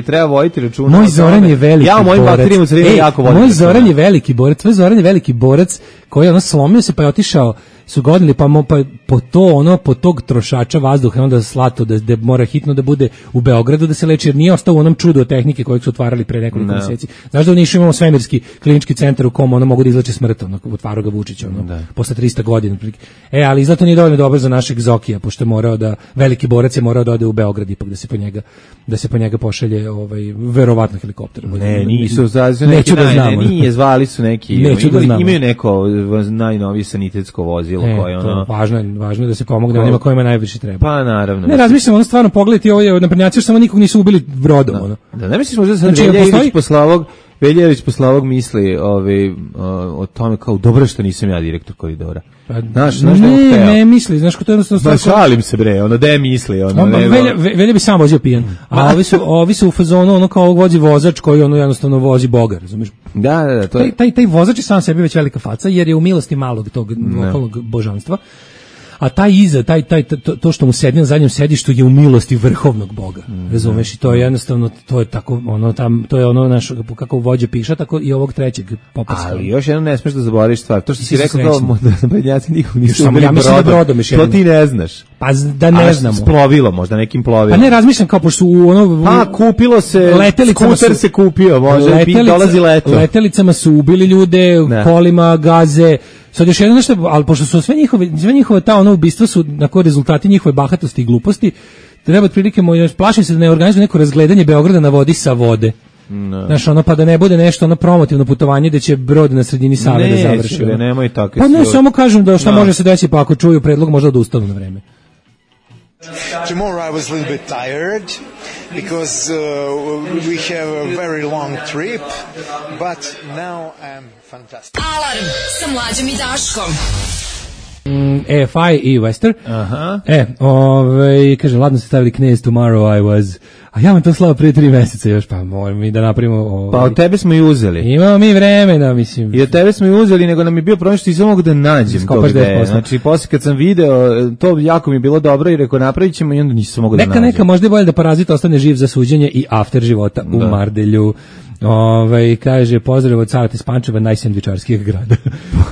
F: treba voditi računa.
E: Moj Zoran je veliki borac.
F: Ja mojim bakterijama u crevima jako vodim.
E: Moj Zoran je veliki borac, tvoj Zoran je veliki borac koji slomio se pa je otišao, su godili pa po tog trošača vazduha onda slato da mora hitno da bude u Beogradu da se leči, jer nije ostao u onom čudu od tehnike kojeg su otvarali pre nekoliko mjeseci. Znaš da u Nišu imamo svemirski klinički centar u kom mogu da izleče smrt, otvarao ga Vučić posle 300 godina. Ali zato nije dovoljno dobro za našeg Zokija, pošto je morao veliki borac je morao da ode u Beograd ipak da se po njega pošalje verovatno helikopter.
F: Ne, nisu nije, zvali su neki, imaju neko najnovije sanitetsko vozilo.
E: Važno je da se pomogne onima kojima najviše treba.
F: Pa naravno.
E: Ne razmišljam, stvarno pogledajte ovo naprednjaci, što samo nikog nisu ubili brodom.
F: Da, ne misliš možda da sad Veljević posle ovog misli o tome kao dobro što nisam ja direktor koridora.
E: Ne misli, znaš ko to jednostavno...
F: Šalim se bre, da je misli.
E: Velje bi sam vozio pijan, a ovi su u fazonu kao vozi vozač koji jednostavno vozi Boga, razumiješ?
F: Da, to je...
E: Taj vozač je sam sebi već velika faca, jer je u milosti malog tog lokalnog božanstva. A to što mu sedi na zadnjem sedištu je u milosti vrhovnog Boga. Razumeš? I to je jednostavno, to je tako, to je naš, kako vođa piša, tako i ovog trećeg popaska.
F: Ali još jedno ne smeš da zaboraviš stvar. To što si rekao kao naprednjaci nikog nisu
E: ubili brodom.
F: To ti ne znaš.
E: Pa da ne znamo.
F: S plovilo, možda nekim plovilom.
E: Pa ne razmišljam kao pošto
F: kupilo se, skuter se kupio, može, dolazi leto.
E: Letelicama su ubili ljude, kolima, gaze. Sad još jedno nešto, ali pošto su sve njihove ta ubistva su rezultati njihove bahatosti i gluposti, treba otprilike, plašim se da ne organizuje neko razgledanje Beograda na vodi sa vode. Znaš, pa da ne bude nešto promotivno putovanje gde će brod na sredini Save da završi.
F: Nemoj tako.
E: Pa ne, samo kažem da šta može se desiti, pa ako čuju predlog možda odustanu na vreme.
H: Tomorrow I was a little bit tired because we have a very long trip, but now I'm fantastic.
B: Alarm sa Mlađom i Daškom.
E: EFI i Wester.
F: Aha.
E: Kaže, ladno ste stavili Knez Tomorrow I Was. A ja vam to slao prije 3 meseca još, pa moram mi da napravimo...
F: Pa od tebe smo i uzeli.
E: Imamo mi vremena, mislim.
F: I od tebe smo i uzeli, nego nam je bio problem što nisam mogu da nađem to gde. Znači, poslije kad sam video, to jako mi je bilo dobro i rekao napravit ćemo i onda nisam mogu da nađem.
E: Neka, možda je bolje da Parazit ostane živ za suđenje i after života u Mardelju. Kaže, pozdrav od Saveta iz Pančeva, najsendvičarskijeg grada.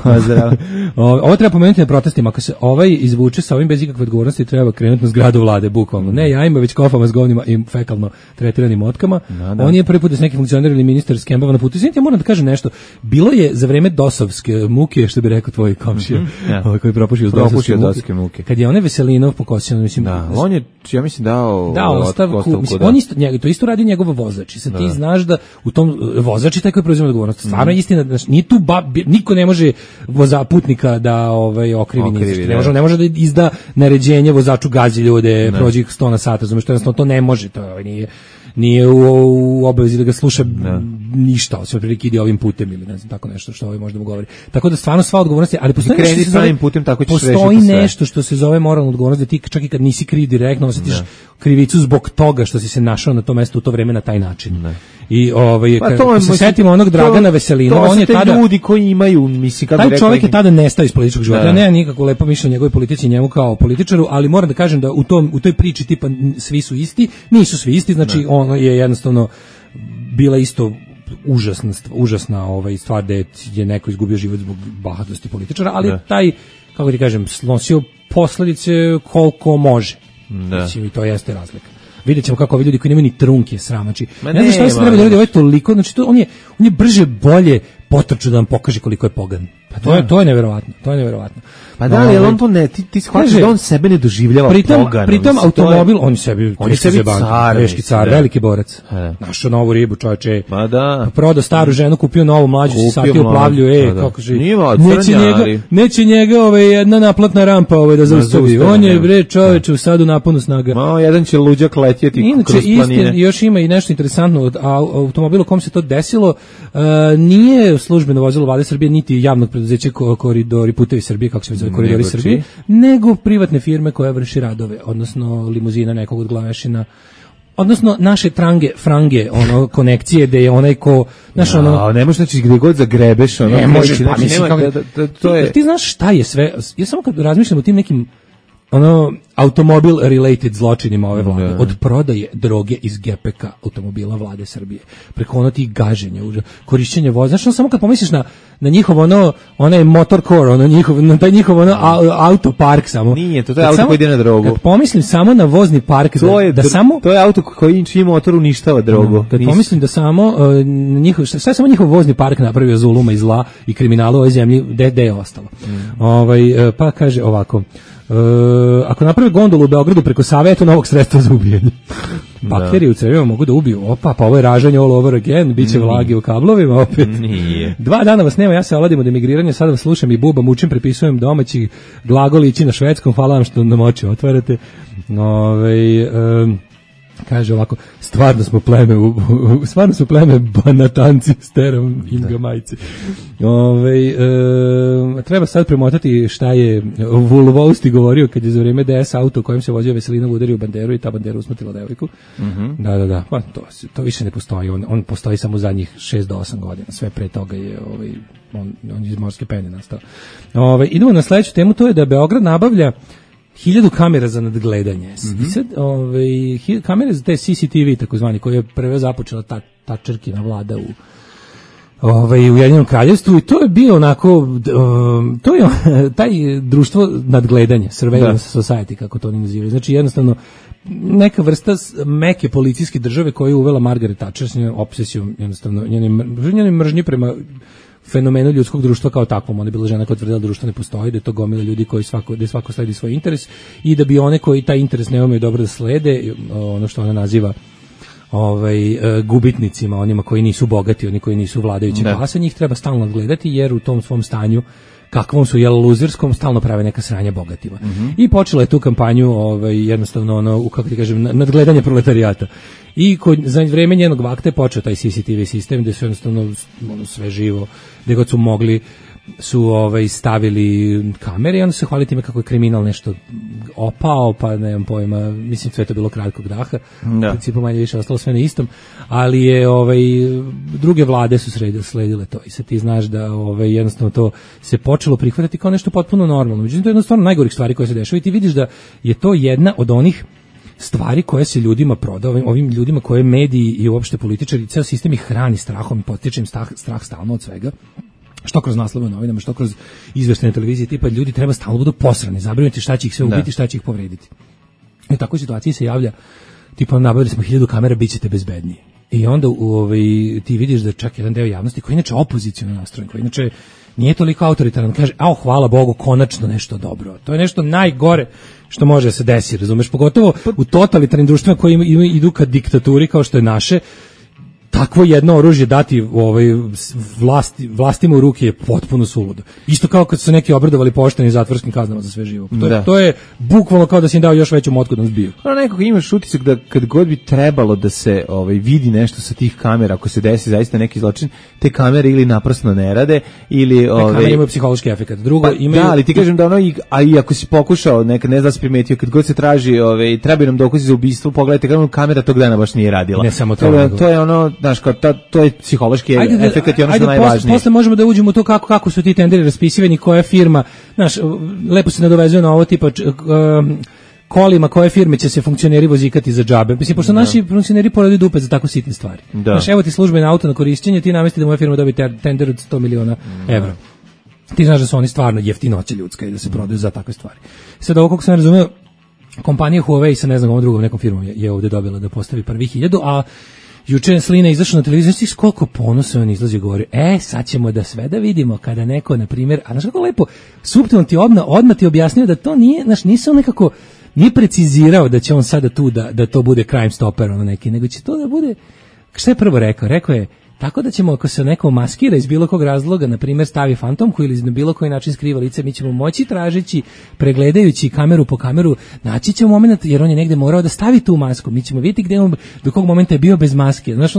F: Pozdrav.
E: Ovo treba pomenuti na protestima. Ako se izvuče sa ovim bez ikakve odgovornosti, treba krenuti na zgradu vlade, bukvalno. Ne jajima, već kofama s govnima i fekalno tretiranim motkama. On je prvi put da s neki funkcioner ili ministar skembava na putu. Ja moram da kažem nešto. Bilo je za vreme dosovske muke, što bi rekao tvoj komšija, koji propušio dosovske muke. Kad je onaj Veselinov pokosio, mislim,
F: on je, ja mislim, dao
E: ostavku. On to isto radi njegov vozač. I sad ti znaš da u tom vozač je taj koji preuzima odgovornost. Stvarno je istina, nije tu niko ne može putnika da okrivi ništa. Ne može da izda naređenje vozaču gazi ljude, prođi 100 na sat, razumiješ, to ne može, to nije u obavezi da ga sluša ništa, osim prilike ide ovim putem ili ne znam, tako nešto što možda mu govori. Tako da stvarno sva odgovornost je, ali postoji nešto što se zove moralna odgovornost, da ti čak i kad nisi kriv direktno osjetiš krivicu zbog toga što si se našao na tom mestu u to vreme na taj način. I kad se setimo onog Dragana Veselina, on je tada
F: ljudi koji imaju, mislim, kako
E: taj čovjek je tada nestao iz političkog života. Ja nemam nikako lepo mišljenje o njegovoj politici i njemu kao političaru, ali moram da kažem da u toj priči tipa svi su isti, nisu svi isti, znači ono je jednostavno bila isto užasna stvar da je neko izgubio život zbog bahatosti političara, ali taj, kako ti kažem, snosio posledice koliko može. Mislim, i to jeste razlika. Vidjet ćemo kako ovi ljudi koji nemaju ni trunke sram, znači ne znam šta se treba da radi, ovo je toliko, znači on je brže bolje potrčao da vam pokaže koliko je pogan. Pa to je neverovatno,
F: Pa da, ali on to ne, ti shvatiš da on sebe ne doživljava poganom.
E: Pritom automobil, on sebi car, teški car, veliki borac. Našao novu ribu, čovječe.
F: Pa da.
E: Prodao staru ženu, kupio novu mlađu, satio plavlju, kako že. Neće njega jedna naplatna rampa da zaustavi. On je bre čovječe u sadu naponu snaga.
F: Malo jedan će luđak letjeti kroz planine.
E: Još ima i nešto interesantno od automobila kom se to desilo, nije službeno vozilo Vlade Srbije niti javnog preduzeća Koridori putevi Srbije, kako se zove Koridori Srbije, nego privatne firme koja vrši radove, odnosno limuzina nekog od glavešina, odnosno naše frange, konekcije gde je onaj ko, znaš,
F: ne možeš, znači, gde god zagrebeš,
E: ne možeš, pa mislim, ti znaš šta je sve, ja samo kad razmišljam o tim nekim automobil related zločinima ove vlade, od prodaje droge iz GPK automobila Vlade Srbije, preko tih gaženja, korišćenja voza, znači samo kad pomisliš na njihov onaj motorcore, na taj njihov autopark samo.
F: Nije, to je auto koji ide na drogu.
E: Kad pomislim samo na vozni park,
F: to je auto koji čiji motor uništava drogu.
E: Kad pomislim da samo šta je samo njihov vozni park napravio zuluma i zla i kriminalu u ovoj zemlji, gde je ostalo. Pa kaže ovako, ako naprave gondolu u Beogradu preko Save, je to novog sredstva za ubijanje. Bakteri u crevima mogu da ubiju. Pa ovo je ražanje all over again, bit će vlage u kablovima opet.
F: Nije.
E: 2 dana vas nema, ja se oladim od emigriranja, sad vas slušam i bubam, učim, prepisujem domaći glagol ići na švedskom, hvala vam što nam oči otvarate. Kaže ovako, stvarno smo pleme banatanci s terom Inga majci. Treba sad premotati šta je Vulvousti govorio kad je za vrijeme DS auto kojem se vozio Veselinov udario Banderu i ta Bandera usmrtila devojku. Da. Pa to više ne postoji. On postoji samo zadnjih 6 do 8 godina. Sve pre toga je on iz morske pene nastao. Idemo na sledeću temu, to je da Beograd nabavlja 1000 kamera za nadgledanje. I sad, kamere za te CCTV, takozvani, koje je prve započela ta črkina vlada u Ujedinjenom kraljevstvu, i to je bio onako, to je taj društvo nadgledanja, surveillance society, kako to oni nazivaju. Znači, jednostavno, neka vrsta meke policijske države koju je uvela Margaret Thatcher s njenom obsesijom, jednostavno, njenim mržnji prema fenomenu ljudskog društva kao takvom. Ona je bila žena koja tvrdila da društvo ne postoji, da je to gomila ljudi koji svako sledi svoj interes i da bi one koji taj interes ne umeju dobro da slede, ono što ona naziva gubitnicima, onima koji nisu bogati, oni koji nisu vladajući klasa, njih treba stalno gledati, jer u tom svom stanju kakvom su luzerskom stalno prave neka sranja bogatima. I počela je tu kampanju jednostavno kako ti kažem, nadgledanje proletarijata. I za vreme njenog vakta je počeo taj CCTV sistem gde su jednostavno sve živo, gde god su mogli su stavili kamere i onda se hvali time kako je kriminal nešto opao, pa nemam pojma, mislim sve to bilo kratkog daha, u principu manje više ostalo sve na istom, ali je druge vlade su sledile to i sad ti znaš da jednostavno to se počelo prihvatati kao nešto potpuno normalno. Međutim, to je jednostavno najgorih stvari koje se dešava i ti vidiš da je to jedna od onih stvari koje se ljudima prodaju, ovim ljudima koje mediji i uopšte političari, ceo sistem ih hrani strahom i potiče im strah stalno od svega. Što kroz naslove u novinama, što kroz izveštene televizije, tipa ljudi treba stalno budu posrani, zabrinuti šta će ih sve ubiti, šta će ih povrediti. I u takvoj situaciji se javlja, tipa nabavili smo 1000 kamera, bit ćete bezbedniji. I onda ti vidiš da čak jedan deo javnosti koji inače opoziciono nastrojen, koji inače nije toliko autoritaran, kaže, hvala Bogu, konačno nešto dobro. To je nešto najgore što može da se desi, razumeš, pogotovo u totalitarnim društvima koji idu ka diktaturi kao što je naše. Takvo jedno oružje dati vlastima u ruke je potpuno suludo. Isto kao kad su neki obradovali poštenim zatvorskim kaznama za sve živo. To je bukvalno kao da si im dao još veću motku da nas biju.
F: Nekako imaš utisak da kad god bi trebalo da se vidi nešto sa tih kamera, ako se desi zaista neki zločin, te kamere ili naprosto ne rade, ili...
E: kamere imaju psihološki efekt. Drugo, imaju...
F: Da, ali ti kažem da a i ako si pokušao, ne znam da si primetio, kad god se traži, trebaju nam dokazi za ubistvo, pogledajte, kamera tog dana baš nije radila.
E: Ne samo to
F: je ono, znaš, to je psihološki efekt i ono što je najvažnije.
E: Posle možemo da uđemo u to kako su ti tenderi raspisivani, koja firma, znaš, lepo se nadovezuje na ovo tipa kolima koje firme će se funkcioneri vozikati za džabe. Mislim, pošto naši funkcioneri poradi dupe za tako sitne stvari. Znaš, evo ti službeno auto na korišćenje, ti namesti da moja firma dobije tender od 100 miliona evra. Ti znaš da su oni stvarno jeftinoća ljudska i da se prodaju za takve stvari. Sad ovo, kako sam razumeo, kompanija Huawei sa ne znam ovom drugom nekom firmom je ovde dobila da postavi prvi 1000, a juče Slina izašao na televiziju, znaš ti s koliko ponosa on izlazi i govori, sad ćemo da sve da vidimo kada neko, na primjer, a znaš kako lepo, suptilno ti odmah ti objasnio da to nije, znaš, nije precizirao da će on sada tu da to bude crime stopper neki, nego će to da bude, šta je prvo rekao? Rekao je, tako da ćemo, ako se neko maskira iz bilo kog razloga, na primjer stavi fantomku ili na bilo koji način skriva lice, mi ćemo moći tražeći, pregledajući kameru po kameru, naći ćemo moment, jer on je negde morao da stavi tu masku, mi ćemo vidjeti gde on, do kog momenta je bio bez maske. Znaš,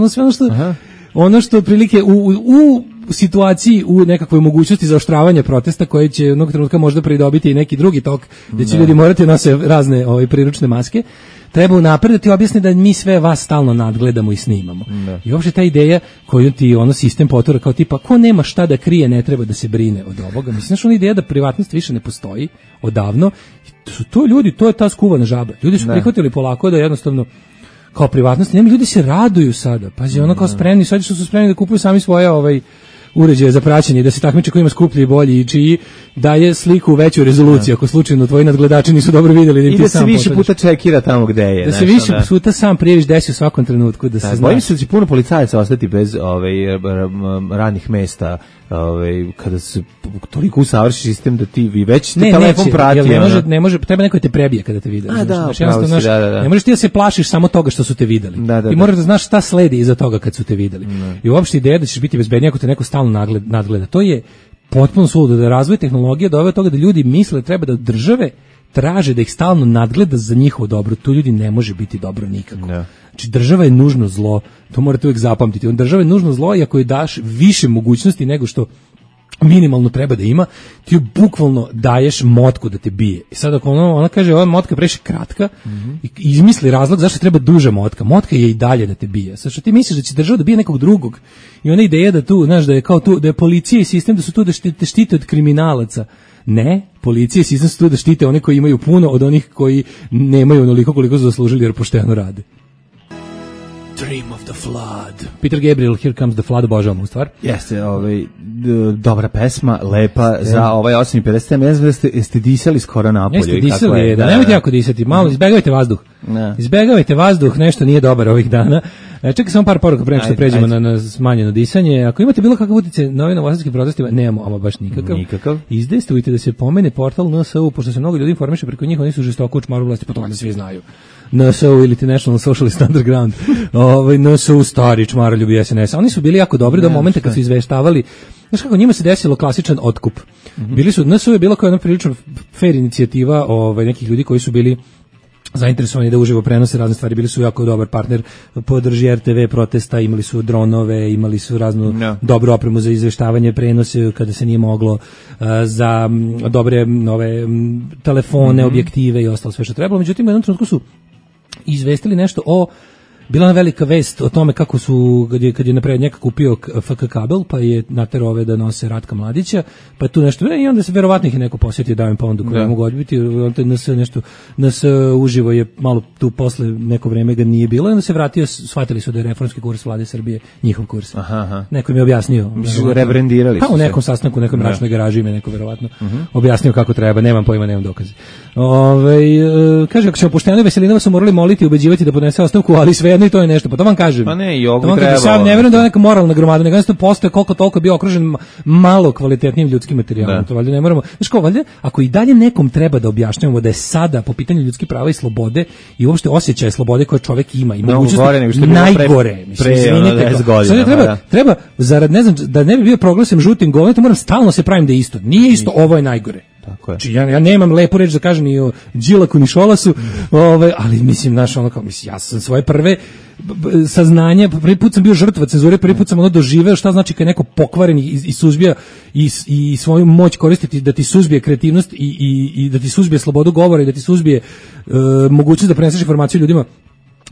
E: ono što otprilike u situaciji, u nekakvoj mogućnosti zaoštravanja protesta koje će jednog trenutka možda pridobiti i neki drugi tok, gde će ljudi morati nose razne priručne maske, treba unapred da ti objasni da mi sve vas stalno nadgledamo i snimamo. I uopšte ta ideja koju ti sistem potura kao tipa, ko nema šta da krije, ne treba da se brine od ovoga. Mislim, znaš, ona ideja da privatnost više ne postoji odavno, su to ljudi, to je ta skuvana žaba. Ljudi su prihvatili polako da jednostavno kao privatnost, nema, ljudi se raduju sada. Pazi, kao spremni, sad što su spremni da kupuju sami svoje uređaje za praćenje, da se takmiče ko ima skuplji i bolji i čiji daje sliku u većoj rezoluciji, ako slučajno tvoji nadgledači nisu dobro vidjeli da im ti sam
F: pošalješ. I da se više puta čekira tamo gde je.
E: Da se više puta sam prijeviš desi u svakom trenutku. Da se
F: bojim se da će puno policajaca ostati bez radnih mesta, kada se toliko usavrši sistem da ti već te telefon prati.
E: Ne može, treba neko te prebije kada te vide. Ne možeš ti da se plašiš samo toga što su te videli. Ti moraš da znaš šta sledi iza toga kad su te videli. I uopšte ideja da ćeš biti bezbedniji ako te neko stalno nadgleda. To je potpuno suludo, da razvoj tehnologije doveo toga da ljudi misle treba da države traže da ih stalno nadgleda za njihovo dobro. Tu ljudi ne može biti dobro nikako. Znači, država je nužno zlo, to morate uvijek zapamtiti. Država je nužno zlo i ako joj daš više mogućnosti nego što minimalno treba da ima, ti joj bukvalno daješ motku da te bije. I sad ako ona kaže, ova motka je previše kratka, i izmisli razlog zašto treba duža motka. Motka je i dalje da te bije. Sad što ti misliš da će država da bije nekog drugog i ona ideja da tu, znaš, da je kao tu, da je policija i sistem da su tu da te štite od kriminalaca. Ne, policija i sistem su tu da štite one koji imaju puno od onih koji nemaju onoliko koliko su zaslužili jer pošteno rade. Dream of the Flood. Peter Gabriel, Here Comes the Flood, obožavam u stvar.
F: Jeste, dobra pesma, lepa, za 8:50. Ne znam da ste disali skoro napolju.
E: Jeste disali, nemojte jako disati, malo izbegavajte vazduh. Izbegavajte vazduh, nešto nije dobar ovih dana. Čekaj samo par poruka pre nego što pređemo na smanjeno disanje. Ako imate bilo kakav utjecaj na ovim novosadskim protestima, nemamo, ama baš nikakav. Izdejstvujte da se pomene portal NSU, pošto se mnogo ljudi informiše preko njih, oni su žestoko učmaru vlasti, pa to valjda svi znaju. NSU ili National Socialist Underground, NSU stari čmaroljubi SNS. Oni su bili jako dobri do momenta kad su izveštavali. Znaš kako, njima se desilo klasičan otkup. Bili su, NSU je bilo kao jedna prilično fair inicijativa nekih ljudi koji su bili zainteresovani da uživo prenose razne stvari, bili su jako dobar partner, podrži RTV protesta, imali su dronove, imali su raznu dobru opremu za izveštavanje, prenose kada se nije moglo, za dobre nove telefone, objektive i ostalo sve što trebalo. Međutim, u jednom trenutku su izvestili nešto o bila velika vest o tome kako su, kad je napred njega kupio FK kabel, pa je naterao ove da nose Ratka Mladića, pa tu nešto, i onda se verovatno ih je neko posjetio da im pondu koju ne mogu odbiti, nas uživo je malo tu posle neko vreme ga nije bilo, i onda se vratio, shvatili su da je reformski kurs Vlade Srbije njihov kurs. Aha. Neko mi je objasnio.
F: Rebrendirali su
E: u nekom sastanku, u nekoj mračnoj garaži me neko verovatno objasnio kako treba, nemam pojma, nemam dokaze. Kaže, ako ćemo pošteno i Veselinova su morali moliti i ubeđivati da podnese ostavku, ali svejedno i to je nešto, pa to vam kažem.
F: Pa ne, i ovo treba.
E: Sam ne verujem da je neka moralna gromada, nego jednostavno postoje koliko toliko bio okružen malo kvalitetnim ljudskim materijalom. To valjda ne moramo. Znaš ko, valjda, ako i dalje nekom treba da objašnjavamo da je sada po pitanju ljudskih prava i slobode i uopšte osjećaja slobode koje čovjek ima i mogućnost najgore. Treba zarad, ne znam, da ne bi bio proglašen žutim govnetom, moram stalno se pravim da je isto. Nije isto, ovo je najgore.
F: Tako je.
E: Znači, ja nemam lepu reč da kažem ni o Đilaku ni Šolasu, ali mislim, znaš, ono kao, mislim, ja sam svoje prve saznanje, prvi put sam bio žrtva cenzure, prvi put sam doživeo šta znači kad je neko pokvaren i suzbija i svoju moć koristiti da ti suzbije kreativnost i da ti suzbije slobodu govora i da ti suzbije mogućnost da preneseš informaciju ljudima,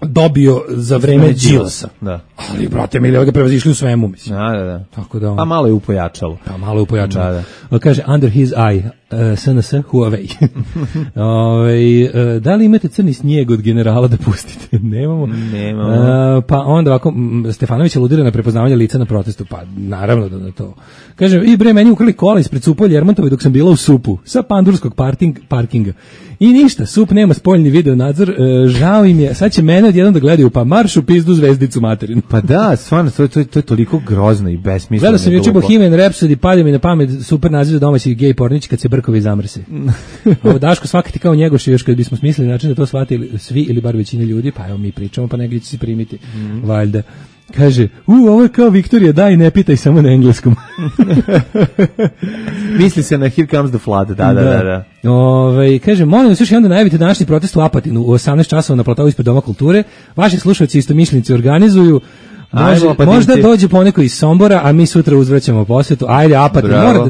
E: dobio za vreme Đilasa.
F: Da.
E: Ali, brate, mi ga prevazišli u svemu, mislim.
F: Da.
E: Tako da
F: pa malo je upojačalo.
E: Da. Kaže, under his eye, SNS, Huawei. Da li imate crni snijeg od generala da pustite? Nemamo. Pa onda ovako, Stefanović aludira na prepoznavanje lica na protestu. Pa, naravno da to. Kaže, i bre, meni ukrali kola ispred Supa Ljermontova dok sam bila u Supu, sa pandurskog parkinga. I ništa, Sup nema spoljni video nadzor, žao im je, sad će mene odjednom da gledaju, pa maršu pizdu zvezdicu materinu.
F: Pa da, stvarno, to je toliko grozno i besmisleno.
E: Gledao sam juče Bohemian Rhapsody, padio mi na pamet super naziv domaćih gej pornić kad se brkovi zamrse. Ovo Daško svakati kao Njegoš, još kad bismo smislili način da to shvatili svi ili bar većina ljudi, pa evo mi pričamo, pa negdje će se primiti, valjda. Kaže, ovo je kao Viktorija, daj ne pitaj samo na engleskom.
F: Misli se na Here Comes the Flood, da.
E: Kaže, molim vas još jedan da najavite današnji protest u Apatinu u 18 časova na platovu ispred Doma kulture. Vaši slušalci istomišljenici organizuju. Možda dođe poneko iz Sombora, a mi sutra uzvraćamo posjetu. Ajde, Apatin, mora da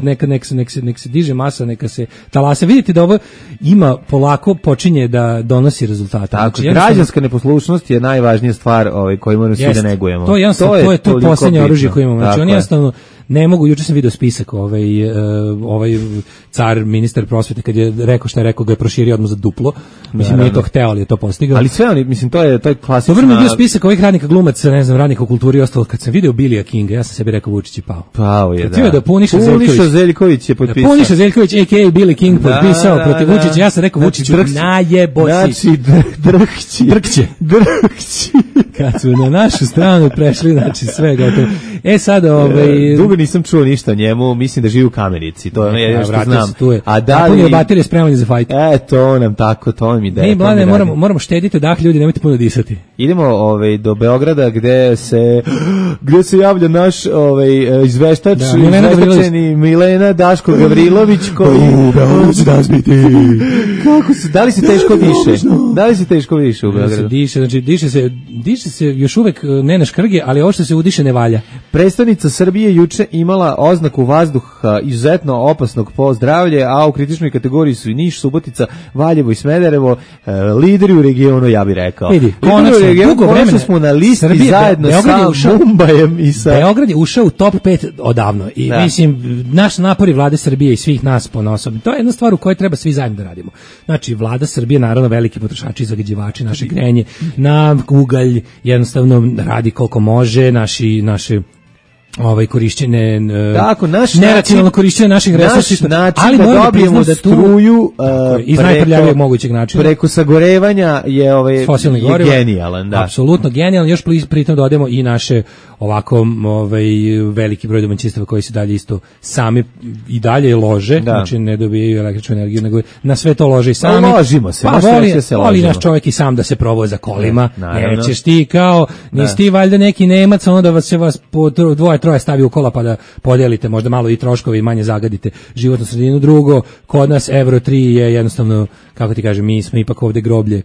E: nek se diže masa, neka se talase. Vidite da ovo ima polako počinje da donosi rezultate.
F: Tako, znači, građanska neposlušnost je najvažnija stvar koju moramo svi da negujemo.
E: To je to posljednje oružje koje imamo. Znači, oni jednostavno ne mogu, juče sam video spisak, ovaj car, ministar prosvete, kad je rekao šta je rekao, ga je proširio odmah za duplo. Mislim, nije to hteo, ali je to postigao.
F: Ali sve oni, mislim, to je klasična...
E: Dobro mi je bio spisak ovih radnika glumaca, ne znam, radnika u kulturi i ostalo. Kad sam video Bilija Kinga, ja sam sebi rekao, Vučić je pao.
F: Pao je,
E: da. Da Puniša
F: Zeljković je potpisao.
E: Puniša Zeljković, a.k.a. Billy King, potpisao protiv Vučića. Ja sam rekao, Vučiću, najebosi.
F: Znači, drhći.
E: Kad su na našu stranu prešli, znači sve gotovo. Sad,
F: dugo nisam čuo ništa o njemu, mislim da živi u Kamenici, to je jedno što znam.
E: A da li... baterije spremanje za fajt.
F: To nam tako, to mi ideja.
E: Mi, Mlade, moramo štediti dah, ljudi, nemojte puno disati.
F: Idemo do Beograda, gde se javlja naš izveštač, izveštačeni Milena Daško Gavrilović, koji...
E: Beogradu će danas biti.
F: Kako se, da li se teško diše? Da li se teško diše u Beogradu?
E: Diše se još uvek ne na škrge, ali ovo što se udiše ne valja.
F: Predstavnica Srbije juče imala oznaku vazduha izuzetno opasnog po zdravlje, a u kritičnoj kategoriji su i Niš, Subotica, Valjevo i Smederevo, lideri u regionu, ja bih rekao.
E: Vidi, konačno
F: smo na listi Srbije, zajedno sa Mumbajem i sa...
E: Beograd je ušao u top 5 odavno i mislim, naš napori vlade Srbije i svih nas ponosom, to je jedna stvar u kojoj treba svi zajedno da radimo. Znači, vlada Srbije, naravno, veliki potrošači i zagađivači, naše grenje na ugalj jednostavno radi koliko može, naše korišćenje neracionalno korišćenje naših resursa, ali
F: da dobijemo da struju
E: iz najprljavijeg mogućeg načina
F: preko sagorevanja je genijalan, da.
E: Apsolutno genijalan, još pritom dodajemo i naše ovako veliki broj domaćinstava koji se dalje isto sami i dalje lože, znači ne dobijaju električnu energiju, nego na sve to lože i sami.
F: Ložimo se,
E: voli naš čovjek i sam da se provoza kolima, nećeš ti kao, nisi ti valjda neki Nemac, onda vas po troje stavi u kola pa da podelite možda malo i troškove i manje zagadite životnu sredinu. Drugo, kod nas Euro 3 je jednostavno, kako ti kažem, mi smo ipak ovde groblje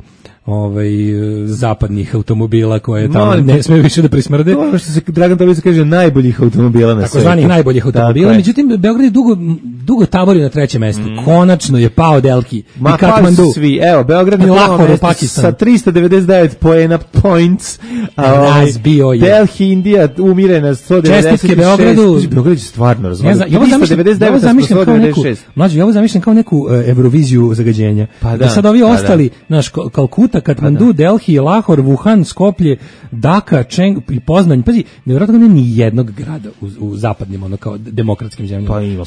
E: zapadnih automobila koje tamo ne smiju više da prismrde.
F: To što se Dragan Tobić kaže najboljih automobila na svijetu.
E: Takozvanih najboljih automobila. Međutim, Beograd je dugo tabori na trećem mestu. Konačno je pao Delhi i Katmandu.
F: Svi. Evo, Beograd je
E: Lahore u Pakistanu
F: sa 399 points.
E: Razbio je.
F: Delhi, Indija umire na 196.
E: Čestitke Beogradu.
F: Beograd je stvarno razvalio.
E: Ja ovo zamišljam kao neku Euroviziju zagađenja.
F: Pa
E: da sad ovi ostali, naš Kalkuta, Katmandu, Delhi, Lahor, Wuhan, Skoplje, Dhaka, Čeng i Poznanj. Pazi, nevjerojatno nema ni jednog grada u zapadnim, ono kao demokratskim zemljama.
F: Pa ima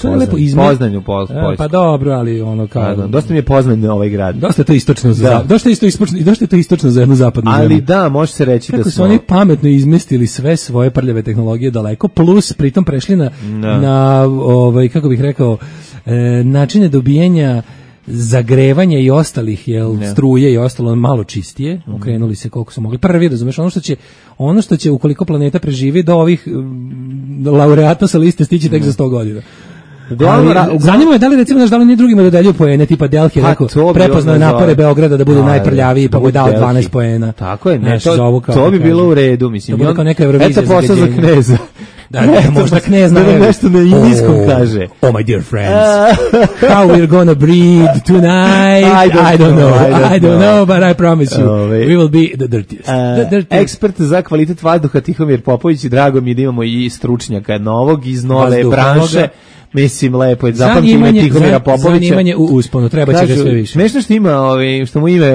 F: Poznanj u Poljsku.
E: Pa dobro, ali ono kao...
F: Dosta mi je Poznanj ovaj grad.
E: Dosta je to istočno za jednu zapadnu zemlju.
F: Ali da, može se reći
E: kako da su oni pametno izmestili sve svoje prljave tehnologije daleko, plus pritom prešli na kako bih rekao, načine dobijanja zagrevanja i ostalih struje i ostalo malo čistije, okrenuli se koliko su mogli. Prvi, razumeš, ono što će ukoliko planeta preživi do ovih laureata sa liste stići tek za 100 godina. Zanima me da li recimo da li ni drugima dodeljuju poene, tipa Delhi je rekao, prepoznao napore Beograda da budu najprljaviji, pa mu je dao 12 poena.
F: Tako je, to bi bilo u redu, mislim.
E: To bi kao neka Eurovizija
F: za posao za kneza.
E: Da, možda knez
F: da nešto na indijskom kaže.
E: Oh my dear friends, how we're gonna breathe tonight, I don't know, but I promise you, we will be the dirtiest.
F: Ekspert za kvalitet vazduha Tihomir Popović, i drago mi je da imamo i stručnjaka novog iz nove branše. Mislim, lepo je, zapamti ime Tihomira Popovića.
E: Zanimanje u usponu, treba će ga sve više.
F: Smešno što ima, što mu ime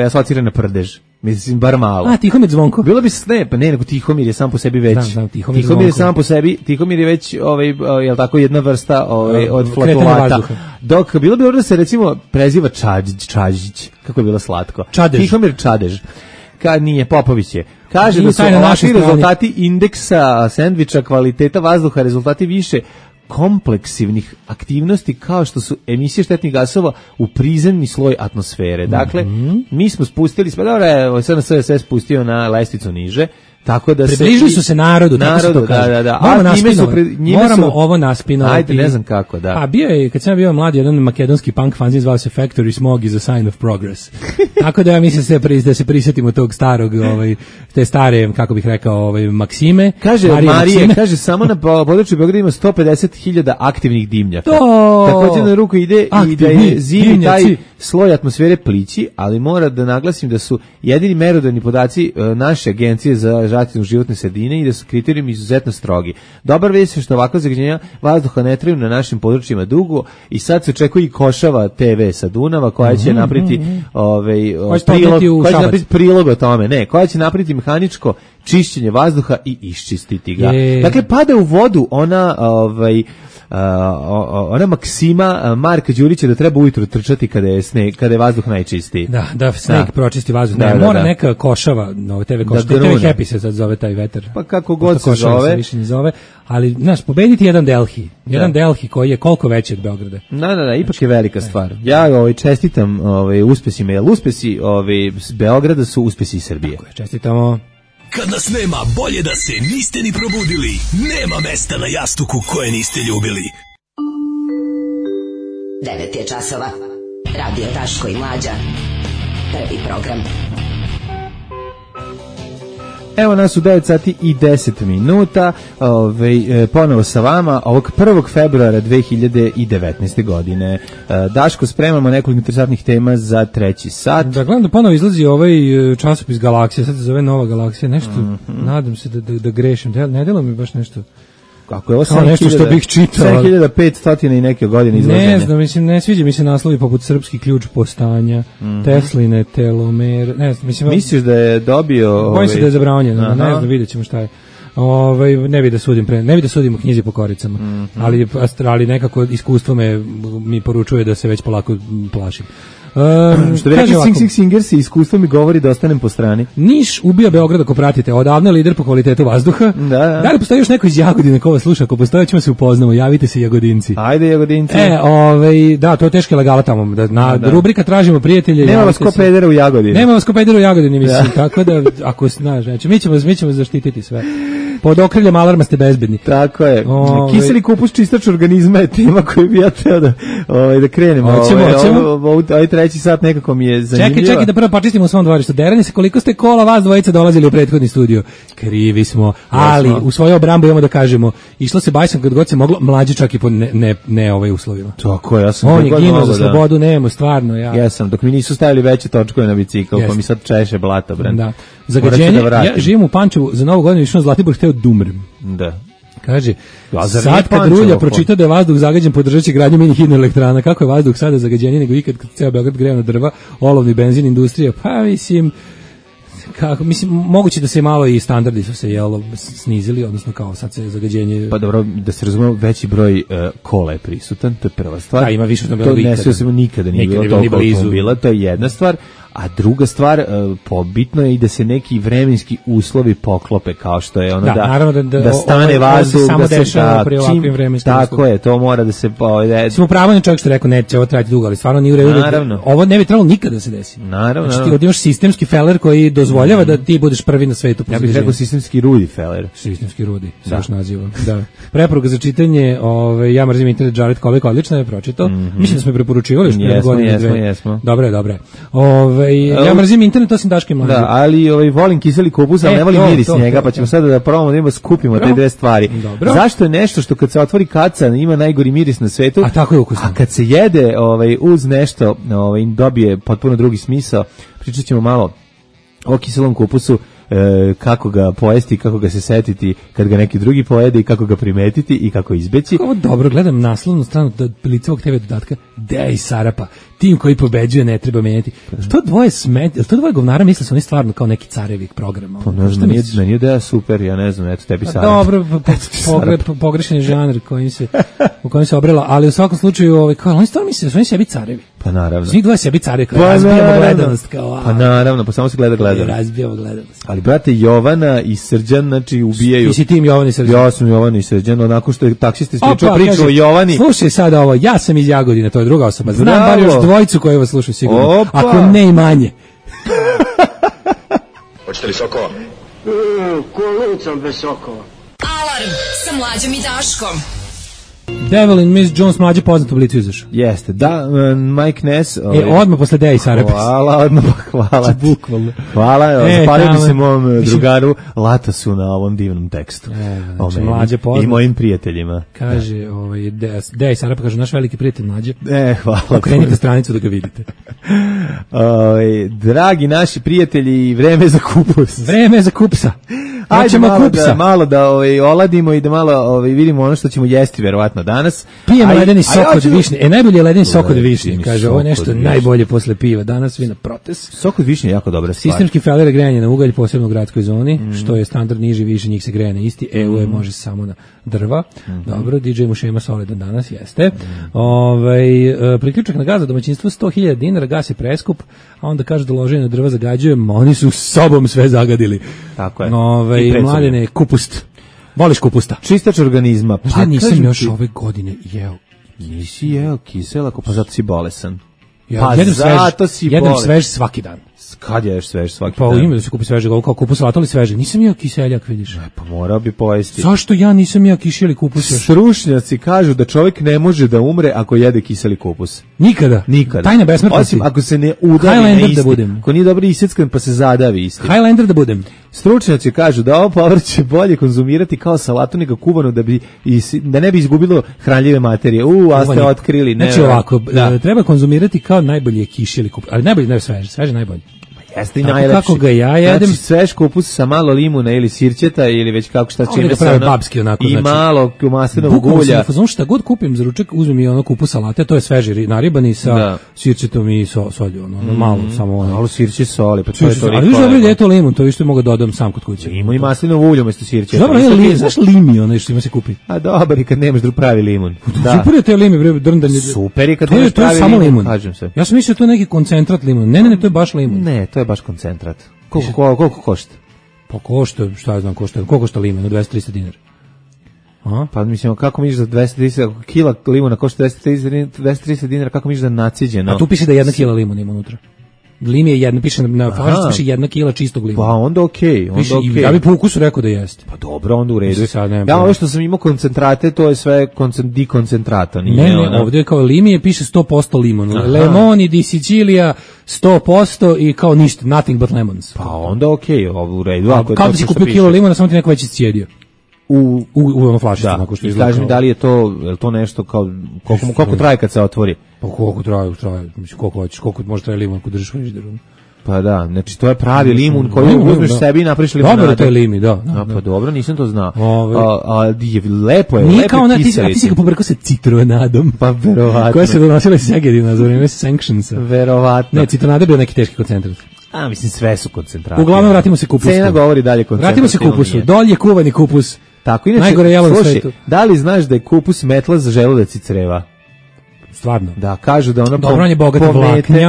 F: asocira na prdež. Mislim, bar malo.
E: Tihomir Zvonko.
F: Bilo bi nego Tihomir je sam po sebi već. Tihomir je sam po sebi, Tihomir je već, jel tako, jedna vrsta od flatulata. Dok bilo bi da se, recimo, preziva Čađić. Kako je bilo slatko.
E: Čadež.
F: Tihomir Čadež. Kad nije, Popović je. Kaže da su ovakvi rezultati indeksa sendviča kvaliteta vazduha, rezultati više kompleksivnih aktivnosti kao što su emisije štetnih gasova u prizemni sloj atmosfere. Dakle, mi smo spustili, sad sve spustio na lestvicu niže, tako da
E: približili su se narodu, tako se to kaže.
F: Da.
E: Moramo ovo naspinovati.
F: Ajde, ne znam kako, da.
E: A bio je, kad sam bio mlad, jedan makedonski punk fanzin zvao se Factory Smog is a sign of progress. Tako da ja mislim da se prisjetimo tog starog, te stare, kako bih rekao, maksime.
F: Kaže Marije, kaže samo na području Beograda ima 150.000 aktivnih dimnjaka. Također na ruku ide i da je zimi taj sloj atmosfere plići, ali mora da naglasim da su jedini merodavni podaci naše agencije za zaštitu životne sredine i da su kriterijumi izuzetno strogi. Dobar vest je što ovakva zagađenja vazduha ne traju na našim područjima dugo i sad se očekuje i Košava TV sa Dunava koja će napraviti prilog o tome, koja će napraviti mehaničko čišćenje vazduha i iščistiti ga. Dakle, pada u vodu ona maksima Marka Đurića da treba ujutro trčati kada je vazduh najčistiji.
E: Da sneg pročisti vazduh. Mora neka Košava, TV Košava, TV Happy se sad zove taj vetar.
F: Pa kako god se zove.
E: Se više ne zove, ali znaš, pobediti jedan Delhi. Jedan Delhi koji je koliko veći od Beograda.
F: Da, ipak je velika stvar. Ja čestitam uspesima, jer uspesi Beograda su uspesi Srbije.
E: Tako je, čestitamo.
I: Kad nas nema, bolje da se niste ni probudili. Nema mesta na jastuku koje niste ljubili.
G: 9 je časova. Radio Daško i Mlađa. Prvi program.
F: Evo nas u 9 sati i 10 minuta, ponovo sa vama, ovog 1. februara 2019. godine. Daško, spremamo nekoliko interesantnih tema za treći sat.
E: Da, gledam da ponovo izlazi ovaj časopis Galaksija, sad se zove Nova Galaksija, nešto, nadam se da grešim, ne delo mi baš nešto.
F: Kako je ovo
E: nešto što bih čitao.
F: 7500 i neke godine izlaženja.
E: Ne znam, mislim, ne sviđa mi se naslovi poput Srpski ključ postanja, Tesline telomere, ne znam, mislim...
F: Misliš da je dobio...
E: Bojim se da je zabranjeno, ne znam, vidjet ćemo šta je. Ne bi da sudim u knjizi po koricama, ali nekako iskustvo mi poručuje da se već polako plašim.
F: Što bi rekli Singers, iskustvo mi govori da ostanem po strani.
E: Niš ubija Beograd ako pratite, odavno je lider po kvalitetu vazduha. Da li postoji još neko iz Jagodine ko vas sluša? Ako postoji, ćemo se upoznamo, javite se Jagodinci.
F: Ajde Jagodinci.
E: Da, to je teška legala tamo. Rubrika tražimo prijatelje.
F: Nema vas ko pedera u Jagodini.
E: Nema vas ko pedera u Jagodini, mislim. Tako da, ako znaš, mi ćemo zaštititi sve. Pod okriljem alarma ste bezbedni.
F: Tako je. Kiseli kupus čistač organizma je tema koju bi ja teo da krenemo. Ovaj treći sat nekako mi je zanimljivo.
E: Čekaj da prvo počistimo u svom dvorištu. Derani se koliko ste kola vas dvojica dolazili u prethodni studio. Krivi smo, ali u svoju obrambu imamo da kažemo, išlo se bajsom kad god se moglo, mlađi čak i po ne uslovima.
F: Tako je, ja sam
E: on je ginuo za slobodu, nemo, stvarno.
F: Jesam, dok mi nisu stavili veće točkove na bicikl, pa mi sad češe blata, bre.
E: Da. Zagađenje, ja živim u Pančevu, za Novu godinu išao na Zlatibor, hteo da umrem.
F: Da.
E: Kaže, sad kad Rulja pročita da je vazduh zagađen, podržat će gradnju mini hidroelektrana. Kako je vazduh sada zagađenije nego ikad kad ceo Beograd greje na drva, olovni benzin, industrija, pa mislim, moguće da se malo i standardi su se snizili, odnosno kao sad se zagađenje...
F: Pa dobro, da se razumemo, veći broj kola je prisutan, to je prva stvar.
E: Da, ima više automobila
F: ikada. To nikada nije bilo toliko automobila, to je jedna stvar. A druga stvar, pobitno je i da se neki vremenski uslovi poklope, kao što je ono da stane vazduh,
E: samo dešava pri ovakvim vremenskim uslovima.
F: Tako je, to mora da se...
E: Smo pravilni čovjek što rekao, neće ovo trajati dugo, ali stvarno nije u redu. Ovo ne bi trebalo nikada da se desi.
F: Naravno.
E: Znači ti imaš sistemski feler koji dozvoljava da ti budeš prvi na svetu.
F: Ja bih rekao sistemski rudi feler.
E: Sistemski rudi, se još naziva. Da. Preporuka za čitanje, ja mrzim internet, Jared Kovek, odlično je pročitao. Mislim da smo preporučivali što je godine dve.
F: Jesmo.
E: Dobre. Ja mrzim internet, osim Daške Mlađe.
F: Da, ali volim kiseli kupus, ali ne volim miris njega, pa ćemo sada da probamo da skupimo te dve stvari.
E: Dobro.
F: Zašto je nešto što kad se otvori kaca ima najgori miris na svetu,
E: a tako je ukusno.
F: A kad se jede uz nešto dobije potpuno drugi smisao. Pričat ćemo malo o kiselom kupusu, kako ga pojesti, kako ga se setiti kad ga neki drugi pojede i kako ga primetiti i kako izbeći.
E: Ovo dobro, gledam naslovnu stranu Licevog TV dodatka, Dej Sarapa, tim koji pobeđuje ne treba menjati. To dvoje govnara misle su oni stvarno kao neki carevi programa.
F: Pa ne znam, meni je Deja super, ja ne znam, eto tebi Sarapa.
E: Dobro, pogrešan je žanr u kojem se obrela, ali u svakom slučaju, oni stvarno misle da su oni sebi carevi.
F: Pa naravno.
E: Svi dvoje sebi carevi, kao razbijamo gledanost.
F: Pa naravno, pa samo se gleda.
E: Razbijamo gledanost.
F: Ali, brate, Jovana i Srđan, znači, ubijaju...
E: Ti si tim Jovan i Srđan.
F: Ja sam Jovan i Srđan, onako što je taksista ispričao priču o Jovani.
E: Slušaj sada ovo, ja sam iz Jagodine, to je druga osoba. Znam bar još dvojicu koji vas slušaju sigurno.
F: Opa.
E: Ako ne i manje.
D: Hoćete li sokova?
J: Kolicom bez sokova.
B: Alarm sa Mlađom i Daškom.
E: Devil in Miss Jones, Mlađe poznat u Blicu izašao.
F: Jeste, da, Mike Ness.
E: Odmah posle Deja i Sarapis.
F: Hvala.
E: Bukvalno.
F: Hvala, zapalio bi se mom drugaru Latasu na ovom divnom tekstu.
E: Znači, Mlađe poznat.
F: I mojim prijateljima.
E: Kaže, Deja i Sarapis, kaže, naš veliki prijatelj Mlađe.
F: Hvala.
E: Okrenite stranicu da ga vidite.
F: Dragi naši prijatelji, vreme za kupus.
E: Vreme za kupsa.
F: Ajde malo da oladimo i da malo vidimo ono što ćemo jesti verovatno danas.
E: Pijemo ledeni sok od višnje. Najbolje je ledeni sok od višnje. Kaže, ovo je nešto najbolje posle piva. Danas vina protest.
F: Sok od višnje je jako dobra stvar.
E: Sistemski feler grejanje na ugalj, posebno u gradskoj zoni, što je standard niži, više njih se greje na isti. EU može samo na drva. Dobro, DJ Mušema solidan danas jeste. Priključak na gas za domaćinstvo 100.000 dinara, gas je preskup, a onda kaže da loženje na drva zagađuje, oni su sobom sve zagadili.
F: Tako je.
E: Mladene, kupust. Voliš kupusta?
F: Čistač organizma.
E: Pa nisam još ove godine jeo.
F: Nisi jeo kisela, pa zato si bolesan.
E: Ja jedem svež svaki dan.
F: Kad jedeš svež svaki
E: dan?
F: Pa
E: ima da se kupi svežeg, ovo kao kupus salata, ali svežeg. Nisam jeo kiseljak, vidiš.
F: Pa morao bi pojesti.
E: Zašto ja nisam jeo kišeli kupus još?
F: Stručnjaci kažu da čovjek ne može da umre ako jede kiseli kupus.
E: Nikada? Tajna besmrtnosti.
F: Osim ako se ne udavi na isti. Ako nije dobro isjeckan pa se zadavi isti.
E: Highlander da budem.
F: Stručnjaci kažu da ovo povrće bolje konzumirati kao salatu nego kuvano da ne bi izgubilo hranljive materije. A ste otkrili.
E: Znači ovako, treba konzumirati kao najbolje kišeli kupus. Ali najbolje, ne sveže najbolje.
F: Jeste i najlepši.
E: Kako ga ja jedem?
F: Znači svež kupus sa malo limuna ili sirćeta ili već kako šta čime se ono.
E: Babski onako,
F: i malo maslinovog ulja.
E: Znam šta god kupim za ručak, uzmem i ono kupus salate, to je sveži naribani sa sirćetom i solju, ono malo samo ono.
F: Malo sirće soli, pa to je to.
E: Ali viš dobro da je to limun, to isto mogu dodam sam kod kuće.
F: Ima i maslinovo ulje umesto sirćeta.
E: Dobro, je znaš limi ono što ima se kupi.
F: A dobro, i kad nemaš pravi limun.
E: Super je to limi, bre, drndanje.
F: Super je kad nemaš pravi limun, kažem se.
E: Ja sam mislio to neki koncentrat limun. Ne, to je baš limun.
F: Ne, to je baš koncentrat. Koliko košta?
E: Pa košta, šta ja znam, koliko košta limun, 200-300 dinara.
F: Aha. Pa mislim, kako misliš da 230 kila limuna košta 230 dinara, kako misliš da naciđeno?
E: A tu piše da 1 kila limuna ima unutra. Lim je jedna, piše na flašici piše 1 kila čistog limuna.
F: Pa onda okej, onda okej.
E: Ja bih po ukusu rekao da jeste.
F: Pa dobro, onda u redu. Ja ovo što sam imao koncentrate, to je sve dikoncentrata.
E: Ne, ovdje kao lim je piše 100% limun. Lemoni di Sicilija 100% i kao ništa, nothing but lemons.
F: Pa onda okej, ovo u redu.
E: Kao da si kupio kilo limuna, samo ti neko već iscijedio. U ono flašicu.
F: Da, i kaži mi da li je to nešto kao, koliko traje kad se otvori?
E: Pa koliko traje, koliko hoćeš, koliko može traje limun ako držiš frižideru.
F: Pa da, znači to je pravi limun koji uzmeš sebi i napraviš limunadu.
E: Dobro, to je limi, da.
F: Pa dobro, nisam to znao. Lepo je,
E: nije kao ti si ga pobrkao sa citronadom.
F: Pa verovatno.
E: Koja se donosila iz Segedina za vreme sanctionsa.
F: Verovatno.
E: Ne, citronada je bio neki teški koncentrat.
F: Mislim, sve su koncentrati.
E: Uglavnom, vratimo se kupusu.
F: Cena govori dalje koncentrat.
E: Vratimo se kupusu. Dolje kuvani kupus.
F: Tako, inače,
E: najgore jelo na svetu.
F: Da li znaš da je kupus metla za želudac i creva?
E: Stvarno.
F: Da, kažu da ono
E: dobro, on je bogat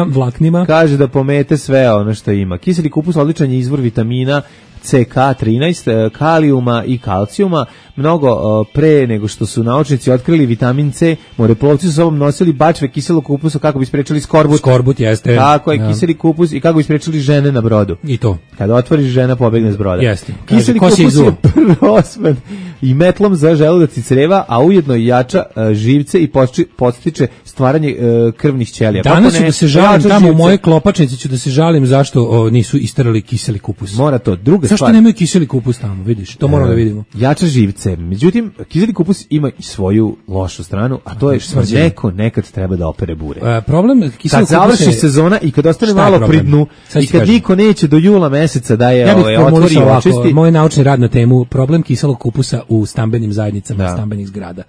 E: vlaknima.
F: Kaže da pomete sve ono što ima. Kiseli kupus odličan je izvor vitamina CK13, kalijuma i kalcijuma. Mnogo pre nego što su naučnici otkrili vitamin C, moreplovci su sobom nosili bačve kiselog kupusa kako bi sprečili skorbut.
E: Skorbut jeste.
F: Tako je, kiseli kupus i kako bi sprečili žene na brodu.
E: I to.
F: Kada otvoriš, žena pobegne s broda.
E: Jeste.
F: Kiseli kupus je prvosman i metlom za želudac i creva, a ujedno i jača živce i podstiče stvaranje krvnih ćelija.
E: Danas ću da se žalim tamo živce. U mojoj klopačnici ću da se žalim zašto nisu isterali kiseli kupus.
F: Mora to. Druga
E: zašto
F: stvar.
E: Nemaju kiseli kupus tamo, vidiš? To moramo da vidimo.
F: Jača živce. Međutim, kiseli kupus ima i svoju lošu stranu, a to je što neko nekad treba da opere bure.
E: Problem kiselog kupusa
F: kad završi sezona i kad ostane malo pri dnu i kad niko neće do jula meseca da je otvori i očisti.
E: Moj naučni rad na temu problem kiselog kupusa u stambenim zajednicama, stambenih zgrada.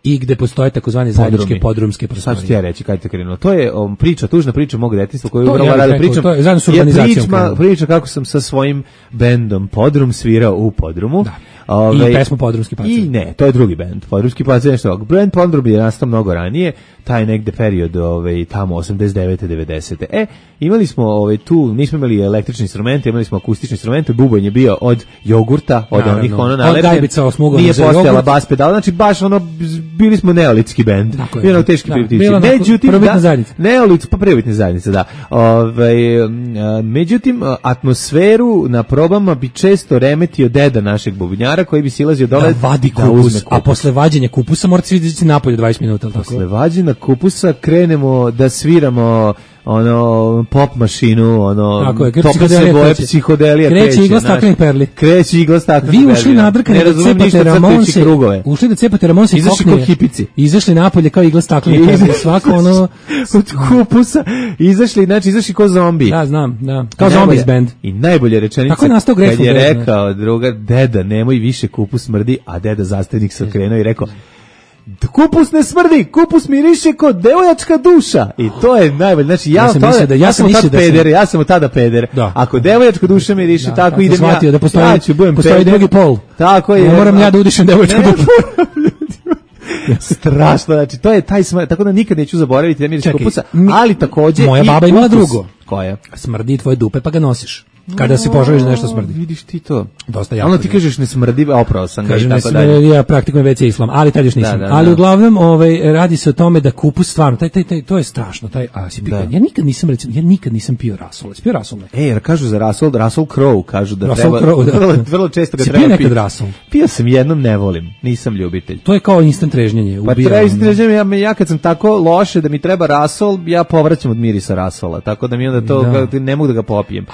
E: I gde postoje takozvane zajedničke podrumske prostorije.
F: Sad ću ti ja reći, kada te krenuo. To je tužna priča mog detinjstva koju upravo rado pričam.
E: To je zajedno s urbanizacijom.
F: Priča kako sam sa svojim bendom Podrum svirao u Podrumu.
E: Da. I pesmu Podrumski pacen.
F: I ne, to je drugi bend. Podrumski pacen nešto. Band Podrum je nastao mnogo ranije, taj negde period tamo 89. 90. Imali smo tu, nismo imali električni instrumente, imali smo akustični instrumente, bubanj je bio od jogurta, od onih nalepljen. Nije postojala bas pedala, znači baš bili smo neolitski bend. Bilo teški primitivici. Međutim, prvobitne zajednice, da. Međutim, atmosferu na probama bi često remetio deda našeg bubnjara koji bi silazio dole
E: da vadi kupus, a posle vađenja kupusa morate svi izaći napolje 20 minuta.
F: Posle vađenja kupusa krenemo da sviramo pop mašinu, topa se boje psihodelija
E: kreće igla staklenih perli.
F: Kreće igla staklenih perli.
E: Vi ušli nadrkani da cepate Ramonse,
F: ušli
E: da cepate Ramonse i kokne, izašli napolje kao igla staklenih perli. Svako
F: od kupusa izašli ko zombi.
E: Da, znam, da. Kao zombies band.
F: I najbolje rečenica kad je rekao druga, deda, nemoj više kupus smrdi, a deda zastavnik se okrenuo i rekao, kupus ne smrdi, kupus miriše kod devojačka duša. I to je najbolje. Znači ja sam od tada peder. Ako devojačka duša miriše, tako idem ja.
E: Da postoji drugi pol.
F: Tako je.
E: Ne moram ja da udišem devojačku dušu.
F: Strašno, znači to je taj smrd, tako da nikad neću zaboraviti da miriše kupusa, ali takođe
E: moja baba imala drugo.
F: Koja?
E: Smrdi tvoje dupe pa ga nosiš. Kada se požališ da nešto smrdi.
F: Vidiš ti to.
E: Dosta jako.
F: Ono ti kažeš ne smrdi, oprao sam ga i tako
E: dalje. Ja praktikujem WC islam, ali tad još nisam. Ali uglavnom radi se o tome da kupus stvarno, to je strašno, ja nikad nisam pio rasol. Pio rasol ne.
F: Jer kažu za Russell Crowe, kažu da
E: Russell
F: treba,
E: Crowe,
F: vrlo često ga
E: treba
F: piti.
E: Pio nekad rasol?
F: Pio sam jednom, ne volim, nisam ljubitelj.
E: To je kao instant trežnjenje.
F: Pa treba instant trežnjenje, ja kad sam tako loše da mi treba rasol, ja povraćam od mirisa rasola, tako da mi onda to ne mogu da ga popijem.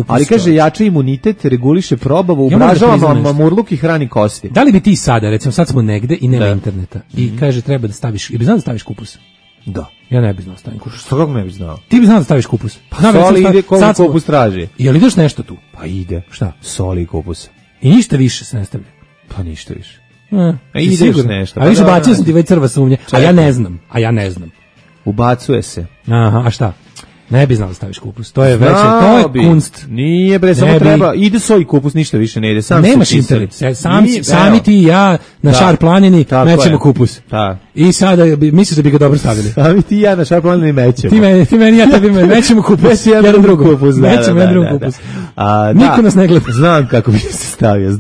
F: Ali kaže jača imunitet, reguliše probavu, ubražava mamurluk i hrani kosti.
E: Da li bi ti sada, recimo sad smo negde i nema interneta i kaže treba da staviš, bi znao da staviš kupus?
F: Da.
E: Ja ne bi znao stavim kupus.
F: Što kako ne bi znao?
E: Ti bi znao da staviš kupus.
F: Pa soli ide koliko kupus traži.
E: Jel ideš nešto tu?
F: Pa ide.
E: Šta?
F: Soli i kupus.
E: I ništa više se ne stavlja?
F: Pa ništa više.
E: Ideš nešto. A više bacio sam ti već crva sumnje, a ja ne znam.
F: Ubacuje se.
E: Aha, a šta? Ne bi znao da staviš kupus. To je veće, to je kunst.
F: Nije bre, samo treba. Ide soj kupus, ništa više ne ide. Sam
E: nemaš internet. Sami ti i ja na Šar planini mećemo kupus. I sada misliš da bi ga dobro stavili.
F: Sami ti i ja na Šar planini mećemo.
E: Ti meni, ja tebi mećemo kupus. Jedan drugi kupus. Mećemo jedan drugi kupus. Niko nas ne gleda.
F: Znam kako bi se stavio.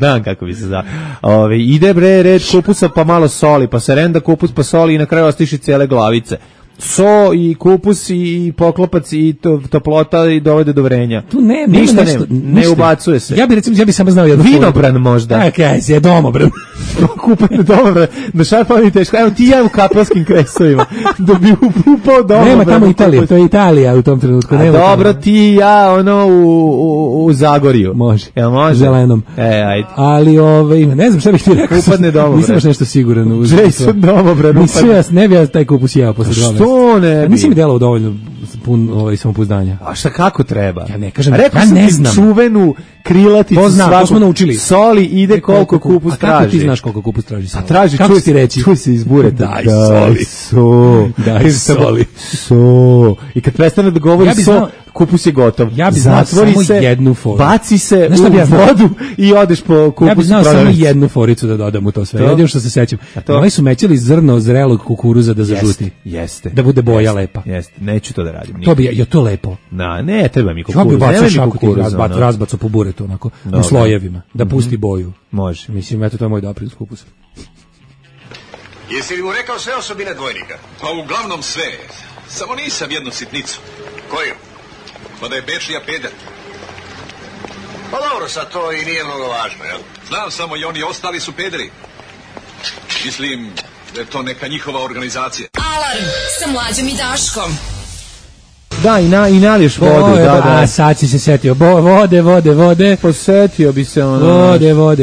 F: Ide bre red kupusa pa malo soli, pa se renda kupus pa soli i na kraju ostiši cijele glavice. so i kupus i poklopac i toplota i dovede do vrenja.
E: Tu nema
F: ništa,
E: nešto,
F: ne ubacuje se.
E: Ja bi samo znao jednu
F: vinobran možda.
E: Je domobran.
F: Kupanje domobran. Na šarpani teško. Evo ti ja u kapelskim kresovima. Da bi upao domobran.
E: Nema tamo Italije, to je Italija u tom trenutku.
F: Dobro, ti ja u Zagorju.
E: Može.
F: Jel može?
E: Zelenom.
F: Ajde.
E: Ali ne znam šta bih ti rekao.
F: Upadne domobran.
E: Nisam baš nešto siguran.
F: Jason domobran.
E: Ne bi ja taj kupus jeo posle toga.
F: Što ne bi?
E: Nisi mi delao dovoljno pun samopouzdanja.
F: A šta, kako treba?
E: Ja ne kažem,
F: ja ne znam. Čuvenu krilaticu
E: to smo naučili.
F: Soli ide koliko kupus traži.
E: A kako ti znaš koliko kupus traži soli?
F: A traži,
E: kako ti reći?
F: Čuj se iz bureta.
E: Daj soli.
F: So. I kad prestane da govori kupus je gotov.
E: Ja bi znao samo jednu foru.
F: Baci se u vodu i odeš po kupus.
E: Ja bi znao samo jednu foricu da dodam u to sve. Jedino što se sećam. Oni su mećali zrno zrelog kukuruza da zažuti.
F: Jeste.
E: Da bude boja lepa.
F: Jeste. Neću to da radim.
E: To bi to lepo.
F: Ne treba mi kukuruz.
E: Ja bi bacio šaku razbacu po buretu onako u slojevima da pusti boju.
F: Može.
E: Mislim, eto to je moj doprinos kupusa.
K: Jesi li mu rekao sve osobine dvojnika?
L: Pa uglavnom sve. Samo nisam jednu sitnicu.
K: Koju?
L: Pa da je Bečija peder.
K: Pa dobro, sad to i nije mnogo važno, jel?
L: Znam samo i oni ostali su pederi. Mislim da je to neka njihova organizacija.
B: Alarm sa Mlađom i Daškom.
F: Da, i naliješ vodu.
E: Da. Sad si se setio. Vode.
F: Posetio bi se ono.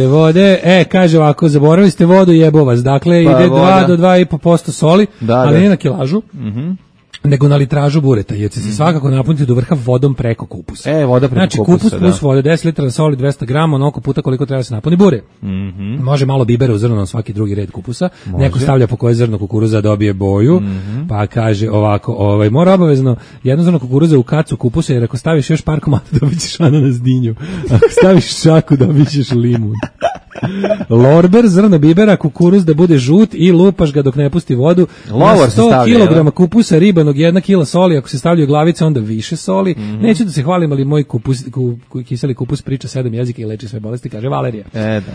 E: Vode. Kaže ovako, zaboravili ste vodu, jebo vas. Dakle, ide 2 do 2,5% soli, ali ne na kilažu. Nego na litražu bureta, jer će se svakako napuniti do vrha vodom preko kupusa.
F: Voda preko kupusa,
E: kupus plus vode, 10 litara soli, 200 grama, onoliko puta koliko treba se napuni bure. Može malo bibera u zrno na svaki drugi red kupusa. Neko stavlja po koje zrno kukuruza dobije boju, pa kaže ovako, mora obavezno jedno zrno kukuruza u kacu kupusa, jer ako staviš još par komada dobit ćeš ananas dinju. Ako staviš šaku dobit ćeš limun. Lorber, zrno bibera, kukuruz da bude žut i lupaš ga dok ne pusti vodu.
F: Lovor
E: 100 kg kupusa ribanog, 1 kila soli, ako se stavljaju glavice onda više soli. Neću da se hvalim, ali moj kiseli kupus priča 7 jezika i leči sve bolesti, kaže Valerija.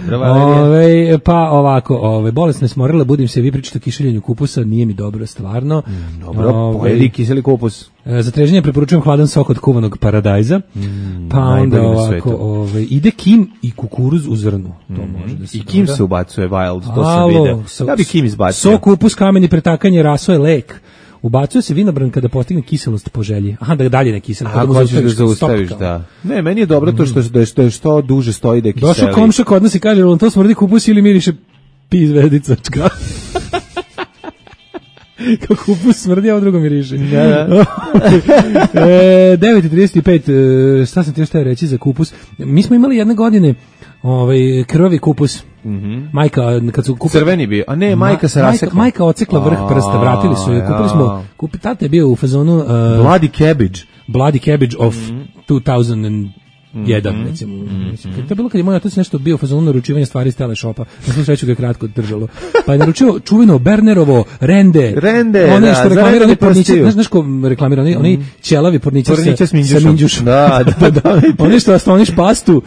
F: Dobro, Valerija.
E: Pa ovako, bolesne smorila, budim se, vi pričate o kišeljenju kupusa, nije mi dobro, stvarno.
F: Dobro, pojedi kiseli kupus.
E: Za treženje preporučujem hladan sok od kuvanog paradajza. Pa onda ovako, ide kim i kukuruz u zrnu. To može da se
F: i kim se ubacuje wild, to sam video. Ja bi kim izbacio.
E: Sok, kupus, kamen i pretakanje, raso je lek. Ubacuje se vinobran kada postigne kiselost po želji. Aha, da dalje ne kiseli.
F: Ako hoćeš da zaustaviš, da. Ne, meni je dobro to što je što duže stoji da je kiseli.
E: Došao komšija kod nas i kaže, on to smrdi kupus ili miriše pizvedica. Kao kupus smrdi, a ovo drugo miriše. 9:35, šta sam ti još teo reći za kupus? Mi smo imali jedne godine krvavi kupus. Majka, kad su
F: crveni bio, a ne, majka se rasekla.
E: Majka ocekla vrh prsta, vratili su je. Kupili smo, tata je bio u fazonu Bloody Cabbage of 2001, recimo. To je bilo kad je moj otac nešto bio u fazonu naručivanja stvari iz teleshopa. Na svu sreću ga je kratko držalo. Pa je naručio čuveno Bernerovo rende. One što reklamirani porniče, znaš ko reklamira, oni ćelavi porniče sa minđušom.
F: Da.
E: Oni što skloniš pastu,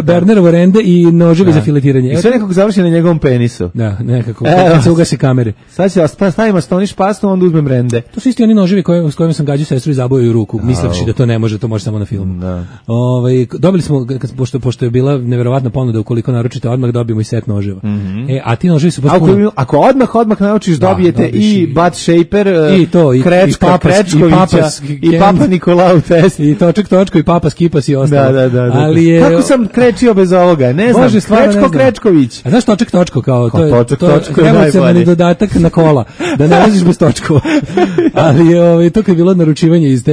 E: Bernerovo rende i noževi za filetiranje.
F: I sve nekako završi na njegovom penisu.
E: Da, nekako. Kad se ugase kamere.
F: Sad će stavimo skloniš pastu, onda uzmem rende.
E: To su isti oni noževi s kojima sam gađao sestru i zabojao ruku, misleći da to ne može, to može samo na filmu. Dobili smo, pošto je bila neverovatna ponuda, ukoliko naručite odmah dobijemo i set noževa. A ti noževi su potpuno...
F: Ako odmah naučiš, dobijete i butt shaper, i Krečkovića, i Papa Nikolau test.
E: I točko, i Papa Skipas i ostalo.
F: Da. Kako sam krečio bez ovoga? Ne znam, Krečković.
E: A znaš točko kao?
F: Točko
E: je najbolje. Dodatak na kola, da ne leziš bez točkova. Ali to kad je bilo naručivanje iz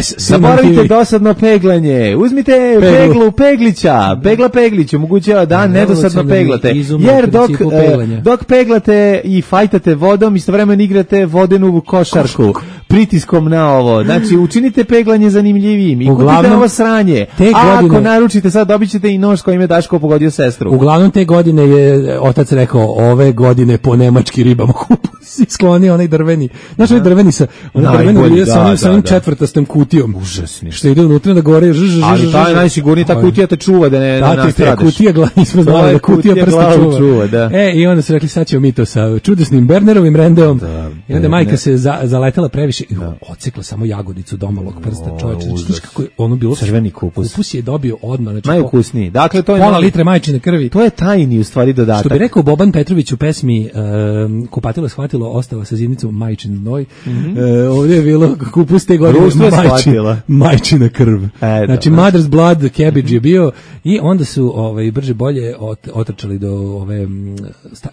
E: S.
F: Zaboravite dosadno peglanje. Uzmite Peglić omogućava da nedosadno peglate, jer dok peglate i fajtate vodom, istovremeno igrate vodenu košarku pritiskom na ovo. Znači, učinite peglanje zanimljivijim i kupite ovo sranje. A ako naručite sad, dobit ćete i nož kojim je Daško pogodio sestru.
E: Uglavnom te godine je otac rekao, ove godine po nemački ribamo kupus i sklonio onaj drveni. Znaš, onaj drveni sa onim četvrtastom kutijom.
F: Užasni.
E: Što ide unutra da gore
F: ali ta je najsigurniji, ta kutija te čuva da ne nastradaš.
E: Kutija nismo znali da kutija prsta čuva. I onda su rekli, sad ćemo mi to sa čudesnim Bernerovim rendeom I onda majka se zaletela previše i odsekla samo jagodicu domalog prsta, čoveče. Znači kako je ono bilo
F: crveni kupus.
E: Kupus je dobio odmah, znači
F: najukusniji. Dakle to je
E: pola litre majčine krvi.
F: To je tajni u stvari dodatak.
E: Što bi rekao Boban Petrović u pesmi Kupatilo shvatilo, ostala sa zidnicom majčin noj. Ovdje je bilo kupus te godine majčina krv. Znači mother's blood cabbage je bio i onda su brže bolje otrčali do ove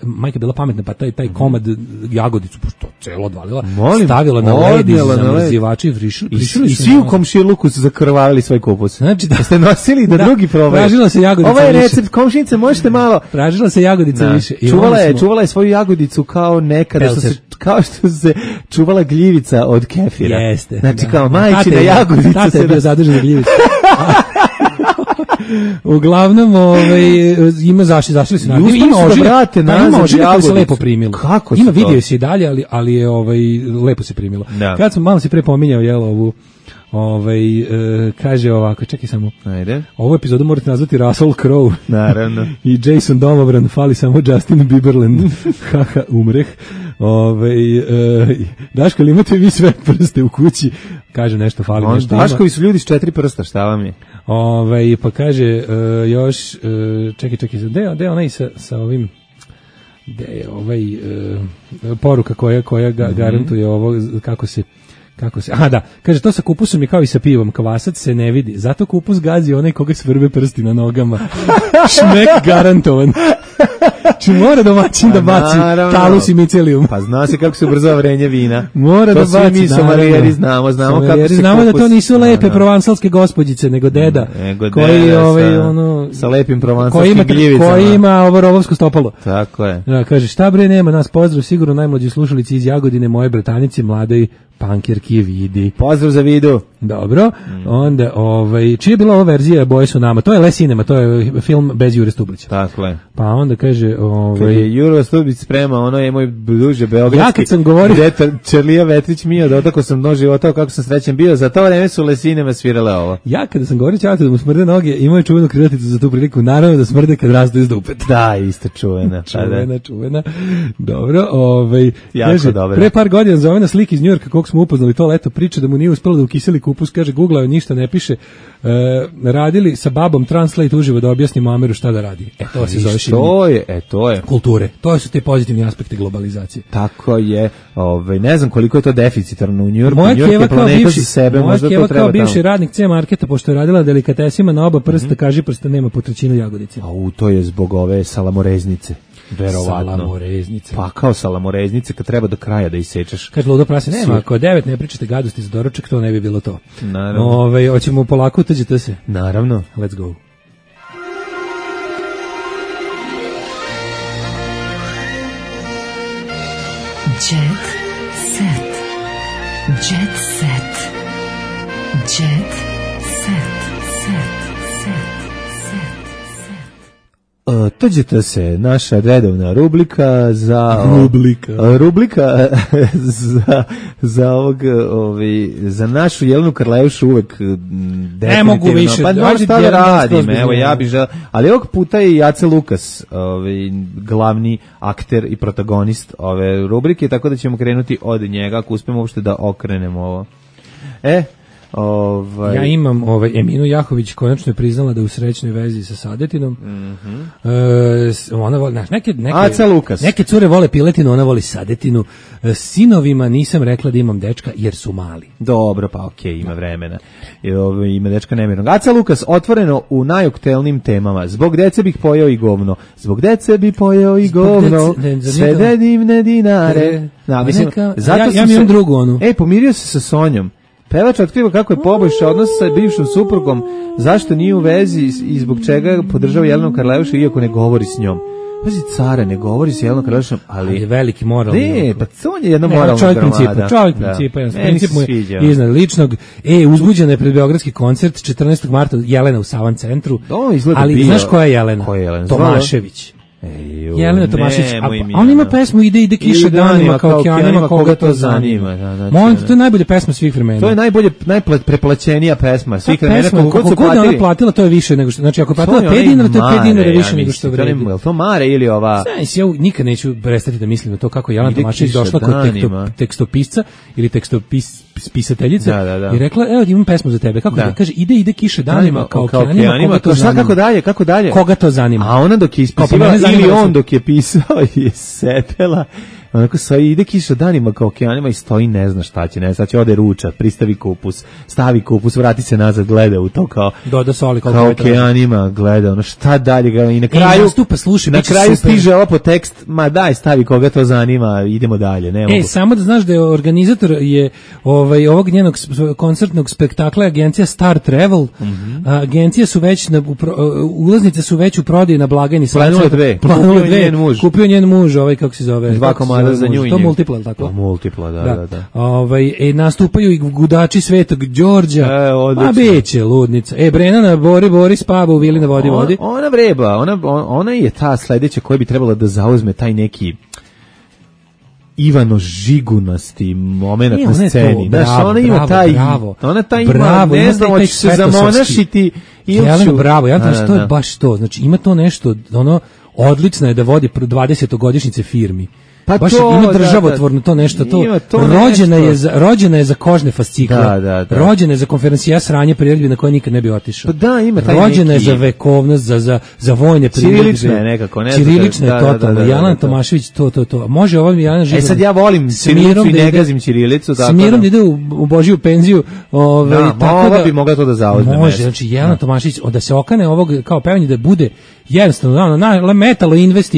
E: majka bila pametna pa taj komad jagodicu pošto celo odvalila stavila na led i zamrzivači
F: i svi u komšiluku su zakrvavili svoj kupus.
E: Znači
F: da ste nosili da drugi probaju.
E: Pražila se jagodica.
F: Ovo je recept komšinice, možete malo.
E: Pražila se jagodica više.
F: Čuvala je svoju jagodicu kao nekada kao što se čuvala gljivica od kefira.
E: Jeste.
F: Znači kao majčina jagodica.
E: Tata je bio zadržan gljivica. Uglavnom, ima zašli su naravno. Ima ožiljak koji se lepo primilo.
F: Kako
E: ima video se i dalje, ali je lepo se primilo. Da. Kad sam malo se pre pominjao ovu kaže ovako, čekaj samo.
F: Ajde.
E: Ovu epizodu morate nazvati Russell Crowe.
F: Naravno.
E: I Jason Domobran, fali samo Justin Bieberland. Haha, umreh. Daško, li imate vi sve prste u kući? Kaže nešto, fali nešto.
F: Daškovi su ljudi s 4 prsta, šta vam je?
E: Pa kaže još, čekaj, gde je onaj sa ovim, gde je poruka koja garantuje ovo, kako se, kaže, to sa kupusom je kao i sa pivom, kvasac se ne vidi, zato kupus gazi onaj koga svrbe prsti na nogama. Šmek garantovan. Či mora domaćin da baci talus i micelijum.
F: Pa zna se kako se ubrzava vrenje vina.
E: Mora da baci.
F: To svi mi somalijeri znamo kako se
E: znamo da to nisu lepe provansalske gospođice, nego deda. Koji
F: sa lepim provansalskim gljivicama.
E: Koji ima ovo rovovsko stopalo.
F: Tako je.
E: Kaže, šta bre, nema nas, pozdrav, sigurno najmlađi slušalici iz Jagodine, moje bratanice, mladoj pankirki Vidi.
F: Pozdrav za Vidu.
E: Dobro. Onda, čija je bila ova verzija Boje su nama? To je Le Cinema, to je film bez Jure Stublića.
F: Tako je.
E: Pa onda kaže,
F: kad je Jure Stublić sprema, ono je moj duže beogradski.
E: Ja kad sam govorio,
F: Čerlija Vetrić Mio, dotako sam mnogo života, kako sam srećen bio, za to vreme su Le Cinema svirale ovo.
E: Ja kada sam govorio ćatu da mu smrde noge, imao je čuvenu krilaticu za tu priliku, naravno da smrde kad rastu iz dupeta.
F: Da, isto čuvena.
E: čuvena. Dobro,
F: jako dobro.
E: Pre par godina zove na slik iz Njujorka kog smo upoznali to leto, priča da mu nije uspelo da ukiseli kupus, kaže googlao, ništa ne piše. Radili sa babom Translate uživo da objasnimo Ameru šta da radi. To se zove
F: to je
E: kulture. To su te pozitivni aspekti globalizacije.
F: Tako je. Ne znam koliko je to deficitarno u Njujorku. Moja keva
E: kao bivši radnik C marketa, pošto je radila delikatesima na oba prsta, kaži prsta nema po trećinu jagodice.
F: To je zbog ove salamoreznice. Verovatno.
E: Salamoreznice.
F: Pa kao salamoreznice kad treba do kraja da isečeš.
E: Kaže ludo prase, nema, ako 9 ne pričate gadosti za doručak, to ne bi bilo to.
F: Naravno.
E: Hoćemo polako utađete se.
F: Naravno.
E: Let's go.
B: Jet set. Jet set. Jet set.
F: Tođete se, naša redovna rubrika za za našu Jelenu Karleušu uvek
E: ne mogu više.
F: Pa šta da radim, evo ja bih želeo, ali ovog puta je i Ace Lukas, glavni akter i protagonist ove rubrike, tako da ćemo krenuti od njega ako uspemo uopšte da okrenemo ovo.
E: Ja imam Eminu Jahović konačno je priznala da je u srećnoj vezi sa Sadetinom. Ona voli, neke cure vole piletinu, ona voli Sadetinu. Sinovima nisam rekla da imam dečka jer su mali.
F: Dobro, pa okej, ima vremena. Ima dečka nemirnog. Aca Lukas otvoreno u najoktelnim temama. Zbog dece bih pojeo i govno. Zbog dece bi pojeo i govno. Sve te divne dinare.
E: Ja mi imam drugu onu.
F: Pomirio se sa Sonjom. Pevač otkriva kako je poboljšao odnos sa bivšom suprugom, zašto nije u vezi i zbog čega podržava Jelenu Karleušu iako ne govori s njom. Pazi, care, ne govori s Jelenom Karleušom, ali
E: je veliki moral.
F: Ne, pa on je jedna moralna gromada.
E: Čovjek principa, princip mu je iznad ličnog. Uzbuđena je pred beogradski koncert 14. marta Jelena u Savan centru. Ali znaš koja je Jelena? Tomašević. Jelena Tomašić, a on ima pesmu Ide kiša danima kao okeanima, koga to zanima. Molim te, to je najbolja pesma svih vremena.
F: To je najpreplaćenija pesma svih vremena.
E: Koliko god ona platila, to je više nego što, znači ako platila 5 dinara, to je 5 dinara više nego što vredi.
F: Je to Mare ili ova?
E: Ja nikad neću prestati da mislim na to kako Jelena Tomašić došla kod tekstopisca ili tekstopisateljice i rekla, evo imam pesmu za tebe. Kako kaže, ide kiša danima kao okeanima,
F: kako dalje?
E: Koga to zanima?
F: A ona dok je ispisivala ili on dok je pisao je sedela, onako ide kiša danima kao okeanima i stoji, ne zna šta će, ne zna, će ode ruča, pristavi kupus, stavi kupus, vrati se nazad, gleda u to kao
E: doda soli
F: kao okeanima, gleda, ono šta dalje, i na kraju na kraju stiže ovo po tekst, ma daj stavi koga to zanima, idemo dalje, ne mogu.
E: Samo da znaš da je organizator je ovog njenog koncertnog spektakla agencija Star Travel, agencije su već, ulaznice su već u prodaji na blagajni.
F: Planule dve,
E: kupio njen muž, kako se zove,
F: 2 komada za nju i
E: to multipla, tako?
F: Multipla, da.
E: Nastupaju i gudači Svetog Đorđa, a beće ludnica. Brenana Bori spava u vili na vodi.
F: Ona vreba, ona je ta sledeća koja bi trebala da zauzme taj neki Ivano Žigunasti moment na sceni. Ona ima taj, ne znam, hoće se zamonašiti ili ću...
E: Bravo, ja znam što je baš to, znači ima to nešto, odlično je da vodi 20-godišnjice firmi. Pa baš ima državotvorno to nešto, rođena je za kožne fascikle, rođena je za konferencija sranje priredbi na koje nikad ne bi otišao.
F: Pa ima taj
E: rođena je za vekovnost, za vojne priredbe.
F: Ćirilična je nekako, ne?
E: Ćirilična je totalno. Jelena Tomašević, to. Može ovo mi Jelena Žigan.
F: Sad ja volim ćirilicu i ne gazim ćirilicu.
E: S mirom da ide u Božiju penziju.
F: Tako da bi mogla to da zauzme.
E: Može, znači Jelena Tomašević, da se okane ovog kao pevanje, da bude jednostavno metalo invest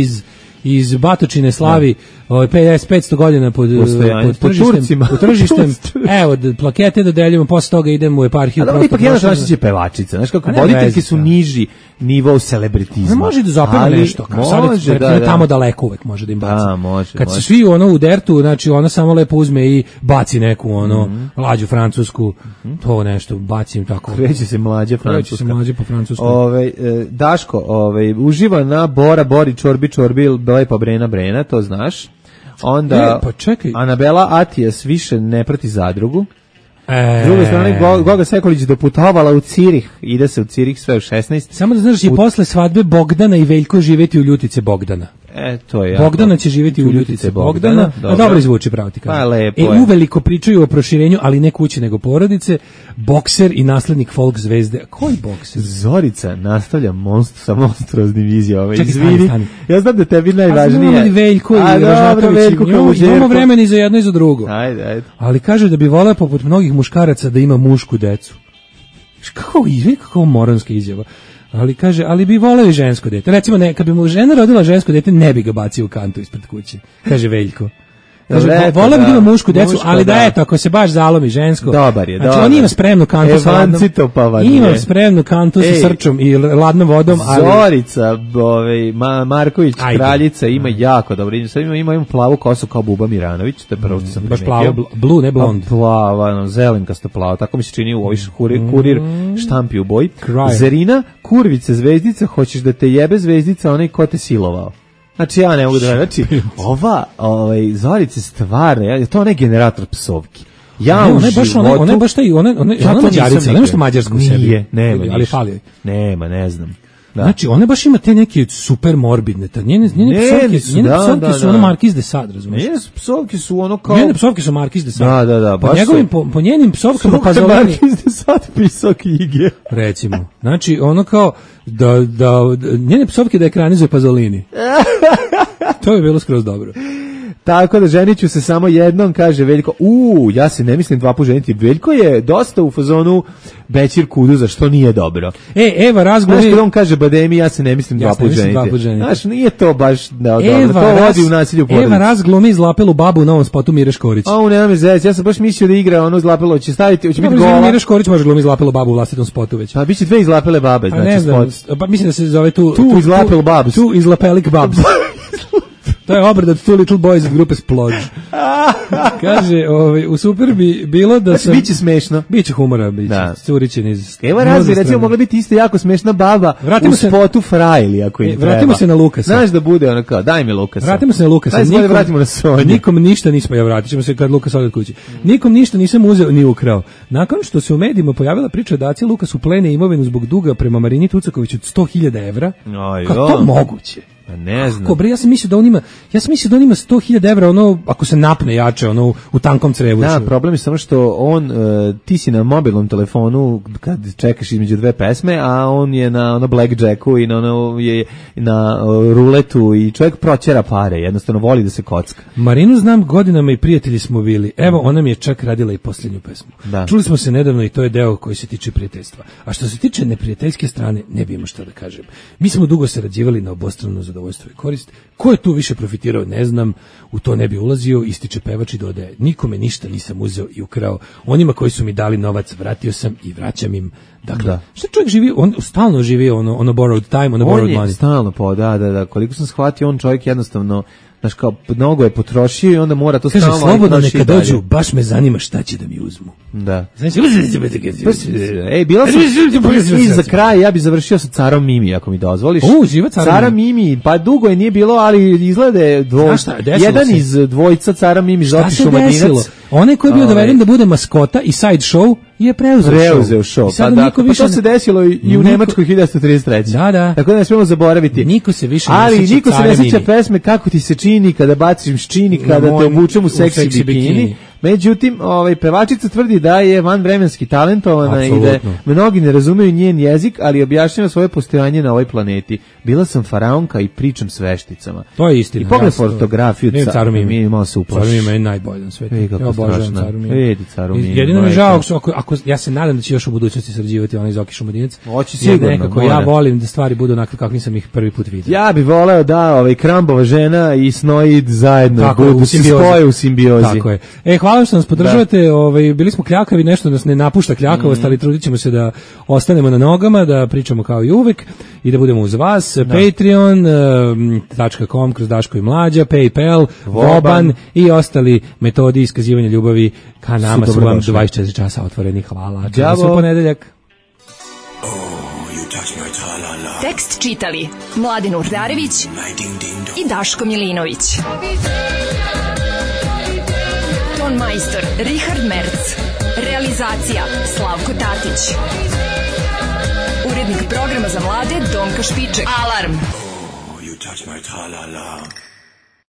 E: iz Batočine slavi 500 godina pod tržištem. Evo, plakete da deljimo, posle toga idemo u eparhiju.
F: Ali ipak Jelena Tomašić je pevačica, znaš kako, voditeljke su niži nivo celebritizma.
E: Može da zapeva nešto, može tamo daleko uvek može da im baci. Kad se svi u dertu, znači ona samo lepo uzme i baci neku lađu francusku, to nešto, baci im tako.
F: Kreće se mlađa francuska.
E: Po francusku.
F: Daško, uživa na Bori, čorbi, lepa Brena, to znaš. Onda Anabela Atijas više ne prati zadrugu. S druge strane, Goga Sekulić doputovala u Cirih, ide se u Cirih sve u 16.
E: Samo da znaš, i posle svadbe Bogdana i Veljko živeti u Ljutice Bogdana.
F: To je
E: Bogdana će živjeti u Ljutice Bogdana, a dobro izvuči, pravo ti kažem.
F: Pa lepo je.
E: Uveliko pričaju o proširenju, ali ne kuće nego porodice. Bokser i naslednik folk zvezde. Koji bokser?
F: Zorica nastavlja sa monstruoznim izjavama. Izvini, ja znam da tebi najvažnije.
E: Ali Veljko i Ražnatović, imamo vremena i za jedno i za drugo.
F: Ajde.
E: Ali kaže da bi voleo poput mnogih muškaraca da ima mušku decu. Kako moranska izjava. Ali kaže, ali bi voleo i žensko dete. Recimo, kad bi mu žena rodila žensko dete, ne bi ga bacio u kantu ispred kuće. Kaže Veljko. Kaže, voleo bi da ima mušku decu, ali da eto, ako se baš zalomi žensko.
F: Dobar je,
E: znači, on ima spremnu kantu sa ladnom. Ima spremnu kantu sa srčom i ladnom vodom.
F: Zorica, Marković, kraljica, ima jako dobro. Sad ima plavu kosu kao Buba Miranović, to je prvo što sam primetio.
E: Baš plavo, blue, ne blond.
F: Plava, zelenkasto plavo, tako mi se čini u ovoj kurir štampi u boji. Zerina, kurvice, zvezdica, hoćeš da te jebe zvezdica, onaj ko te silovao. Znači ja ne mogu da, znači Zorice stvarno, to onaj generator psovki. Ja u životu...
E: Ona je baš taj, ona mađarica, nema što mađarsko u sebi.
F: Nije, nema
E: ali fali joj.
F: Nema, ne znam. Da.
E: Znači, ona baš ima te neke super morbidne, njene psovke su ono Markiz de Sade, razumiješ?
F: Njene psovke su ono kao...
E: Njene psovke su Markiz de Sade.
F: Da.
E: Po njenim psovkama Pazolini...
F: Markiz de Sade pisao knjige.
E: Recimo. Znači, ono kao, njene psovke da ekranizuje Pazolini. To je bilo skroz dobro.
F: Tako da ženit ću se samo jednom, kaže Veljko. Ja se ne mislim 2 puta ženiti. Veljko je dosta u fazonu Bećir Kuduza, što nije dobro.
E: Eva razglumi...
F: Znaš, kada on kaže Bademi, ja se ne mislim 2 puta ženiti. Znaš, nije to baš dobro. To vodi u nasilju porodicu.
E: Eva razglumi izlapelu babu u novom spotu Mire Škorić.
F: Nema me zec, ja sam baš mislio da igra ono izlapelo, će staviti, će biti gola.
E: Mire Škorić može glumi izlapelu babu u vlastitom spotu već.
F: Pa biće 2 izlapele babe, znači spot.
E: Pa mislim da se zove tu
F: izlapel babs.
E: Tu izlapelik babs. To je obrada od Two Little Boys od grupe Splodge. Kaže, u super bi bilo da sam...
F: Biće smešno.
E: Biće humora, biće. Curićen iz...
F: Evo razli, recimo, mogla biti isto jako smešna baba u spotu Frajli, ako im treba.
E: Vratimo se na Lukasa.
F: Znaš da bude ono kao, daj mi Lukasa.
E: Vratimo se na Lukasa.
F: Vratimo na Sonju.
E: Nikom ništa nismo, vratit ćemo se kad Lukas ode od kući. Nikom ništa nisam uzeo ni ukrao. Nakon što se u medijima pojavila priča da Aca Lukas uplene imovinu zbog duga prema Marini Tucaković od 100.000 evra, kako to moguće?
F: Ne znam.
E: Kako bre, ja sam mislio da on ima 100.000 evra, ono, ako se napne jače, ono, u tankom crevu.
F: Da, problem je samo što on, ti si na mobilnom telefonu kad čekaš između dve pesme, a on je na ono blackjacku i na ruletu i čovjek proćera pare, jednostavno voli da se kocka.
E: Marinu znam godinama i prijatelji smo bili. Evo, ona mi je čak radila i posljednju pesmu. Da. Čuli smo se nedavno i to je deo koji se tiče prijateljstva. A što se tiče neprijateljske strane, ne bi imao šta da kažem. Mi smo dugo sarađivali na obostrano zadovoljstvo i korist. Ko je tu više profitirao, ne znam, u to ne bi ulazio, ističe pevač i dodaje: nikome ništa nisam uzeo i ukrao. Onima koji su mi dali novac, vratio sam i vraćam im. Dakle, šta čovjek živi, on stalno živi ono borrowed time, ono borrowed money.
F: On je stalno da. Koliko sam shvatio, on čovjek jednostavno, znaš, kao mnogo je potrošio i onda mora to stalno...
E: Kaže, slobodno neka dođu, baš me zanima šta će da mi uzmu.
F: Da. Znači, bila sam... I za kraj, ja bi završio sa Carom Mimi, ako mi dozvoliš.
E: Živa
F: Cara Mimi, pa dugo je nije bilo, ali izglede jedan iz dvojica Cara Mimi, Zoki Šumadinac.
E: Onaj koji je bio doveden da bude maskota i side show je preuzeo show.
F: Pa to se desilo i u Nemačkoj 1933.
E: Da.
F: Tako da ne smemo zaboraviti.
E: Niko se više
F: ali niko se ne sjeća pesme Kako ti se čini kada baciš čini, kada te obučem u seksi bikini. Međutim, pevačica tvrdi da je vanvremenski talentovana i da mnogi ne razumeju njen jezik, ali objašnjava svoje postojanje na ovoj planeti. Bila sam faraonka i pričam s vešticama.
E: To je istina.
F: I pogled fotografiju Caru Mimi, malo se uplaši.
E: Caru Mimi je najbolji na svetu.
F: Ja obožavam Caru Mimi. Vidi Caru Mimi.
E: Jedino mi je žao, ako ja se nadam da će još u budućnosti sarađivati onaj Zoki Šumadinac.
F: Hoće sigurno.
E: Nekako ja volim da stvari budu onako kako nisam ih prvi put vidio.
F: Ja bih voleo da Krambova žena i Snoid zajedno spoje u simbiozi.
E: Tako je. Hvala što nas podržavate. Bili smo kljakavi, nešto nas ne napušta kljakavost, ali trudit ćemo se da ostanemo na nogama, da pričamo kao i uvek i da budemo uz vas. Patreon.com kroz Daško i Mlađa, PayPal, Voban i ostali metodi iskazivanja ljubavi ka nama su vam 24 časa otvoreni. Hvala. Čujemo se u ponedeljak.
B: Tekst čitali Mladin Urdarević i Daško Milinović. Ton majstor Richard Merc. Realizacija Slavko Tatić. Urednik programa za mlade Donka Špiček. Alarm! Oh, you touch my tra-la-la.